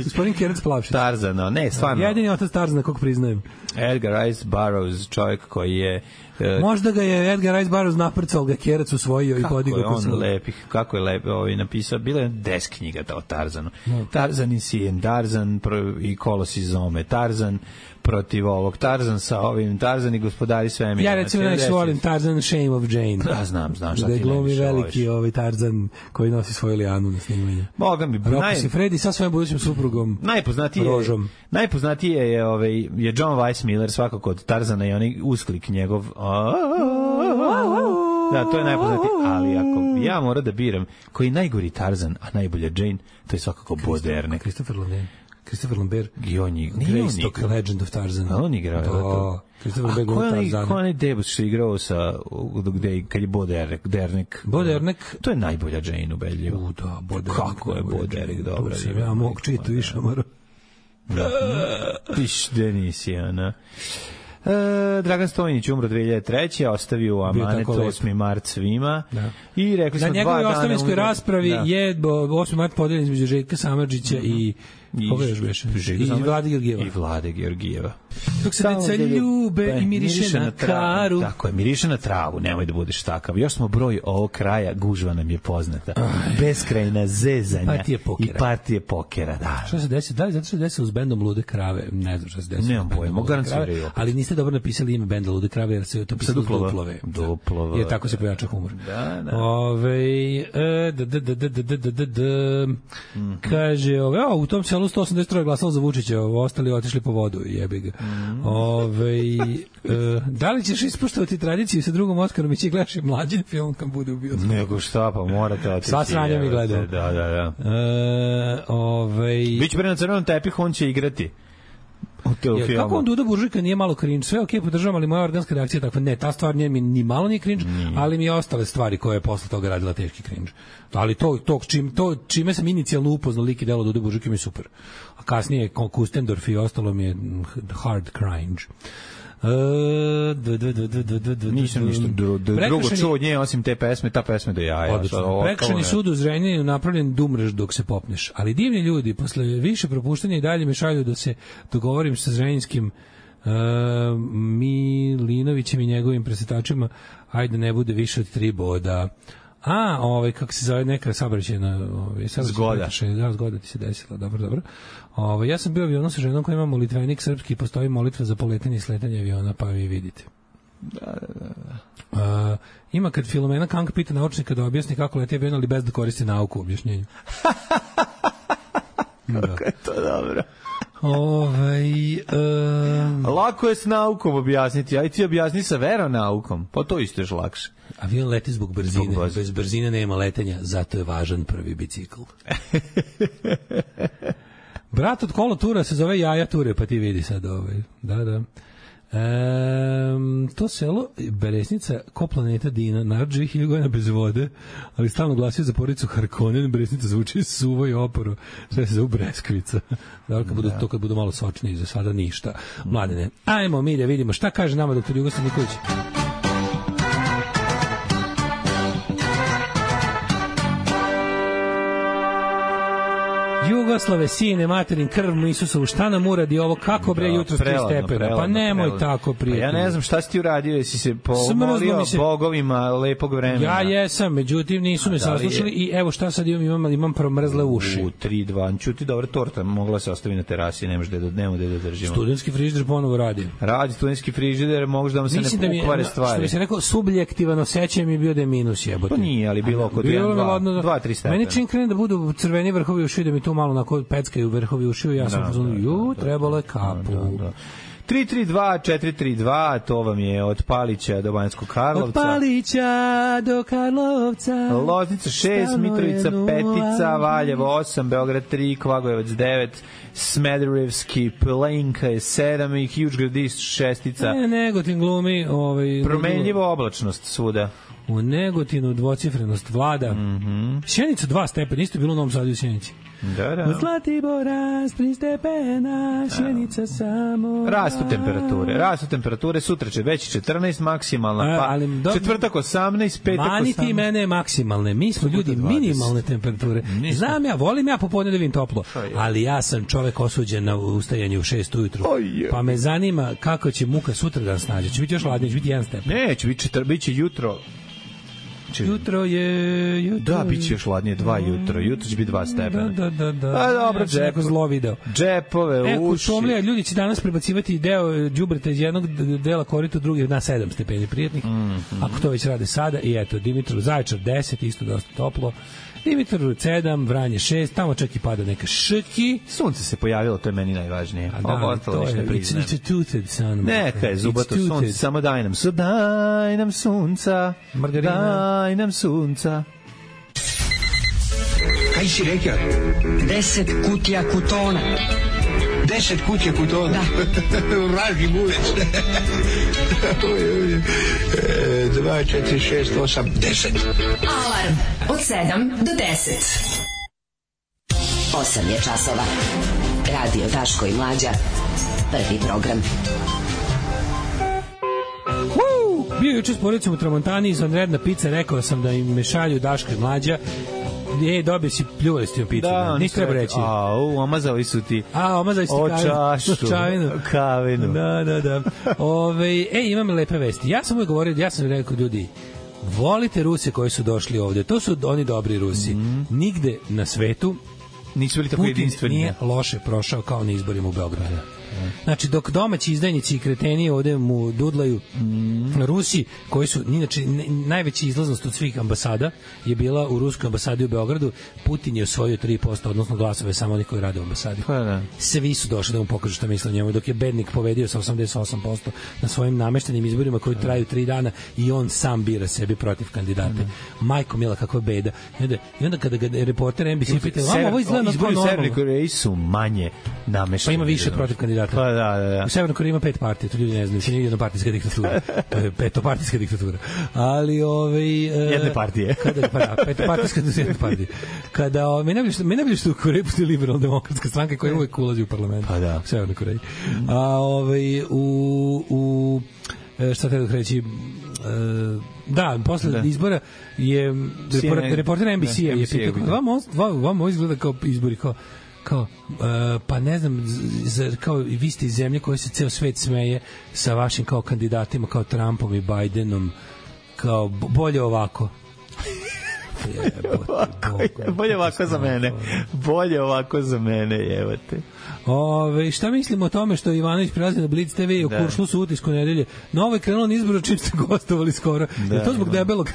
Gospodin Kerac Plavšić. Tarzano, ne, stvarno. Jedini otac Tarzana, kog priznajem. Edgar Rice Burroughs, čovjek koji je... Možda ga je Edgar Rice Burroughs naprcao, ga Kerac usvojio i podigao. Kako je lepo napisao, bila je 10 knjiga o Tarzanu. Tarzan i Sijen, Tarzan i Kolosi Zome, Tarzan protiv ovog, Tarzan sa ovim, Tarzan i gospodari svemira. Ja recimo najviše volim Tarzan Shame of Jane. Da, znam šta ti najviše voliš. Da je glumi veliki Tarzan koji nosi svoju lijanu na snimanje. Boga mi, Rocco Siffredi sa svojim budućim suprugom Rožom. Najpoznatije je John Weissmuller, svakako od Tarzana i onaj usklik njegov. Da, to je najpoznatiji, ali ako ja moram da biram koji je najgori Tarzan, a najbolja Jane, to je svakako Baudelaire. Christopher Lambert. I on je Greystock, Legend of Tarzan. On igrao. Da. Christopher Lambert glumio Tarzana. Ko onaj debus što je igrao sa, kad je Baudelaire. To je najbolja Jane ubedljivo. Da, Baudelaire. Kako je Baudelaire dobro. Ja mogu čitu i šamaru. Piš Denisi, ona. Dragan Stojnić umro 2003. ostavio u amanet 8. mart svima. Da. I rekli smo 2 dana. Na njegovoj ostavinskoj raspravi je 8. mart podeljen između Željka Samardžića i koga još beše? I Vlade Georgijeva. Dok se deca ljube i miriše na karu. Tako je, miriše na travu, nemoj da budeš takav. Još smo broj ovog kraja, gužva nam je poznata. Beskrajna zezanja i partije pokera. Da. Šta se desi? Da li zato što se desi uz bendom Lude krave? Ne znam šta se desi. Nemam pojma, garantiraju. Ali niste dobro napisali ime benda Lude krave, jer se to pisalo Duplove. Jer tako se pojača humor. Da. Kaže, u tom selu 183 glasalo za Vučića, ostali otišli po vodu, jebi ga. Da li ćeš ispoštovati tradiciju sa drugom Oskarom i će gledaš i mlađen film kad bude u bioskopu? Nego šta, pa morate otići. Sva sranja mi gledao. Da. Biće pre na crvenom tepihu, on će igrati. Kako on Duda Buržujka nije malo cringe? Sve okej, podržavam, ali moja organska reakcija je takva, ne, ta stvar nije mi ni malo nije cringe, ali mi je ostale stvari koje je posle toga radila teški cringe. Ali čime sam inicijalno upoznao lik i delo Duda Buržujka mi je super. A kasnije Kustendorf i ostalo mi je hard cringe. Nisam ništa drugo čuo od nje osim te pesme, ta pesme do jaja. Prekršajni sud u Zrenjaninu je napravljen da umreš dok se popneš, ali divni ljudi posle više propuštanja i dalje me šalju da se dogovorim sa zrenjanskim Milinovićem i njegovim presetačima, ajde ne bude više od 3 boda. Kako se zove neka saobraćajna zgoda. Zgoda ti se desila, dobro. Ja sam bio u avionu sa ženom koja ima molitvenik srpski i postoji molitva za poletanje i sletanje aviona, pa vi vidite. Da. Ima kad Filomena Kank pita naučnika da objasni kako leti avion, ali bez da koristi nauku u objašnjenju. Kako je to dobro. Lako je s naukom objasniti, aj ti objasni sa veronaukom, pa to isto je lakše. Avion leti zbog brzine, bez brzine nema letenja, zato je važan prvi bicikl. Brat od kolotura se zove Jaja Ture, pa ti vidi sad Da. To selo Beresnica, ko planeta Dina, narod živi 1000 godina bez vode, ali stalno glasio za porodicu Harkonnen. Beresnica zvuči suvo i oporo, sve se zove Breskvica. Kad budu malo sočniji, za sada ništa. Mladene, ajmo mi da vidimo šta kaže nama doktor Jugoslav Nikolić. Jugoslave, sine, materin, krv mu Isusovu, šta nam uradi ovo, kako bre jutro 3 stepena, pa nemoj tako prijatelj. Ja ne znam šta si ti uradio, jesi se pomolio bogovima lepog vremena. Ja jesam, međutim nisu me saslušali i evo šta sad imam promrzle uši. 3-2, čuti dobra torta, mogla se ostavi na terasi, nemaš da držimo. Studentski frižider ponovo radi. Radi studentski frižider, možda da vam se ne pokvare stvari. Što bi se rekao, subjektivan osjećaj mi je bio da je minus jebote. Pa nije, ali bilo oko 2-3 stepena. Meni čim krene da budu crveni vrhovi uši, da mi tu malo onako peckaju vrhovi ušiju, ja sam pozvano, trebalo je kapu. 332-432, to vam je od Palića do Banjskog Karlovca. Od Palića do Karlovca. Loznica 6, Mitrovica 5, Valjevo 8, Beograd 3, Kvagojevac 9, Smederevski Plenka je 7 i Huge Gradiš 6. Negotin glumi. Promenljiva oblačnost svuda. U Negotinu dvocifrenost vlada. Sjenica 2 stepena, isto je bilo u Novom Sadu u Sjenici. Da. U Zlatibora 3 stepena, Sjenica samo. Rastu temperature, sutra će već 14 maksimalna, pa četvrtak 18, petak 18. Mani ti mene maksimalne, mi smo ljudi minimalne temperature. Znam ja, volim ja popodne da vidim toplo, ali ja sam čovek osuđen na ustajanje u 6 ujutru, pa me zanima kako će muka sutra da nas nađe. Će biti još hladnije, će biti 1 stepen. Ne, će biti jutro. Jutro je... Da, bit će još ladnije 2 jutro. Jutro će biti 2 stepena. Da. A dobro, neko zlo video. Džepove, uši. Šumlija, ljudi će danas prebacivati deo đubreta iz jednog dela korita u drugi na 7 stepeni prijatnih. Ako to već rade sada. I eto, Dimitrov Zaječar 10, isto dosta toplo. Dimitrov 7, Vranje 6, tamo čak i pada neka ški. Sunce se pojavilo, to je meni najvažnije. Ovo ostalo ništa priznajem. It's a tooted sun. Neka je zubato sunce, samo daj nam sunca. Margarina. Daj nam sunca. Kaj si rekao? 10 kutija kutona. 10 kutija kutona? Da. Vraži bulec. 2, 4, 6, 8, 10. Alarm od 7 do 10. 8 je časova. Radio Daško i Mlađa. Prvi program. Bio juče s porodicom u Tramontani, izvanredna pizza, rekao sam da im mešalju Daško i Mlađa. Dobio si pljuvali s tim picu. Da, nisi treba reći. Omazali su ti. Omazali su ti čašu, kavinu. Da. Imam lepe vesti. Ja sam uvijek govorio, ja sam rekao ljudi, volite Ruse koji su došli ovde. To su oni dobri Rusi. Nigde na svetu nisu bili tako jedinstveni. Nije loše prošao kao na izborima u Beogradu. Znači, dok domaći izdajnici i kreteni ovde mu dudlaju, Rusi, koji su, inače, najveća izlaznost od svih ambasada je bila u ruskoj ambasadi u Beogradu. Putin je osvojio 3%, odnosno glasove samo oni koji rade u ambasadi. Svi su došli da mu pokažu šta misle o njemu, dok je bednik pobedio sa 88% na svojim nameštenim izborima koji traju 3 dana i on sam bira sebi protiv kandidate. Majko mila, kakva beda. I onda kada ga reporter NBC pitao, ovo izgleda kao normalno. Izbori u Severnoj Koreji su manje namešteni. Pa ima više protiv kandidata. Pa da. U Severnoj Koreji ima 5 partija, to ljudi ne znaju, to nije jednopartijska diktatura. To je petopartijska diktatura. Ali jedne partije. Petopartijska jedne partije. Kada najbolje što u Koreji postoji liberalno-demokratska stranka koja uvek ulazi u parlament. Pa da. U Severnoj Koreji. Šta treba da reći, da, posle izbora je reporter NBC-a je pitao, vam ovo izgleda kao izbori, kao pa ne znam, kao vi ste iz zemlje koje se ceo svet smeje sa vašim kao kandidatima, kao Trumpom i Bidenom, kao bolje ovako. Bolje ovako za mene. Bolje ovako za mene, jevate. Šta mislimo o tome što Ivanović prelazi na Blitz TV i u Kuršlu su utisku nedelje? Novo je krenulo na izboru čim ste gostovali skoro. Je to zbog debelog?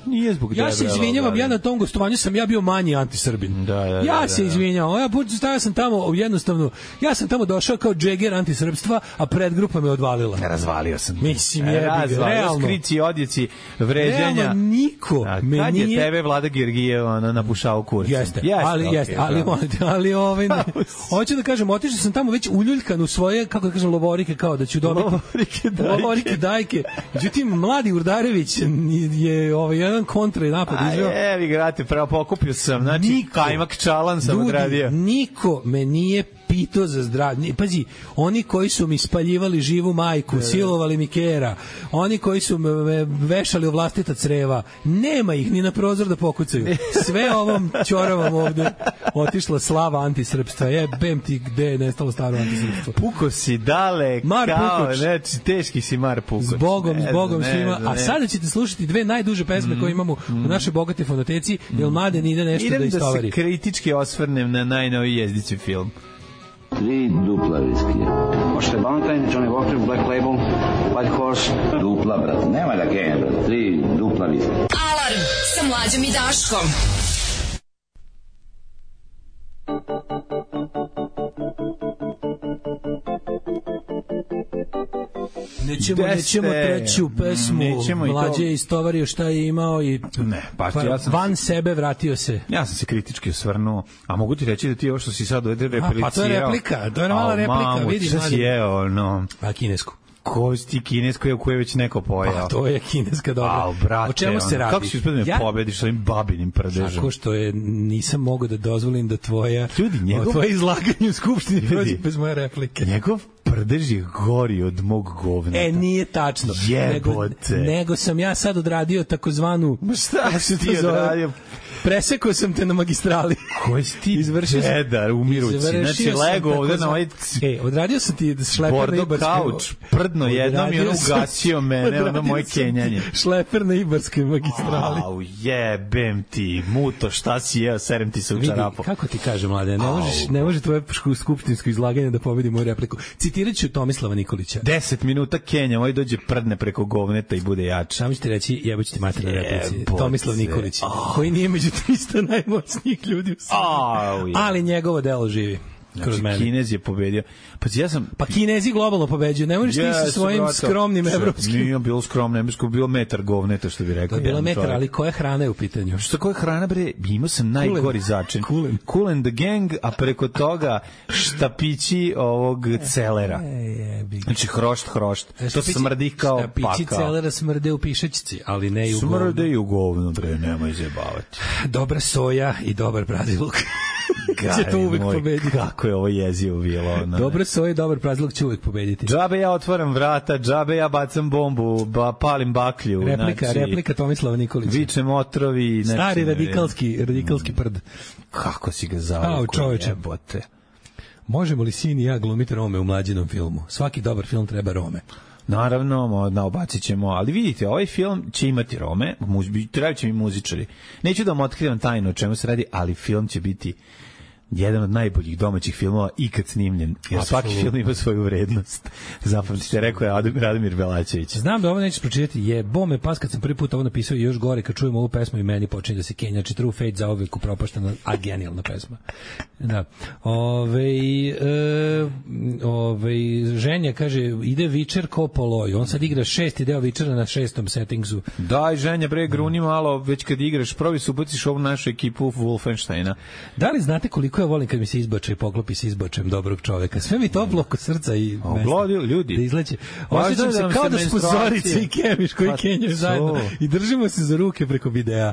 Nije zbog debelog. Ja se izvinjavam, ja na tom gostovanju sam bio manji antisrbin. Ja se izvinjavam. Ja sam tamo jednostavno, ja sam tamo došao kao džeger antisrpstva, a predgrupa me odvalila. Razvalio sam. Mislim, realno. Skrici, odjeći, vređanja. Realno, niko me kad nije... je tebe Vlada Gergijev napušao kurcem? Jeste, ali hoću da kažem, otišao sam tamo već uljuljkan u svoje, kako da kažem, lovorike, kao da ću dobiti. Lovorike dajke. Međutim, mladi Urdarević je jedan kontra i napad izveo. Vi grate, pravo pokupio sam, znači kajmak čalan sam odradio. Niko me nije pitao za zdravlje. Pazi, oni koji su mi spaljivali živu majku, silovali mi kera, oni koji su me vešali u vlastita creva, nema ih ni na prozor da pokucaju. Sve ovom ćoravom ovde otišla slava antisrpstva. Jebem ti gde je nestalo staro antisrpstvo. Puko si dale, kao, znači, teški si Mar Pukoć. Zbogom svima. A sada ćete slušati dve najduže pesme koje imamo u našoj bogate fonoteci, jer Mladen ide nešto da istovari. Idem da se kritički osvrnem na najnoviji Jezdici film. 3 dupla viskija. Možete Valentine, Johnny Walker, Black Label, White Horse. Dupla, brat. Nema da genja, brat. 3 dupla viskija. Alarm sa Mlađom i Daškom. Nećemo treću pesmu. Mlađe je istovario šta je imao i van sebe vratio se. Ja sam se kritički osvrnuo, a mogu ti reći da ti ovo što si sad ovdje repelicirao. Pa to je replika, to je mala replika. Vidi, šta si jeo, no. A kinesku. Ko si ti kinesko je u koje već neko pojao? Pa to je kineska dobra. O čemu se radi? Kako si uspio da me pobediš s ovim babinim prdežem? Tako što nisam mogao da dozvolim da tvoje izlaganje u Skupštini prođe bez moje replike. Njegov prdež je gori od mog govneta. Nije tačno. Jebote. Nego sam ja sad odradio takozvanu... Šta si ti odradio? Presekao sam te na magistrali. Koji si ti pedar umirući? Znači, lego ovde na ovaj... Odradio sam ti šleper na Ibarskoj... kauč, prdno jednom i ono ugasio mene, ono moje kenjanje. Šleper na Ibarskoj magistrali. Au, jebem ti, muto, šta si jeo, serem ti se u čarapu. Kako ti kaže, mlade, ne može tvoje skupštinsko izlaganje da pobedi moju repliku. Citirat ću Tomislava Nikolića. 10 minuta Kenja, ovaj dođe prdne preko govneta i bude jač. Samo ću ti reći, jeboć ti mater na replici. Tomislav Nikolić, koji nije među 300 najmoćnijih ljudi u Srbiji. Ali njegovo delo živi. Znači, Kinez je pobedio. Pa Kinezi globalno pobeđuju. Ne možeš ti sa svojim skromnim evropskim. Nije bilo skromno, evropsko, bilo metar govneta, što bi rekao. To je bilo metar, ali koja hrana je u pitanju? Što koja hrana, bre? Imao sam najgori začin. Kool and the Gang, a preko toga štapići ovog celera. Znači, hrošt. To smrdi kao paka. Štapići celera smrde u pišačici, ali ne i u govnu. Smrde i u govnu, bre, nemoj zajebavati. Dobra soja i dobar braziluk. Će to uvek pobediti. Kako je ovo jezivo bilo. Dobre soje, dobar prazluk će uvek pobediti. Džabe ja otvaram vrata, džabe ja bacam bombu, palim baklju. Replika Tomislava Nikolića. Vičem otrovi. Stari radikalski prd. Kako si ga zavio? Čoveče. Možemo li sin i ja glumiti Rome u mlađinom filmu? Svaki dobar film treba Rome. Naravno, naobacit ćemo, ali vidite, ovaj film će imati Rome, treba će mi muzičari. Neću da vam otkrivam tajno o čemu se radi, ali film će biti jedan od najboljih domaćih filmova ikad snimljen. Jer svaki film ima svoju vrednost. Zapamtite, rekao je Radomir Belačević. Znam da ovo nećeš pročitati. Jebome pas kad sam prvi put ovo napisao i još gore kad čujem ovu pesmu i meni počinje da se kenja. Znači True Fate za uvek upropaštena, a genijalna pesma. Da. Ženja kaže, ide Witcher ko poloj. On sad igra 6. deo Witchera na 6. settingsu. Daj, Ženja, bre, gruni malo, već kad igraš, probi se ubaciš ovu našu ekipu Wolfensteina. Da li znate koliko ja volim kad mi se izbače i poklopi se izbačem dobrog čoveka? Sve mi toplo oko srca i mesta. Ljudi. Da izleće. Osjećam se kao da smo Zorica i Kemiš koji kenjaju zajedno i držimo se za ruke preko videa.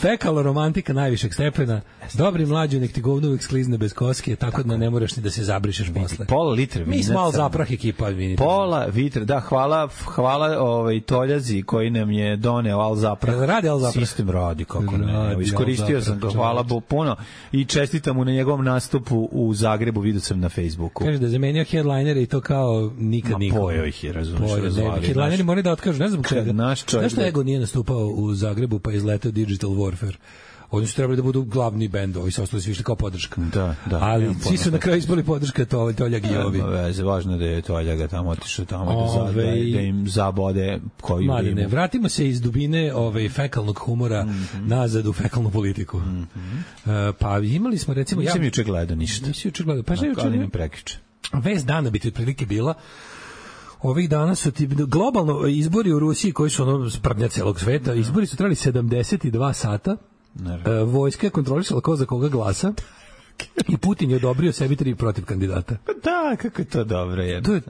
Fekalo romantika najvišeg stepena. Dobri mlađu, nek ti govno uvijek sklizne bez koske, tako da ne moraš ni da se zabrišeš posle. Pola litra vina. Mi smo malo zaprah ekipa. Pola litra, da, hvala Toljazi koji nam je doneo Al Zaprah. Radi Al Zaprah. Sistem radi, kako ne. Iskoristio sam ga, hvala Bogu puno i čestitam mu na njegovom nastupu u Zagrebu, vidio sam na Facebooku. Kaže da zamenio headlinere i to kao nikad niko. Pojeo ih je, razumiješ. Headlineri moraju da otkažu, ne znam čega. Zašto Ego nije nastupao u Zagrebu pa je izletao Digital Warfare? Oni su trebali da budu glavni bend, ovi su ostali svi kao podrška. Da. Ali svi su na kraju ispali podrška Toljag i ovi. Važno je da je Toljaga tamo otišao tamo da im zabode koju Mladene, vratimo se iz dubine fekalnog humora nazad u fekalnu politiku. Pa imali smo recimo... Nisam juče gledao ništa. Nisi juče gledao. Pa ali mi prekiče. Vest dana bi ti otprilike bila ovih dana su globalno izbori u Rusiji koji su ono sprdnja celog sveta. Izbori su trajali 72 sata. Vojska je kontrolisala ko za koga glasa i Putin je odobrio sebi 3 protiv kandidata. Pa da, kako je to dobro.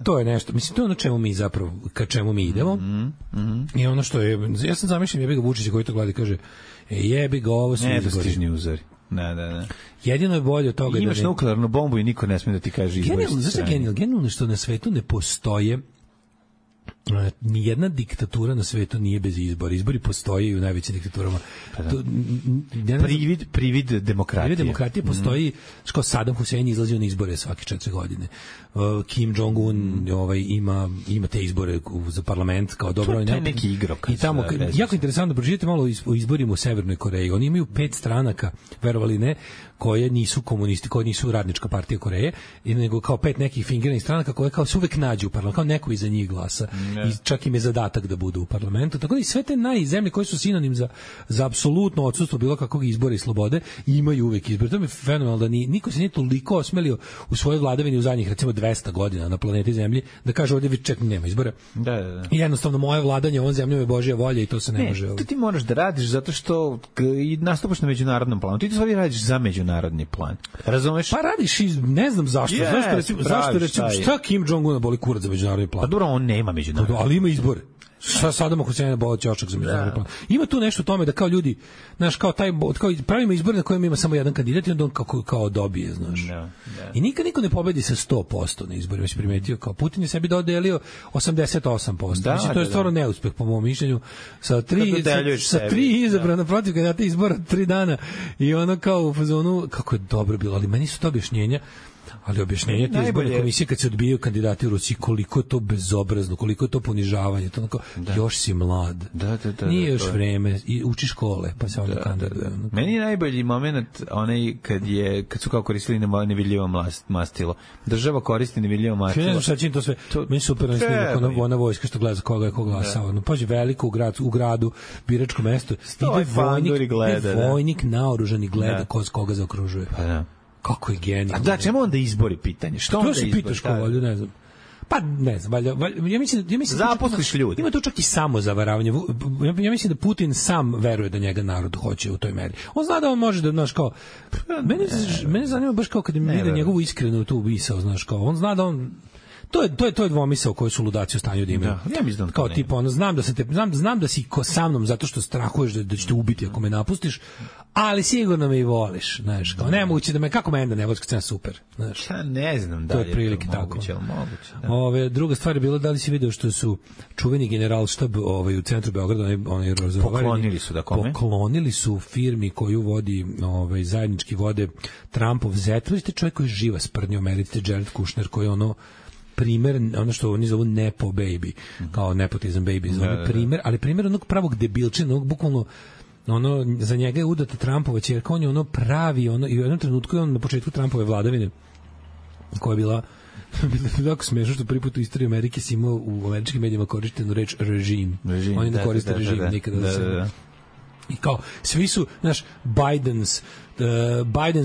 To je nešto. Mislim, to je ono čemu mi zapravo, ka čemu mi idemo. I ono što je, ja sam zamišljam jebi ga Vučića koji to gleda i kaže jebi ga, ovo su izbori. Nedostižni uzori. Ne. Jedino je bolje od toga. Imaš nuklearnu bombu i niko ne smije da ti kaže izbori. Genijalno što na svetu ne postoje nijedna diktatura na svetu nije bez izbora. Izbori postoje i u najvećim diktaturama. Privid demokratije. Privid demokratije postoji, kao Saddam Hussein izlazio na izbore svake 4 godine. Kim Jong-un ima te izbore za parlament kao dobro. To je neki igrok. I tamo, jako interesantno, proživite malo o izborima u Severnoj Koreji. Oni imaju 5 stranaka, verovali ne, koje nisu komunisti, koje nisu radnička partija Koreje, nego kao 5 nekih fingiranih stranaka koje kao se uvek nađu u parlamentu, kao neko iza njih glasa. I čak im je zadatak da budu u parlamentu. Tako da i sve te najzemlje koje su sinonim za apsolutno odsustvo bilo kakvog izbora i slobode imaju uvek izbor. To mi je fenomenalno da niko se nije toliko osmelio u svojoj vladavini u zadnjih recimo 200 godina na planeti Zemlji da kaže ovdje vi ček nema izbora. Da. I jednostavno moje vladanje ovom zemljom je Božja volja i to se ne može. To ti moraš da radiš zato što i nastupaš na međunarodnom planu. Ti to stvari radiš za međunarodni plan. Razumeš? Pa radiš i ne znam zašto. Zašto recimo šta Kim Jong-un boli kurac za međunarodni plan? Pa dobro, on nema međunarodni. Ali ima izbore. Sadama Husajna bolo ćošak za međunarodni plan. Ima tu nešto u tome da kao ljudi, znaš, kao pravimo izbore na kojem ima samo jedan kandidat i onda on kao dobije, znaš. I nikad niko ne pobedi sa 100% na izborima, si primetio, kao Putin je sebi dodelio 88%. Mislim, to je stvarno neuspeh po mom mišljenju. Sa tri izabrana protiv kandidata izbora 3 dana i ono kao u fazonu, kako je dobro bilo, ali meni su to objašnjenja. Ali objašnjenje te izborne komisije kad se odbijaju kandidati u Rusiji, koliko je to bezobrazno, koliko je to ponižavanje, to onako, još si mlad, nije još vreme, i uči škole, pa se onda kandiduje. Meni je najbolji moment onaj kad su kao koristili nevidljivo mastilo. Država koristi nevidljivo mastilo. Ne znam šta čini to sve, meni super on snimak, ona vojska što gleda za koga je ko glasao. Pađe, veliko u gradu, biračko mesto, ide vojnik naoružani gleda ko s koga zaokružuje. Pa da. Kako je genijal. A da, čemu onda izbori pitanje? Što onda izbori? To se pitaš ko volju, ne znam. Pa ne znam, ja mislim zaposliš ljudi. Ima to čak i samozavaravanje. Ja mislim da Putin sam veruje da njega narod hoće u toj meri. On zna da on može da, znaš, kao mene zanima baš kao kad mi vide njegovu iskrenu tu misao, znaš, kao on zna da on To je dvomisao koji su ludaci u stanju da imaju. Ja mislim kao tipa, ono, znam da si sa mnom zato što strahuješ da ćete ubiti ako me napustiš, ali sigurno me i voliš, znaš, kao nemoguće da me, kako mene da ne voliš kad sam super, znaš. Ja ne znam da je prilike moguće, tako. Moguće. Druga stvar je bila da li si video što su čuveni generalštab u centru Beograda, oni poklonili su firmi koju vodi zajednički vode Trumpov zet. Vidite, čovjek koji je živa sprdnja u Americi, Jared Kushner, koji je primer, ono što oni zovu nepo baby, kao nepotizam baby, zove primer, ali primer onog pravog debilčina, onog bukvalno za njega je udata Trumpova ćerka, on je pravi, i u jednom trenutku je on na početku Trumpove vladavine, koja je bila tako smešno što prvi put u istoriji Amerike si imao u američkim medijima korištenu reč režim. Oni ne koriste režim nikada. Da. I kao, svi su, znaš, Biden's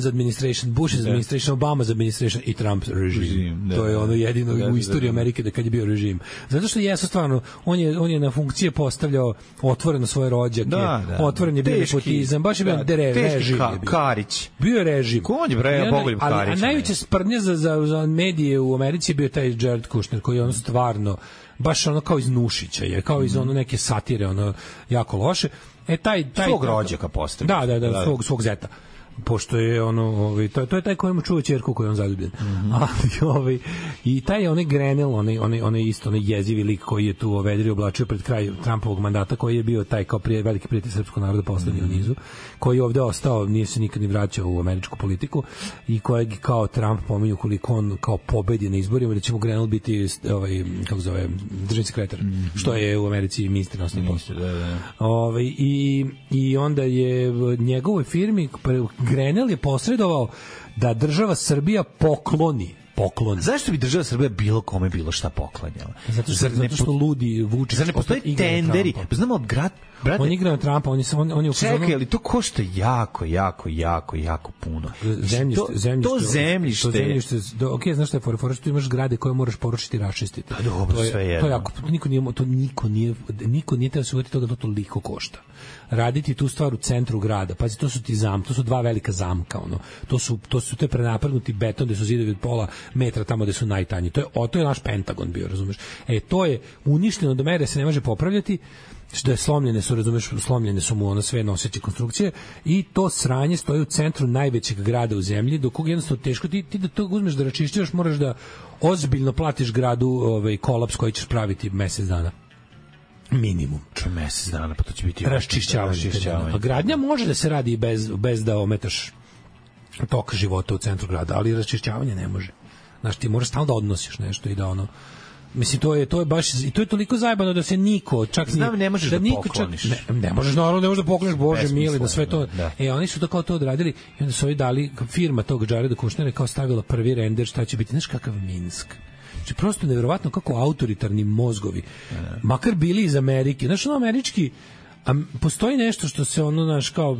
administration, Bush's administration, Obama's administration i Trump's režim. To je ono jedino u istoriji Amerike da kad je bio režim. Zato što jesu stvarno, on je na funkcije postavljao otvoreno svoje rođake, otvoren je bio nepotizam, baš je bio režim. Karić. Bio je režim. Ko on je bre Bogoljub Karić? A najveća sprdnja za medije u Americi je bio taj Jared Kushner, koji je stvarno baš kao iz Nušića je, kao iz neke satire, jako loše. Taj svog rođaka postavio. Da, svog zeta. Pošto je to je taj kojemu čuva ćerku koju on zaljubljen. Ali i taj onaj Grenell, onaj isto onaj jezivi lik koji je tu vedri oblačio pred kraj Trumpovog mandata, koji je bio taj kao veliki prijatelj srpskog naroda poslednji u nizu, koji je ovde ostao, nije se nikad ni vraćao u američku politiku i kojeg kao Trump pominju koliko on kao pobedi na izborima, da će mu Grenell biti kako zove, državni sekretar, što je u Americi ministar inostranih poslova. I onda je njegovoj firmi Grenell je posredovao da država Srbija pokloni. Zašto bi država Srbija bilo kome bilo šta poklanjala? Zato što ludi Vučić. Zar ne postoji tenderi? Znamo od brate. On igra na Trumpa, on je čekaj, ali to košta jako puno. Zemljište. Okej, znaš šta je fora što imaš zgrade koje moraš porušiti i raščistiti. Dobro, sve jedno. To jako, niko nije teo se uvjeti toga da to toliko košta. Raditi tu stvar u centru grada. Pazi, to su dva velika zamka, To je prenapregnuti beton gde su zidovi od pola metra tamo gde su najtanji. To je naš Pentagon bio, razumeš? To je uništeno do mere da se ne može popravljati, što je slomljene su mu sve noseće konstrukcije i to sranje stoji u centru najvećeg grada u zemlji, do kog jednostavno teško ti da to uzmeš da raščišćavaš, moraš da ozbiljno platiš gradu kolaps koji ćeš praviti mesec dana. Minimum. Mesec dana, pa to će biti raščišćavanje. A gradnja može da se radi bez da ometaš tok života u centru grada, ali raščišćavanje ne može. Znaš, ti moraš stalno da odnosiš nešto i da mislim, to je baš, i to je toliko zajebano da se niko, čak ne možeš da pokloniš. Ne možeš, naravno, ne možeš da pokloniš, Bože mili, da sve to. Oni su to kao to odradili i onda su ovi dali, firma tog Jareda Kushnera kao stavila prvi render šta će biti, znaš kakav Minsk. Znači, prosto nevjerovatno kako autoritarni mozgovi, makar bili iz Amerike, znaš, američki, a postoji nešto što se znaš, kao,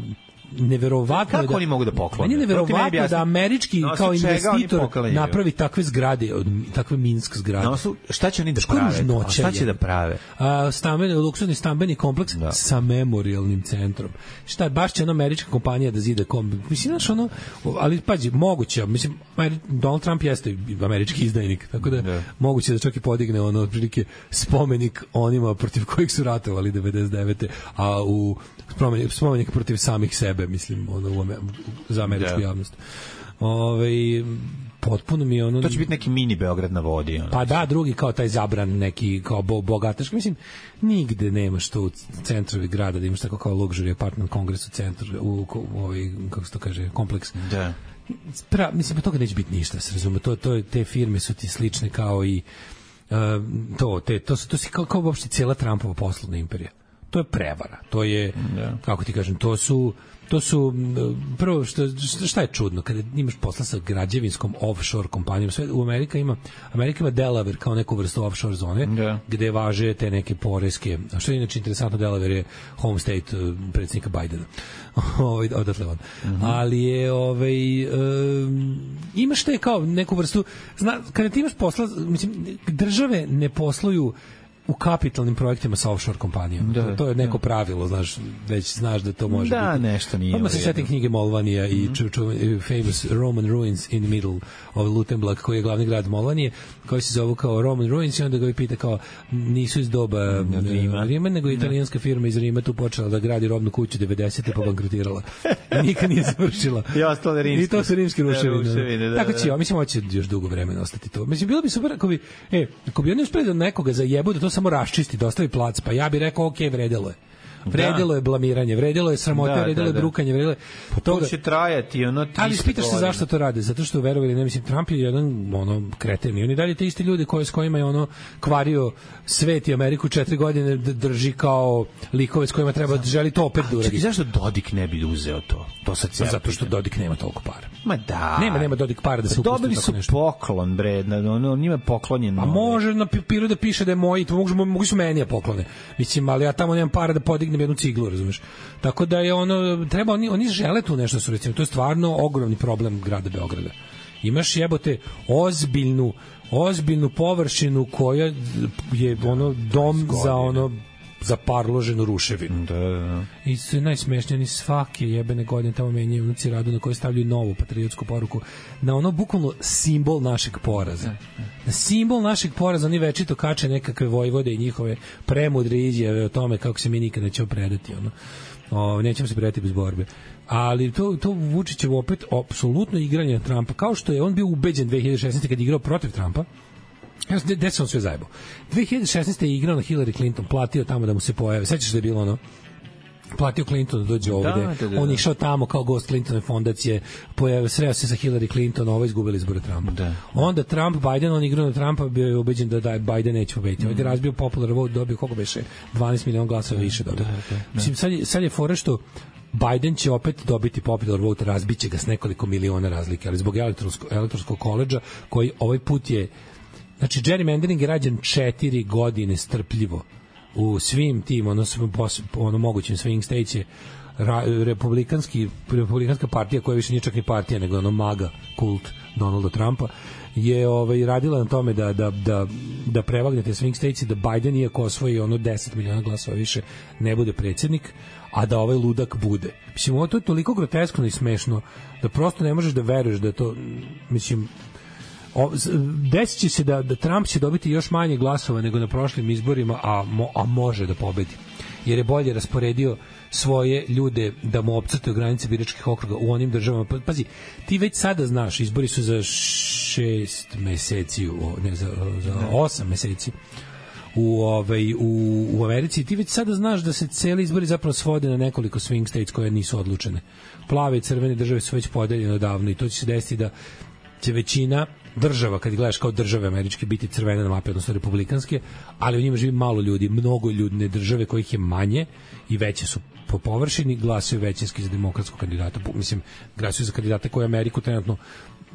neverovatno kako oni mogu da poklone? Meni je neverovatno da američki kao investitor napravi takve zgrade, takve Minsk zgrade. Šta će oni da prave? Šta će da prave? Luksuzni stambeni kompleks sa memorialnim centrom. Šta, baš će američka kompanija da zida mislim, znaš, ali pađi, moguće, mislim, Donald Trump jeste američki izdajnik, tako da moguće da čak i podigne otprilike spomenik onima protiv kojih su ratovali 99. a u spomenik protiv samih sebe, mislim, za američku javnost. Potpuno mi je to će biti neki mini Beograd na vodi. Pa da, drugi kao taj zabran, neki kao bogataški, mislim, nigde nemaš to u centrovi grada da imaš tako kao luxury apartment kongres u centru, u kako se to kaže, kompleks. Da. Mislim, toga neće biti ništa, se razume, te firme su ti slične kao i to si kao uopšte cijela Trumpova poslovna imperija. To je prevara, to je, kako ti kažem, to su prvo, šta je čudno, kada imaš posla sa građevinskom offshore kompanijom, sve u Amerika ima Delaware kao neku vrstu offshore zone, gde važe te neke poreske, a što je inače interesantno, Delaware je home state predsjednika Bidena, odatle on. Ali je, imaš te kao neku vrstu, kada ti imaš posla, mislim, države ne posluju u kapitalnim projektima sa offshore kompanijom. To je neko pravilo, već znaš da to može biti. Da, nešto nije. Odmah se setim knjige Molvanija i famous Roman Ruins in the Middle of Lutenblag, koji je glavni grad Molvanije, koji se zove kao Roman Ruins, i onda ga pita kao, nisu iz doba Rima, nego italijanska firma iz Rima tu počela da gradi robnu kuću 90. pa bankrotirala. I nikad nije završila. I to su rimski ruševine. Tako će, mislim, hoće još dugo vremena ostati to. Mislim, bilo bi super ako bi oni uspeli da nekoga zajebu, da to samo raščisti, da ostavi plac, pa ja bih rekao, ok, vredelo je. Vredelo je blamiranje, vredelo je sramote, vredelo je brukanje, vredelo je... To će trajati, ali pitaš se zašto to rade, zato što verovali, ne mislim, Trump je jedan kreten, i oni dalje te isti ljudi s kojima je kvario svet i Ameriku 4 godine drži kao likove s kojima treba želi to opet da uradi. Zašto Dodik ne bi uzeo to? Zato što Dodik nema toliko para. Ma da. Nema Dodik para da se upusti dobili su poklon, bre, on njima je poklonjen. A može na papiru da piše da je moj, to mogu su meni poklone. Mislim, ali ja tamo nemam para da podignem jednu ciglu, razumeš? Tako da je treba, oni žele tu nešto, su recimo, to je stvarno ogromni problem grada Beograda. Imaš jebote ozbiljnu površinu koja je dom za parloženu ruševinu. Da. I sve najsmešnije, oni svake jebene godine tamo menjaju unuci radu na koje stavljaju novu patriotsku poruku, na bukvalno simbol našeg poraza. Na simbol našeg poraza oni večito kače nekakve vojvode i njihove premudre izjave o tome kako se mi nikada nećemo predati. Nećemo se predati bez borbe. Ali to Vučićevo opet apsolutno igranje Trumpa, kao što je on bio ubeđen 2016. kad je igrao protiv Trumpa. Gde se on sve zajebao? 2016. je igrao na Hillary Clinton, platio tamo da mu se pojave. Sećaš da je bilo platio Clinton da dođe ovde. On je išao tamo kao gost Clintonove fondacije, sreo se sa Hillary Clinton, izgubili izbore Trumpa. Onda Trump, Biden, on igrao na Trumpa, bio je ubeđen da Biden neće pobediti. Ovdje je razbio popular vote, dobio koliko beše 12 miliona glasova više dobio. Mislim, sad je fora što Biden će opet dobiti popular vote, razbiće ga s nekoliko miliona razlike, ali zbog elektorskog koledža, koji ovaj put je, znači, gerrymandering je rađen 4 godine strpljivo u svim tim, mogućim swing states je republikanska partija, koja više nije čak ni partija, nego MAGA kult Donalda Trumpa, je radila na tome da prevagnete swing states i da Biden, iako osvoji 10 miliona glasova više, ne bude predsjednik, a da ovaj ludak bude. Mislim, to je toliko groteskno i smešno da prosto ne možeš da veruješ da je to, mislim, desit će se da Trump će dobiti još manje glasova nego na prošlim izborima, a može da pobedi, jer je bolje rasporedio svoje ljude da mu opcrtaju granice biračkih okruga u onim državama. Pazi, ti već sada znaš, izbori su za 6 meseci, za 8 meseci u Americi. Ti već sada znaš da se celi izbori zapravo svode na nekoliko swing states koje nisu odlučene. Plave i crvene države su već podeljene odavno, i to će se desiti da će većina država, kad gledaš kao države američke, biti crvene na mapi, odnosno republikanske, ali u njima živi malo ljudi, mnogo ljudne države kojih je manje i veće su po površini, glasuju većinski za demokratskog kandidata. Mislim, glasuju za kandidata koji Ameriku trenutno,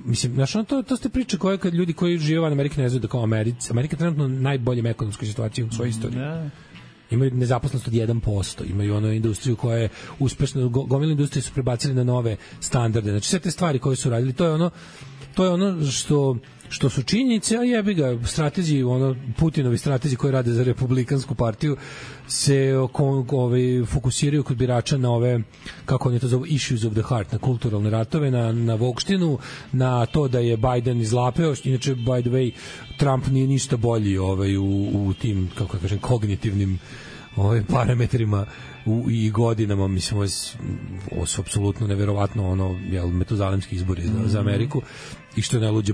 mislim, znaš, to ste priče koje kad ljudi koji žive van Amerike ne znaju da kao Amerika trenutno najboljem ekonomskoj situaciji u svojoj istoriji. Imaju nezaposlenost od 1%, imaju ono industriju koja je uspešna, gomilu industrije su prebacili na nove standarde. Znači sve te stvari koje su radili, to je ono što su činjenice, a jebi ga, stratezi, Putinovi stratezi koji rade za Republikansku partiju se fokusiraju kod birača na ove, kako oni to zovu, issues of the heart, na kulturalne ratove, na vokštinu, na to da je Biden izlapeo, inače, by the way, Trump nije ništa bolji u tim, kako kažem, kognitivnim parametrima i godinama, mislim, ovo su apsolutno neverovatno metuzalemski izbori za Ameriku, i što je najluđe,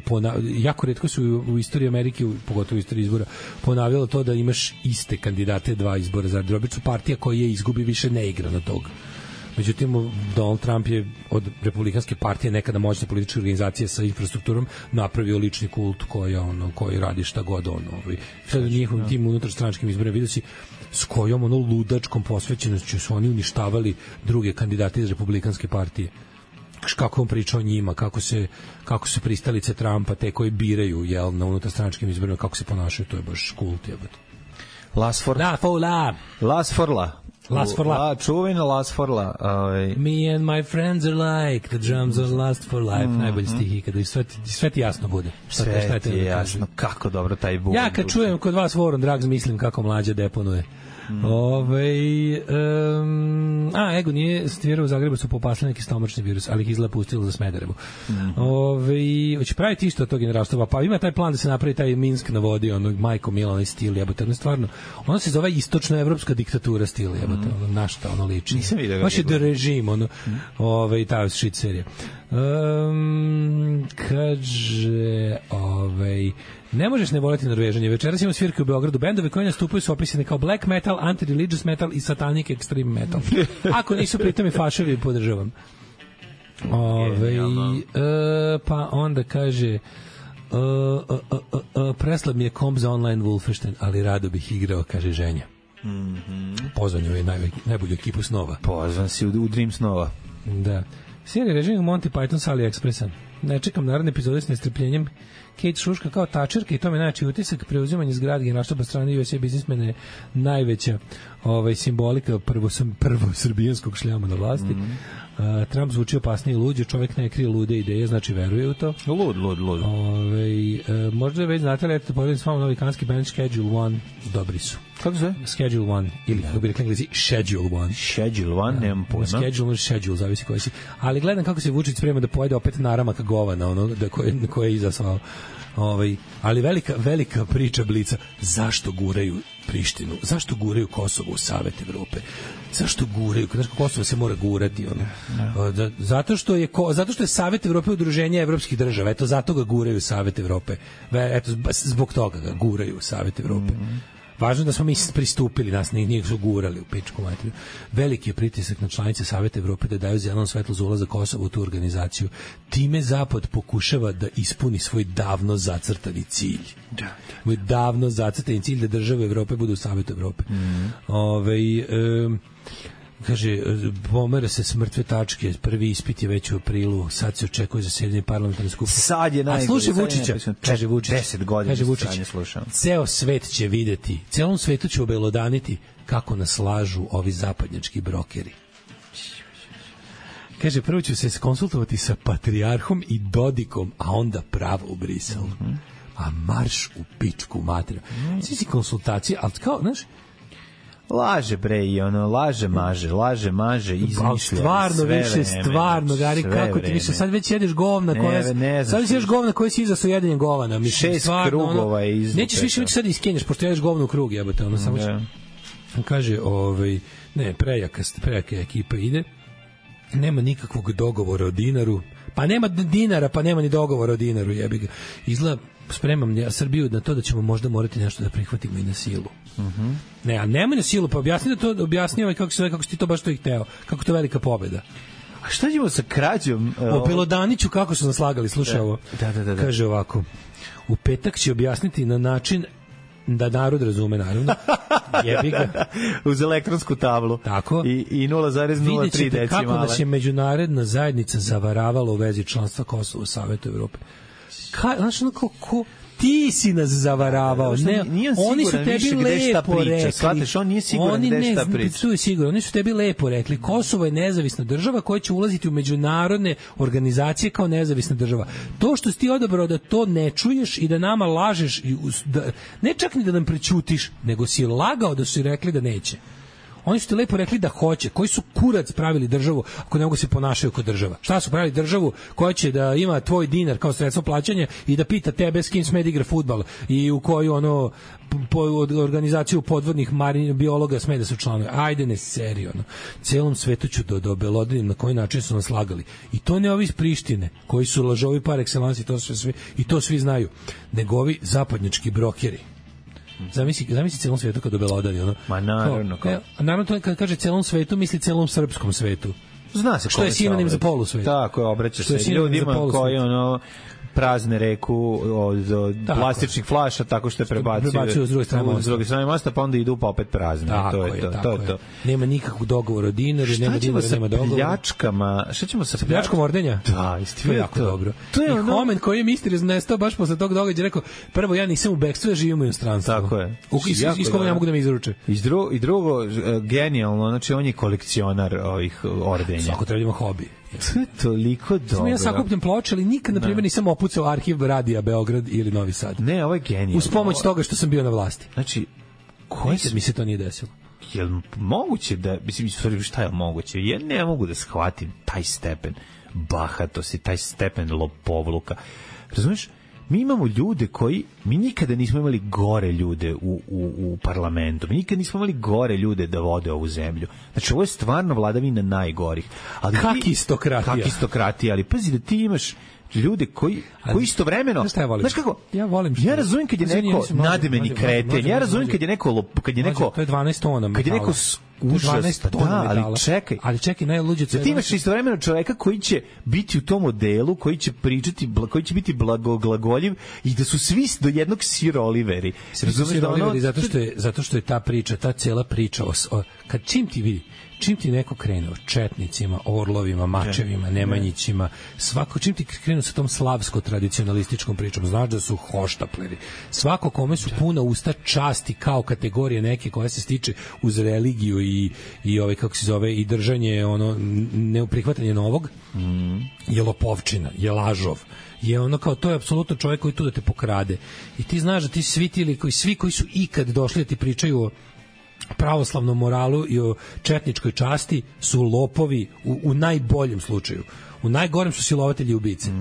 jako retko su u istoriji Amerike, pogotovo u istoriji izbora, ponavljalo to da imaš iste kandidate 2 izbora za obično partija koja je izgubi više ne igra na toga. Međutim, Donald Trump je od Republikanske partije, nekada moćne političke organizacije sa infrastrukturom, napravio lični kult koji radi šta god sad u njihovim tim unutarstranačkim izborima vidio si s kojom ludačkom posvećenošću su oni uništavali druge kandidate iz Republikanske partije. Kako on priča o njima, kako su pristalice Trumpa, te koji biraju na unutarstranačkim izborima, kako se ponašaju, to je baš kult, jebote. Las for la. Čuvena Las for la. Me and my friends are like the drums are last for life. Najbolji stihi, kada sve ti jasno bude. Sve ti je jasno, kako dobro taj buk. Ja kad čujem kod vas War on Drugs, mislim kako mlađa deponuje. Ego nije stvirao u Zagrebu, su popasli neki stomačni virus, ali ih izgleda pustilo za Smederevo. Hoće praviti isto od tog generalstva, pa ima taj plan da se napravi taj Minsk na vodi, Majko Milana stil, jebote, stvarno, ono se zove istočnoevropska diktatura stil, jebote, na šta ono liči. Nisam vidio ga. Baš je režim, ta shit serija. Kaže, ne možeš ne voleti Norvežanje. Večeras imamo svirke u Beogradu. Bendovi koji nastupaju su opisani kao black metal, anti-religious metal i satanic extreme metal. Ako nisu pritom i faševi, podržavam. Pa onda kaže preslab mi je komp za online Wolfenstein, ali rado bih igrao, kaže ženja. Pozvan je najbolju ekipu snova. Pozvan si u Dream snova. Da. Serija režim Monty Python s AliExpressa. Ne čekam naredne epizode s nestrpljenjem. Kate šuška kao tačerka i to me znači utisak preuzimanje zgrade generalštaba strane USA biznismene najveća simbolika prvo srbijanskog šljama na vlasti. Trump zvuči opasnije i luđe, čovjek ne krije lude ideje, znači veruje u to. Lud. Možda već znate li, povedem s vama novi kanadski band Schedule One, dobri su. Kako se? Schedule One, ili kako bi rekli Englezi, Schedule One. Schedule One, nemam pojma. Schedule, zavisi koji si. Ali gledam kako se Vučić sprema da pojede opet naramaka govana, koje je izazvao. Ali velika priča Blica, zašto guraju Prištinu, zašto guraju Kosovo u Savet Evrope, zašto guraju, znaš, Kosovo se mora gurati, zato što je Savet Evrope udruženje evropskih država, eto zato ga guraju Savet Evrope, eto zbog toga ga guraju Savet Evrope. Važno da smo mi pristupili, nas nije su gurali u pičku materiju. Veliki je pritisak na članice Saveta Evrope da daju zeleno svetlo za ulazak Kosova u tu organizaciju. Time Zapad pokušava da ispuni svoj davno zacrtani cilj. Svoj davno zacrtani cilj da države Evrope budu u Savetu Evrope. Kaže, pomera se s mrtve tačke, prvi ispit je već u aprilu, sad se očekuje zasedanje parlamentarne skupštine. Sad je najgore. A slušaj Vučića, kaže Vučić, 10 godina kaže Vučić, ceo svet će videti, celom svetu će obelodaniti kako nas lažu ovi zapadnjački brokeri. Kaže, prvo ću se konsultovati sa patrijarhom i Dodikom, a onda pravo u Briselu. A marš u pičku materiju. Svi si konsultacije, ali kao, znaš, laže bre i laže maže izmišlja stvarno gari kako ti više sad već jedeš govna koja sad već jedeš govna koje si izasao jedenjem govana, mislim, 6 krugova je izvuka, nećeš više sad iskenješ pošto jedeš govno u krug, jebote, samo kaže ne, prejaka ekipa ide, nema nikakvog dogovora o dinaru, pa nema dinara, pa nema ni dogovora o dinaru, jebi ga. Izgleda, spremam ja Srbiju na to da ćemo možda morati nešto da prihvatimo i na silu. Ne, a nema na silu, pa objasni kako si ti to baš to i hteo, kako to velika pobeda. A šta ćemo sa krađom? O Pelodaniću kako su nas lagali, slušaj ovo. Da. Kaže ovako, u petak će objasniti na način da narod razume, naravno. Jebi ga. Uz elektronsku tablu. Tako. I 0,03 decimala. Vidjet kako nas je međunarodna zajednica zavaravala u vezi članstva Kosova u Savetu Evrope. Znaš, ti si nas zavaravao. Ne, oni su tebi lepo rekli. Shvataš, on nije siguran gde šta priča. Tu je sigurno. Oni su tebi lepo rekli. Kosovo je nezavisna država koja će ulaziti u međunarodne organizacije kao nezavisna država. To što si ti odabrao da to ne čuješ i da nama lažeš, ne čak ni da nam prećutiš, nego si lagao da su rekli da neće. Oni su ti lepo rekli da hoće. Koji su kurac pravili državu ako ne mogu se ponašaju kao država? Šta su pravili državu koja će da ima tvoj dinar kao sredstvo plaćanja i da pita tebe s kim sme da igra fudbal i u koju organizaciju podvodnih biologa sme da su članovi? Ajde, ne serio. Celom svetu ću da obelodanim na koji način su nas lagali. I to ne ovi iz Prištine koji su lažovi par excellence i to svi znaju. Nego ovi zapadnjački brokeri. Zamisli celom svetu kad obelodani, ono. Ma naravno. Naravno to kad kaže celom svetu, misli celom srpskom svetu. Zna se što je sinonim za polusvet. Tako je, obraćaš se ljudima koji prazne reku od plastičnih flaša tako što je prebacio s druge strane mosta, pa onda idu pa opet prazne. To je to. Nema nikakvog dogovora o dinaru, nema dinara, nema dogovora. Šta ćemo sa pljačkom Ordenja? Da, istina. Jako dobro. To je Homen koji je misteriozno nestao baš posle tog događaja, rekao, prvo ja nisam u bekstvu, ja živim u inostranstvu. Tako je. Iz koga ja mogu da me izruče. I drugo, genijalno, znači on je kolekcionar ovih ordenja. Svako treba da ima hobi. To je toliko dobro. Ja sakupljam ploče, ali nikad, na primjer, nisam opucao arhiv Radija Beograd ili Novi Sad. Ne, ovo je genijalno. Uz pomoć toga što sam bio na vlasti. Znači, mi se to nije desilo. Jel moguće da, mislim, šta je moguće? Ja ne mogu da shvatim taj stepen bahatosti, taj stepen lopovluka. Razumiješ? Mi imamo ljude mi nikada nismo imali gore ljude u parlamentu. Mi nikada nismo imali gore ljude da vode ovu zemlju. Znači, ovo je stvarno vladavina najgorih. Kakistokratija. Ali pazi da ti imaš ljude koji istovremeno, znaš kako, ja razumijem kad je neko nadimeni kreten, ja razumijem kad je neko to je 12 tona metala, kad je neko užas, ali čekaj, najluđe da ti imaš istovremeno čoveka koji će biti u tom modelu, koji će pričati, koji će biti blagoglagoljiv i da su svi do jednog Sir Oliveri. Zato što je ta priča, ta cela priča čim ti neko krene o četnicima, orlovima, mačevima, nemanjićima, čim ti krenu sa tom slavsko-tradicionalističkom pričom, znaš da su hoštapleri. Svako kome su puna usta časti kao kategorije neke koja se stiče uz religiju i kako se zove, i držanje, neprihvatanje novog, je lopovčina, je lažov. Je kao, to je apsolutno čovjek koji tu da te pokrade. I ti znaš da ti svi koji su ikad došli da ti pričaju o pravoslavnom moralu i o četničkoj časti su lopovi u najboljem slučaju. U najgorem su silovatelji i ubice.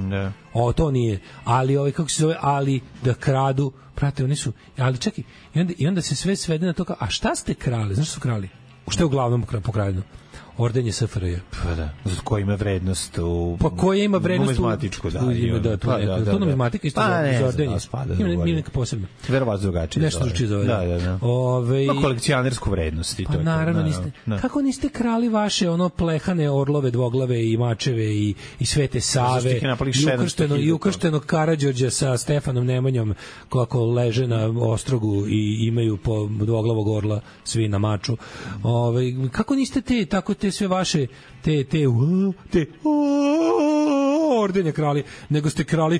To nije. Ali kako se zove, ali da kradu, prate, oni su, ali čekaj, i onda se sve svede na to kao, a šta ste krali? Znaš što su krali? Što je uglavnom pokradeno? Ordenje SFRJ. Pa da, koji ima vrednost koja ima vrednost numizmatičku, to numizmatika isto za ordenje. Ima neka posebna. Verovatno drugačije. Nešto drugačije zove. Da. Ima kolekcionersku vrednost i to. Pa naravno niste. Kako niste krali vaše plehane orlove, dvoglave i mačeve i Svete Save i ukrštenog Karađorđa sa Stefanom Nemanjom kako leže na ostrogu i imaju po dvoglavog orla svi na maču. Kako niste te sve vaše te ordenje krali, nego ste krali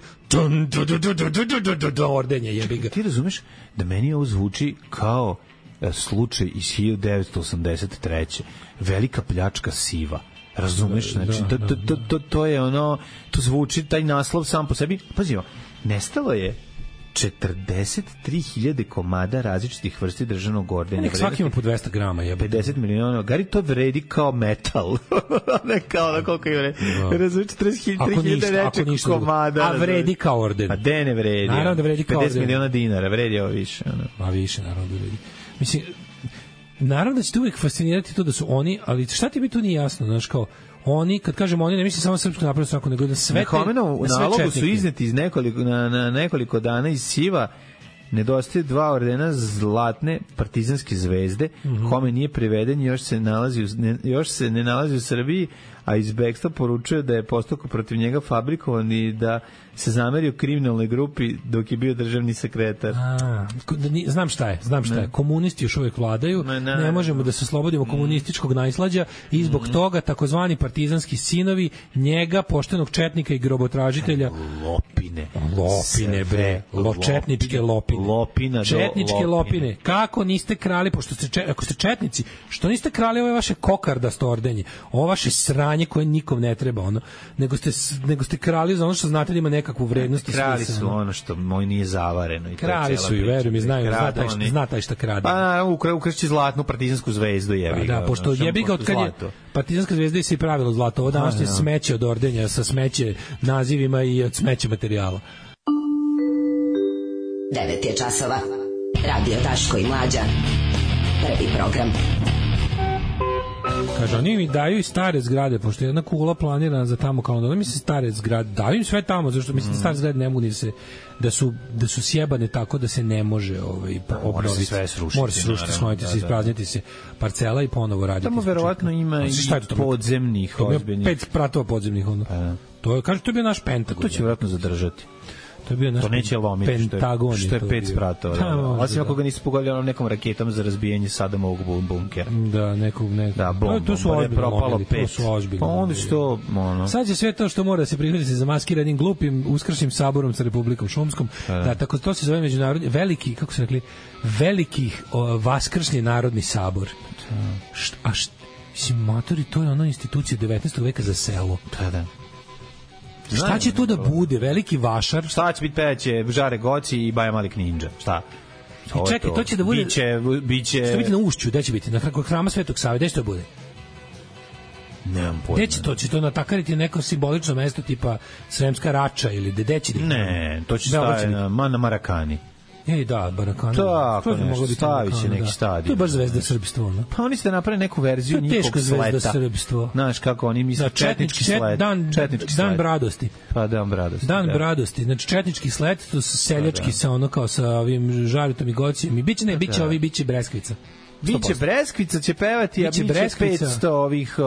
ordenje, jebi ga. Ti razumeš da meni ovo zvuči kao slučaj iz 1983. Velika pljačka siva. Razumeš? Znači, to je to zvuči, taj naslov sam po sebi. Pazi, nestalo je 43.000 komada različitih vrsti državnog ordenja. Svaki ima po 200 grama. 50 miliona. Gari to vredi kao metal. Ne kao na koliko je vredi. Razumiješ, 43.000 nečeg komada. A vredi kao orden. A de ne vredi. Naravno da vredi kao orden. 50 miliona dinara. Vredi ovo više. A više, naravno da vredi. Mislim, naravno da će te uvijek fascinirati to da su oni, ali šta ti bi tu nije jasno, znaš, kao oni, kad kažemo oni, ne mislim samo Srpsku naprednu stranku, nego da sve u nalogu su izneti iz nekoliko dana iz Siva. Nedostaje 2 ordena zlatne partizanske zvezde. Homen nije priveden, još se ne nalazi u Srbiji, a iz bekstva poručuje da je postupak protiv njega fabrikovan i da se zamerio kriminalnoj grupi dok je bio državni sekretar. Znam šta je. Komunisti još uvijek vladaju, ne možemo da se oslobodimo komunističkog najslađa i zbog toga takozvani partizanski sinovi njega, poštenog četnika i grobotražitelja, lopine bre, četničke lopine. Četničke lopine. Kako niste krali, pošto ako ste četnici, što niste krali ove vaše kokardasto ordenje, ovo vaše sranje koje nikom ne treba, nego ste krali za ono što znate da ima nekakvu vrednost i smisla. Krali su ono što moj nije zavareno. I krali su i verujem, znaju, zna taj šta krade. Pa ukrašći zlatnu partizansku zvezdu, jebi ga. Da, pošto jebi ga od kad je partizanska zvezda i se i pravilo zlato. Ovo današnje smeće od ordenja sa smeće nazivima i od smeće materijala. 9 je časova. Radio Daško i Mlađa. Prvi program. Kaže, oni mi daju i stare zgrade, pošto je jedna kula planirana za tamo kao onda, mi se stare zgrade, daju im sve tamo, zašto mislim da stare zgrade ne mogu ni se, da su sjebane tako da se ne može obnoviti. Mora se sve srušiti. Mora se srušiti, smojiti se, isprazniti se parcela i ponovo raditi. Tamo verovatno ima i podzemnih ozbiljnih. 5 pratova podzemnih, ono. To je, kaže, to je bio naš Pentagon. To će verovatno zadržati. To je bio naš Pentagon, što je 5 spratova. Osim ako ga nisu pogodili nekom raketom za razbijanje Sadamovog bunkera. Da, nekog. Da, to su ozbiljno. Pa onda što, ono. Sad je sve to što mora se prihvatiti za maskiranim glupim uskršnjim saborom sa Republikom Šumskom. Da, tako to se zove međunarodni veliki, kako su rekli, velikih vaskršnji narodni sabor. Mislim, matori, to je ona institucija 19. veka za selo. Da. Šta će to da bude? Veliki vašar? Šta će biti peće? Žare Goci i Baja Malik Ninja. Šta? I čekaj, to će da bude... Biće... Što biti na Ušću? Gde će biti? Na Hrama Svetog Save? Gde će to bude? Nemam pojma. Gde će to? Će to natakariti neko simbolično mesto tipa Sremska Rača ili gde će? Ne, to će staviti na Marakani. Da, Barakana. Tako nešto, stavit će neki stadion. To je baš zvezda srpstvo, no? Pa oni ste napravili neku verziju njihovog sleta. To je teška zvezda srpstvo. Znaš kako oni misle, četnički slet. Dan bradosti. Pa dan bradosti. Dan bradosti. Znači četnički slet, to su seljački sa ono kao sa ovim žaritom i gocijem. I biće breskvica. Biće Breskvica će pevati, a biće 500 ovih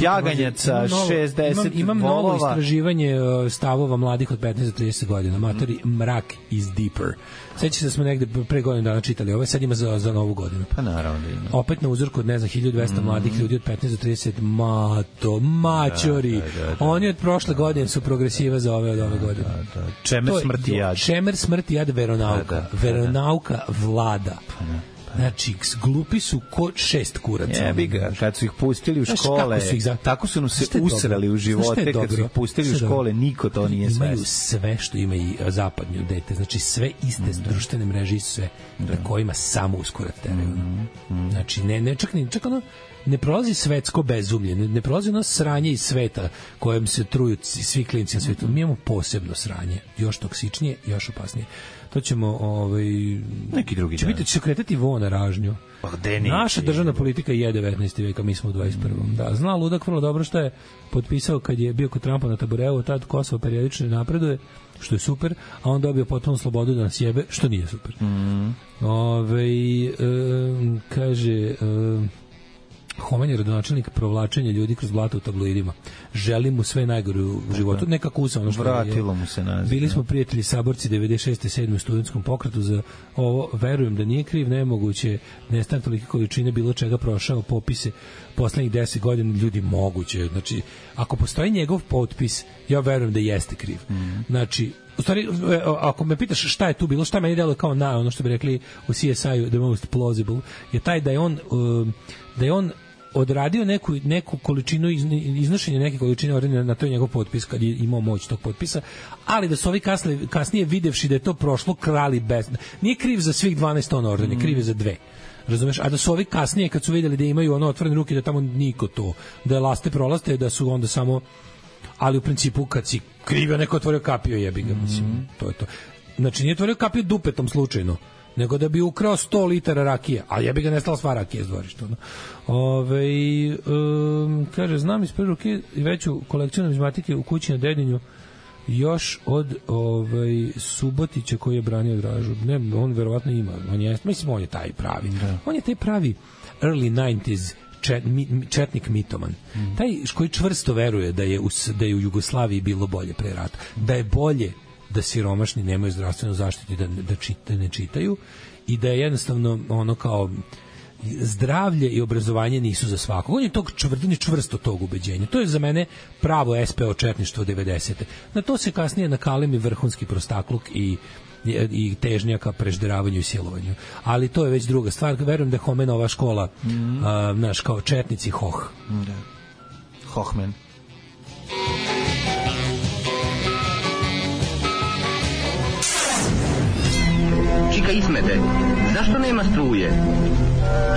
jaganjaca, 60 Imam novo istraživanje stavova mladih od 15 do 30 godina. Matori, mrak is deeper. Sećate se da smo negde pre godinu dana čitali ovo, sad ima za novu godinu. Pa naravno da ima. Opet na uzorku od, 1200 mladih ljudi od 15 do 30, mačori. Oni od prošle godine su progresiva za ove od ove godine. Čemer smrti jad veronauka. Veronauka vlada. Znači, glupi su ko 6 kuraca. Jebi ga, kad su ih pustili u škole, tako su nam se usrali u živote, kad su ih pustili u škole, niko to nije svesno. Imaju sve što ima i zapadnju dete, znači sve iste društvene mreže i sve, na kojima samo uskorat teraju. Znači, čak ono, ne prolazi svetsko bezumlje, ne prolazi ono sranje iz sveta kojem se truju svi klinci na svetu. Mi imamo posebno sranje, još toksičnije, još opasnije. To ćemo neki drugi dan. Će se kretati na ražnju. Naša državna politika je 19. veka, mi smo u 21. Da, zna ludak vrlo dobro što je potpisao kad je bio kod Trumpa na tabureu, tad Kosovo periodično napreduje, što je super, a on dobio potpunu slobodu da nas jebe, što nije super. Kaže... Homan je rodonačelnik provlačenja ljudi kroz blato u tabloidima. Želim mu sve najgore u životu. Nekako usam. Vratilo mu se naziv. Bili smo prijatelji saborci 96. 7. u studentskom pokretu za ovo. Verujem da nije kriv, nemoguće nestane tolike količine bilo čega prošao popise poslednjih 10 godina. Ljudi, moguće. Znači, ako postoji njegov potpis, ja verujem da jeste kriv. Znači, u stvari, ako me pitaš šta je tu bilo, šta meni delo kao ono što bi rekli u CSI-u the most plausible, je taj da je on odradio neku količinu iznošenja neke količine ordenja na to njegov potpis kad je imao moć tog potpisa, ali da su ovi kasnije videvši da je to prošlo krali bez... Nije kriv za svih 12 tona ordenja, kriv je za 2. Razumeš? A da su ovi kasnije kad su videli da imaju otvorene ruke, da tamo niko to, da je laste prolaste, da su onda samo... Ali u principu kad si krivio, neko otvorio kapio, jebi ga, mislim, to je to. Znači nije otvorio kapio dupetom slučajno, nego da bi ukrao 100 litara rakije, a jebi ga nestala sva rakije iz dvorišta. Kaže, znam iz prve ruke i veću kolekciju numizmatike u kući na Dedinju još od Subotića koji je branio Dražu. Ne, on verovatno ima. On je taj pravi. On je taj pravi early 90s četnik mitoman. Taj koji čvrsto veruje da je u Jugoslaviji bilo bolje pre rata, da je bolje da siromašni nemaju zdravstvenu zaštitu i da ne čitaju i da je jednostavno ono kao zdravlje i obrazovanje nisu za svakog. On je čvrsto tog ubeđenja. To je za mene pravo SPO četništvo 90. Na to se kasnije nakalemi vrhunski prostakluk i težnja ka prežderavanju i silovanju. Ali to je već druga stvar. Verujem da je Homenova škola naš kao četnici Hoh. Da. Hohmen. Čika Ismete, zašto nema struje?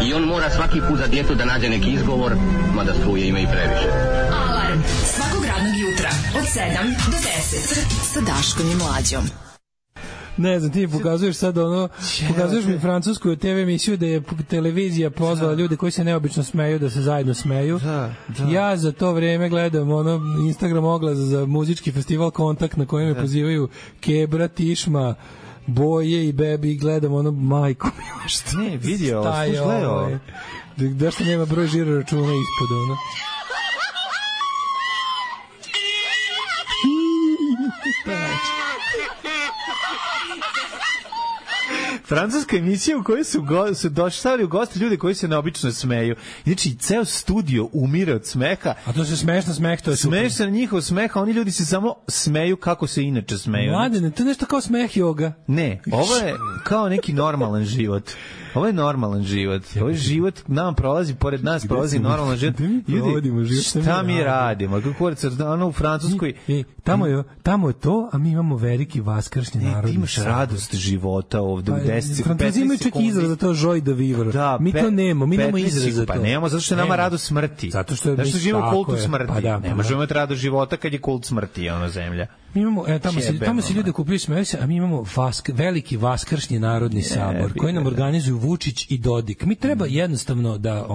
I on mora svaki put za djetu da nađe neki izgovor, mada struje ima i previše. Alarm svakog radnog jutra od 7 do 10 sa Daškom i Mlađom. Ne znam, ti mi pokazuješ sad pokazuješ mi francusku TV emisiju da je televizija pozvala ljude koji se neobično smeju da se zajedno smeju. Da. Ja za to vreme gledam Instagram oglas za muzički festival Kontakt na kojem me pozivaju Kebra, Tišma, Boje i Bebi i gledam majko mila što ne, vidio, slušaj da što nema broj žiro računa ispod francuska emisija u kojoj su došli u goste ljudi koji se neobično smeju. Znači, ceo studio umire od smeha. A to se smešno smeh, to je super. Smeješ se na njihov smeh, a oni ljudi se samo smeju kako se inače smeju. Mladene, to je nešto kao smeh joga. Ne, ovo je kao neki normalan život. Ovo je normalan život. Ovo je život, nam prolazi, pored nas prolazi normalan život. Ljudi, šta mi radimo? Ono u Francuskoj... Tamo je to, a mi imamo veliki vaskršnji narod. Ti imaš radost života ovde u 10 sekundi. Francuzi imaju čak izraz za to joy de vivre. Mi to nemamo, mi nemamo izraz za to. Pa nemamo, zato što je nama radost smrti. Zato što živimo u kultu smrti. Ne možemo imati radost života kad je kult smrti, ono zemlja. Mi imamo, tamo se ljudi kupili smeju se, a mi imamo veliki vaskršnji narodni sabor koji nam organizuju Vučić i Dodik. Mi treba jednostavno da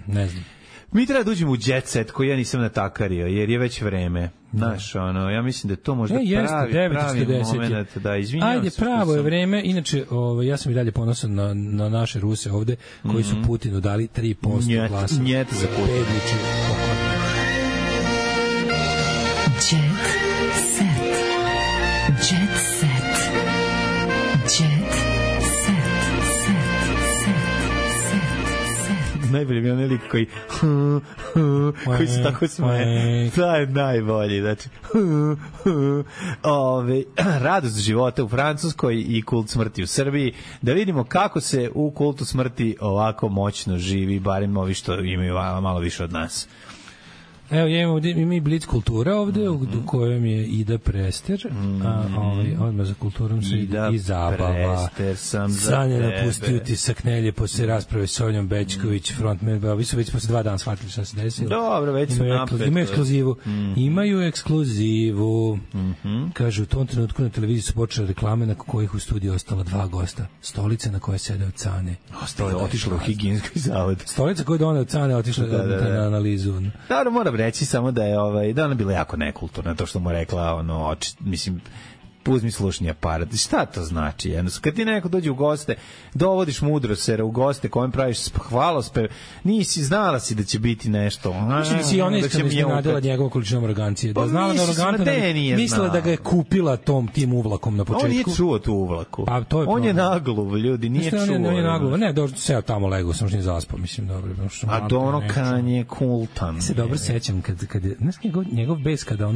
ne znam. Mi treba da uđemo u jet set koji ja nisam natakario, jer je već vreme. Znaš, ja mislim da je to možda pravi moment. Da, izvinjavam se. Ajde, pravo je vreme. Inače, ja sam i dalje ponosan na naše Ruse ovde, koji su Putinu dali 3% glasa. Njet za Putin. Jet set. Najbolji mi je onaj lik koji se tako smeje. To je najbolji. Znači, radost života u Francuskoj i kult smrti u Srbiji. Da vidimo kako se u kultu smrti ovako moćno živi, barem ovi što imaju malo više od nas. Evo, ima i Blitz kultura ovde, u kojem je Ida Prester, a odmah za kulturom se i zabava. Sanja napustio Tisak Nelje posle rasprave s Sonjom Bećković, frontman, vi su već posle 2 dana shvatili šta se desilo. Dobro, već su napred. Imaju ekskluzivu. Kažu, u tom trenutku na televiziji su počele reklame na kojih u studiju ostala 2 gosta. Stolica na kojoj sede od Cane. Otišla u higijenski zavod. Stolica koju je donao od Cane otišla na analizu. Dobro, moram reći samo da je da ona bila jako nekulturna, to što mu rekla, mislim, uzmi slušni aparat. Šta to znači? Kad ti neko dođe u goste, dovodiš mudrosera u goste kojem praviš hvalospev, nisi znala si da će biti nešto. Mislim si ona iznenadila njegovu količinom arogancije. Da znala da arogantan, mislila da ga je kupila tim uvlakom na početku. On nije čuo tu uvlaku. On je nagluv, ljudi, nije čuo. On je nagluv. Ne, seo tamo legao, sam što nije zaspao, mislim, dobro. A to ono Kanje kultan. Ja se dobro sećam kad je, znaš njegov bes kada,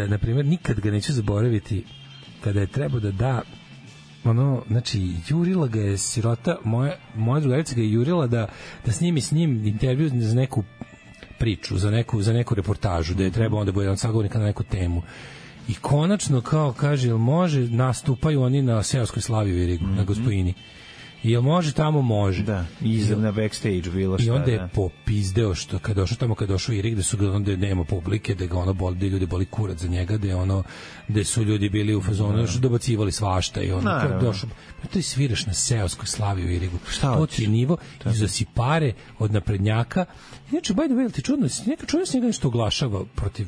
na primjer, nikad ga neću zaboraviti, kada je trebao da znači, jurila ga je sirota, moja drugarica ga je jurila da snimi s njim intervju za neku priču, za neku reportažu, da je trebao onda bude sagovornika na neku temu. I konačno, kao kaže, jel može, nastupaju oni na seoskoj slavi u Irigu, na Gospojini. Jel može tamo? Može. Da, izam na backstage bilo šta. I onda je popizdeo što kad došao Irik, gde su ga onda nema publike, da ga boli, da ljudi boli kurac za njega, da su ljudi bili u fazonu, što dobacivali svašta i ono došao. To je sviraš na seoskoj slavi u Irigu. To ti je nivo i uzasi pare od naprednjaka. Inače, by the way, ti čudno, neka čudno se njega nešto oglašava protiv,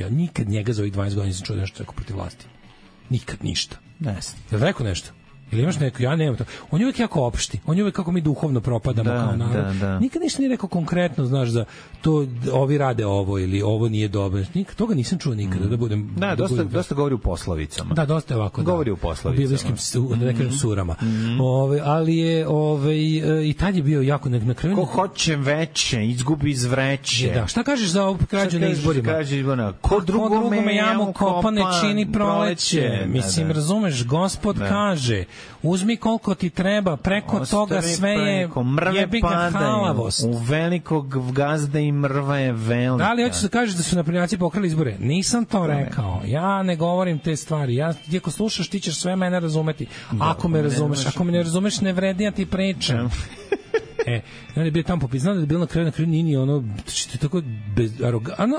nikad njega za ovih 12 godina nisam čuo nešto rekao protiv vlasti. Nikad ništa. Ne. Jel rekao nešto? Ili imaš neko, ja nemam to. On je uvijek jako opšti. On je uvijek kako mi duhovno propadamo kao narod. Nikad ništa nije rekao konkretno, znaš, za to ovi rade ovo ili ovo nije dobro. Toga nisam čuo nikada da budem. Da, dosta govori u poslovicama. Da, dosta je ovako. Govori u poslovicama. U biblijskim, da ne kažem surama. Ali je i tad je bio jako na kraju. Ko hoće veće, izgubi iz vreće. Da, šta kažeš za ovu krađu na izborima? Ko drugome jamu kopane čini proleće. Mislim, razumeš, Gospod kaže, uzmi koliko ti treba, preko toga sve je jebi ga halavost. U velikog gazda i mrva je velika. Da li hoćeš da kažeš da su naprednjaci pokrali izbore? Nisam to rekao. Ja ne govorim te stvari. Ti ako slušaš, ti ćeš sve mene razumeti. Ako me razumeš, ako me ne razumeš, ne vredi ja ti pričam. On je bio tamo popis, znam da je bilo na kraju Nini ono, što je tako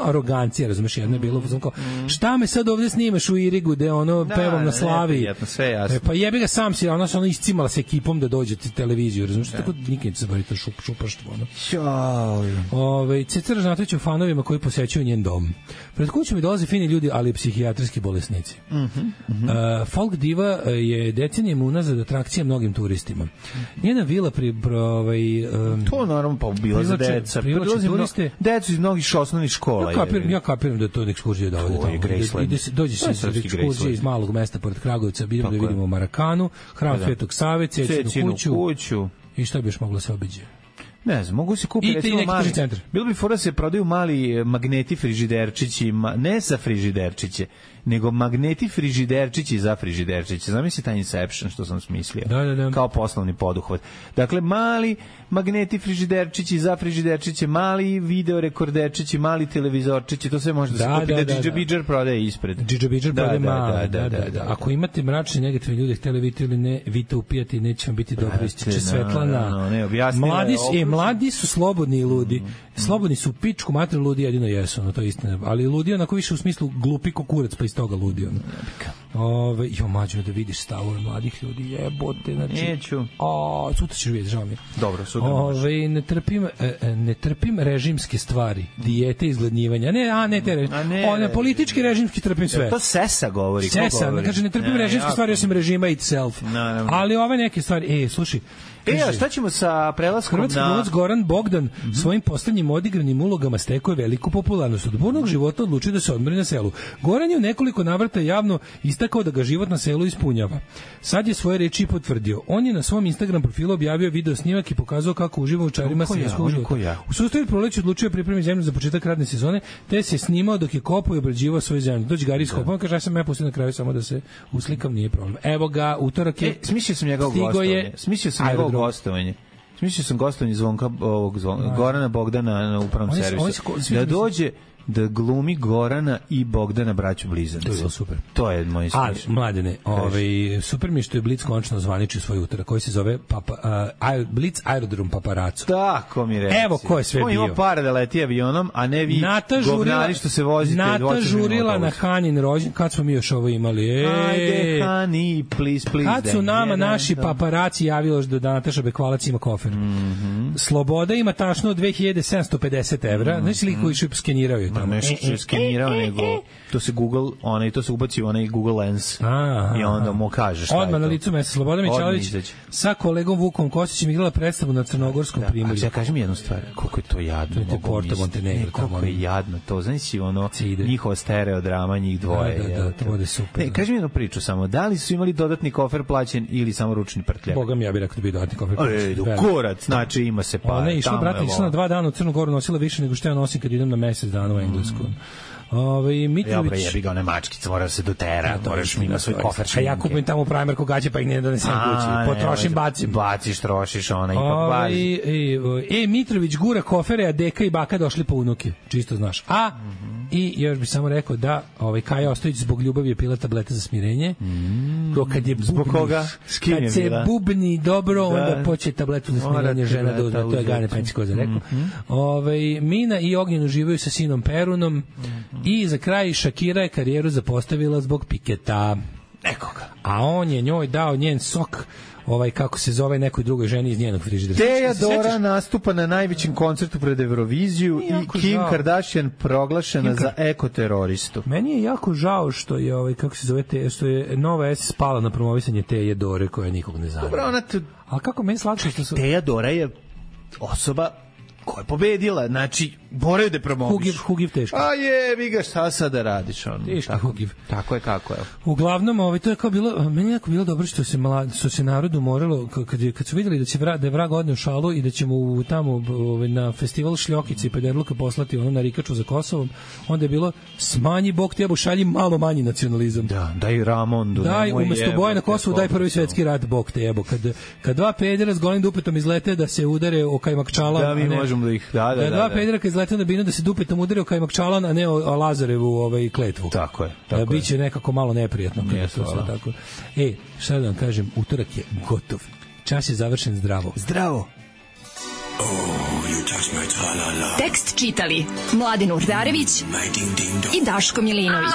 arogancija, razumeš, jedna je bilo, šta me sad ovdje snimaš u Irigu, gde ono pevam na slavi, pa jebi ga sam si, ona se ono iscimala s ekipom da dođe ti televiziju, razumeš, tako nikad se bari to šupaštvo, ono. Ceca Ražnatović o fanovima koji posećuju njen dom. Pred kućom mi dolaze fini ljudi, ali i psihijatrijski bolesnici. Folk diva je decenijama unazad atrakcija mnogim turistima. Njena vila to naravno pa bila za deca. Decu iz mnogih osnovnih škola. Ja kapiram da je to ekskurzija dovode tamo. Dođe se ekskurzija iz malog mesta pored Kragujevca, idemo da vidimo Marakanu, hram Svetog Save, Cecinu kuću. I šta bi još moglo se obiđe? Ne znam, mogu se kupiti recimo mali centar. Bilo bi fora se prodaju mali magneti frižiderčići, ne za frižiderčiće, nego magneti frižiderčići za frižiderčiće. Zamisli taj Inception što sam smislio. Da. Kao poslovni poduhvat. Dakle, mali magneti frižiderčići za frižiderčiće, mali video rekorderčići, mali televizorčići, to sve može da se kupi da Džidžabidžar prodaje ispred. Džidžabidžar prodaje mali, da. Ako imate mračne negativne ljude, htjeli vidite ili ne, vi to upijati, neće vam biti dobro, ističe Svetlana. Mladi su slobodni i ludi. Slobodni su pičku mater, ludi jedino jesu, no to je istina. Ali ludi onako više u smislu glupi kukurac, pa iz toga ludi. Mađo, da vidiš stavove mladih ljudi, jebote, znači. Neću. Sutra ćeš vidjeti, žao mi je. Dobro, sutra možeš. Ne trpim režimske stvari, dijete, izgladnjivanja. Ne te režimske. Politički režimski trpim sve. To Sesa govori. Sesa, kaže, ne trpim režimske stvari, osim režima itself. Ali ove neke stvari, slušaj, a šta ćemo sa prelaskom Hrvatski glumac Goran Bogdan svojim posljednjim odigranim ulogama stekao je veliku popularnost. Od burnog života odlučio da se odmori na selu. Goran je u nekoliko navrata javno istakao da ga život na selu ispunjava. Sad je svoje reči i potvrdio. On je na svom Instagram profilu objavio video snimak i pokazao kako uživa u čarima selskog života. U sustavu proleća odlučio pripremiti zemlju za početak radne sezone, te se snimao dok je kopao i obrađivao svoju zemlju. Dođe Gari iskopao, kaže, ja sam pustio na kraju samo da se uslikam, nije problem. Evo ga, utorak je. Smislio sam njegovo gostovanje. Smislio sam gostovanje Gorana Bogdana na upravnom servisu. Da dođe da glumi Gorana i Bogdana braću blizanci. To je bilo super. To je moj smišljaj. Ali, mladene, super mi je što je Blic končno zvaničio svoj utorak, koji se zove Blic Aerodrom Paparaco. Tako mi reci. Evo ko je sve bio. On ima pare da leti avionom, a ne vi govnari što se vozite. Nata žurila na Hanin rođen, kad smo mi još ovo imali? Ajde, Hani, please. Kad su nama naši paparaci javili da Nataša Bekvalac ima kofer. Sloboda ima tašno 2750 evra. Znači li koji su skenirao je tamo? Nešto je skenirao, nego to se Google, to se ubaci onaj Google Lens i onda mu kaže šta je to. Odmah na licu mesta Sloboda Mićalović sa kolegom Vukom Kostićem igrala predstavu na Crnogorskom primorju. A kaži mi jednu stvar, koliko je to jadno. Koliko je jadno to, znači njihova stereodrama, njih dvoje. Da, to bude super. Kaži mi jednu priču samo, da li su imali dodatni kofer plaćen ili samo ručni prtljak? Boga mi, ja bih rekao da bi dodatni kofer plaćen. Kurac, znači ima se par. Ona je išla, brate, išla na 2 dana u Crnu Goru, nosila više nego što ja nosim kad idem na mesec dana u Englesku. Mitrović, jebi ga one mačkice, mora se dotera, moraš mi ima svoj kofer šminke. A ja kupim tamo Primarku gaće pa ih ne donesem kući, potrošim, bacim. Baciš, trošiš, ona ipak važi. Mitrović gura kofere, a deka i baka došli po unuke, čisto znaš. I još bih samo rekao da Kaja Ostojić zbog ljubavi je pila tablete za smirenje. Kad je zbog koga? Kad se bubni dobro, onda poče tabletu za smirenje žena da uzme. To je Gane Penčko za rekao. Mina i Ognjen uživaju sa sinom Perunom. I za kraj Shakira je karijeru zapostavila zbog Piketa. Nekoga. A on je njoj dao njen sok kako se zove nekoj drugoj ženi iz njenog frižidera. Teodora nastupa na najvećem koncertu pred Euroviziju i Kim Kardashian proglašena za ekoteroristu. Meni je jako žao što je kako se zove što je Nova S spala na promovisanje Teodore koja nikog ne zanima. Dobro, ali kako meni slatko što su Teodora je osoba koja je pobedila, znači moraju da promoviš. Hugiv teško. A jebi ga, šta sad da radiš? Teški Hugiv. Tako je kako je. Uglavnom, to je kao bilo, meni je jako bilo dobro što se narodu moralo, kad su vidjeli da je vrag odneo šalu i da ćemo tamo na festival Šljokice i Pederluka poslati na Rikaču za Kosovom, onda je bilo smanji Bog tebu, šalji malo manji nacionalizam. Da, daj Ramondu. Daj, umesto boja na Kosovu, daj prvi svetski rat Bog tebu. Kad dva pedera s golim dupetom izlete da se udare o Kajmakčala, da, mi možemo da ih, da. Dva pedera kad izlete na binu da se dupetom udare o Kajmakčalan, a ne o Lazarevu kletvu. Tako je. Biće nekako malo neprijatno. Tako. Šta da vam kažem, utorak je gotov. Čas je završen zdravo. Zdravo! Tekst čitali Mladin Urdarević i Daško Milinović.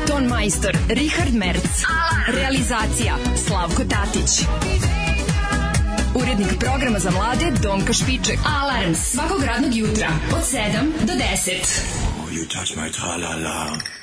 Ton majstor Richard Merc. Realizacija Slavko Tatić. Urednik programa za mlade Donka Špiček. Alarms svakog radnog jutra od 7 do 10. You touch my tra-la-la.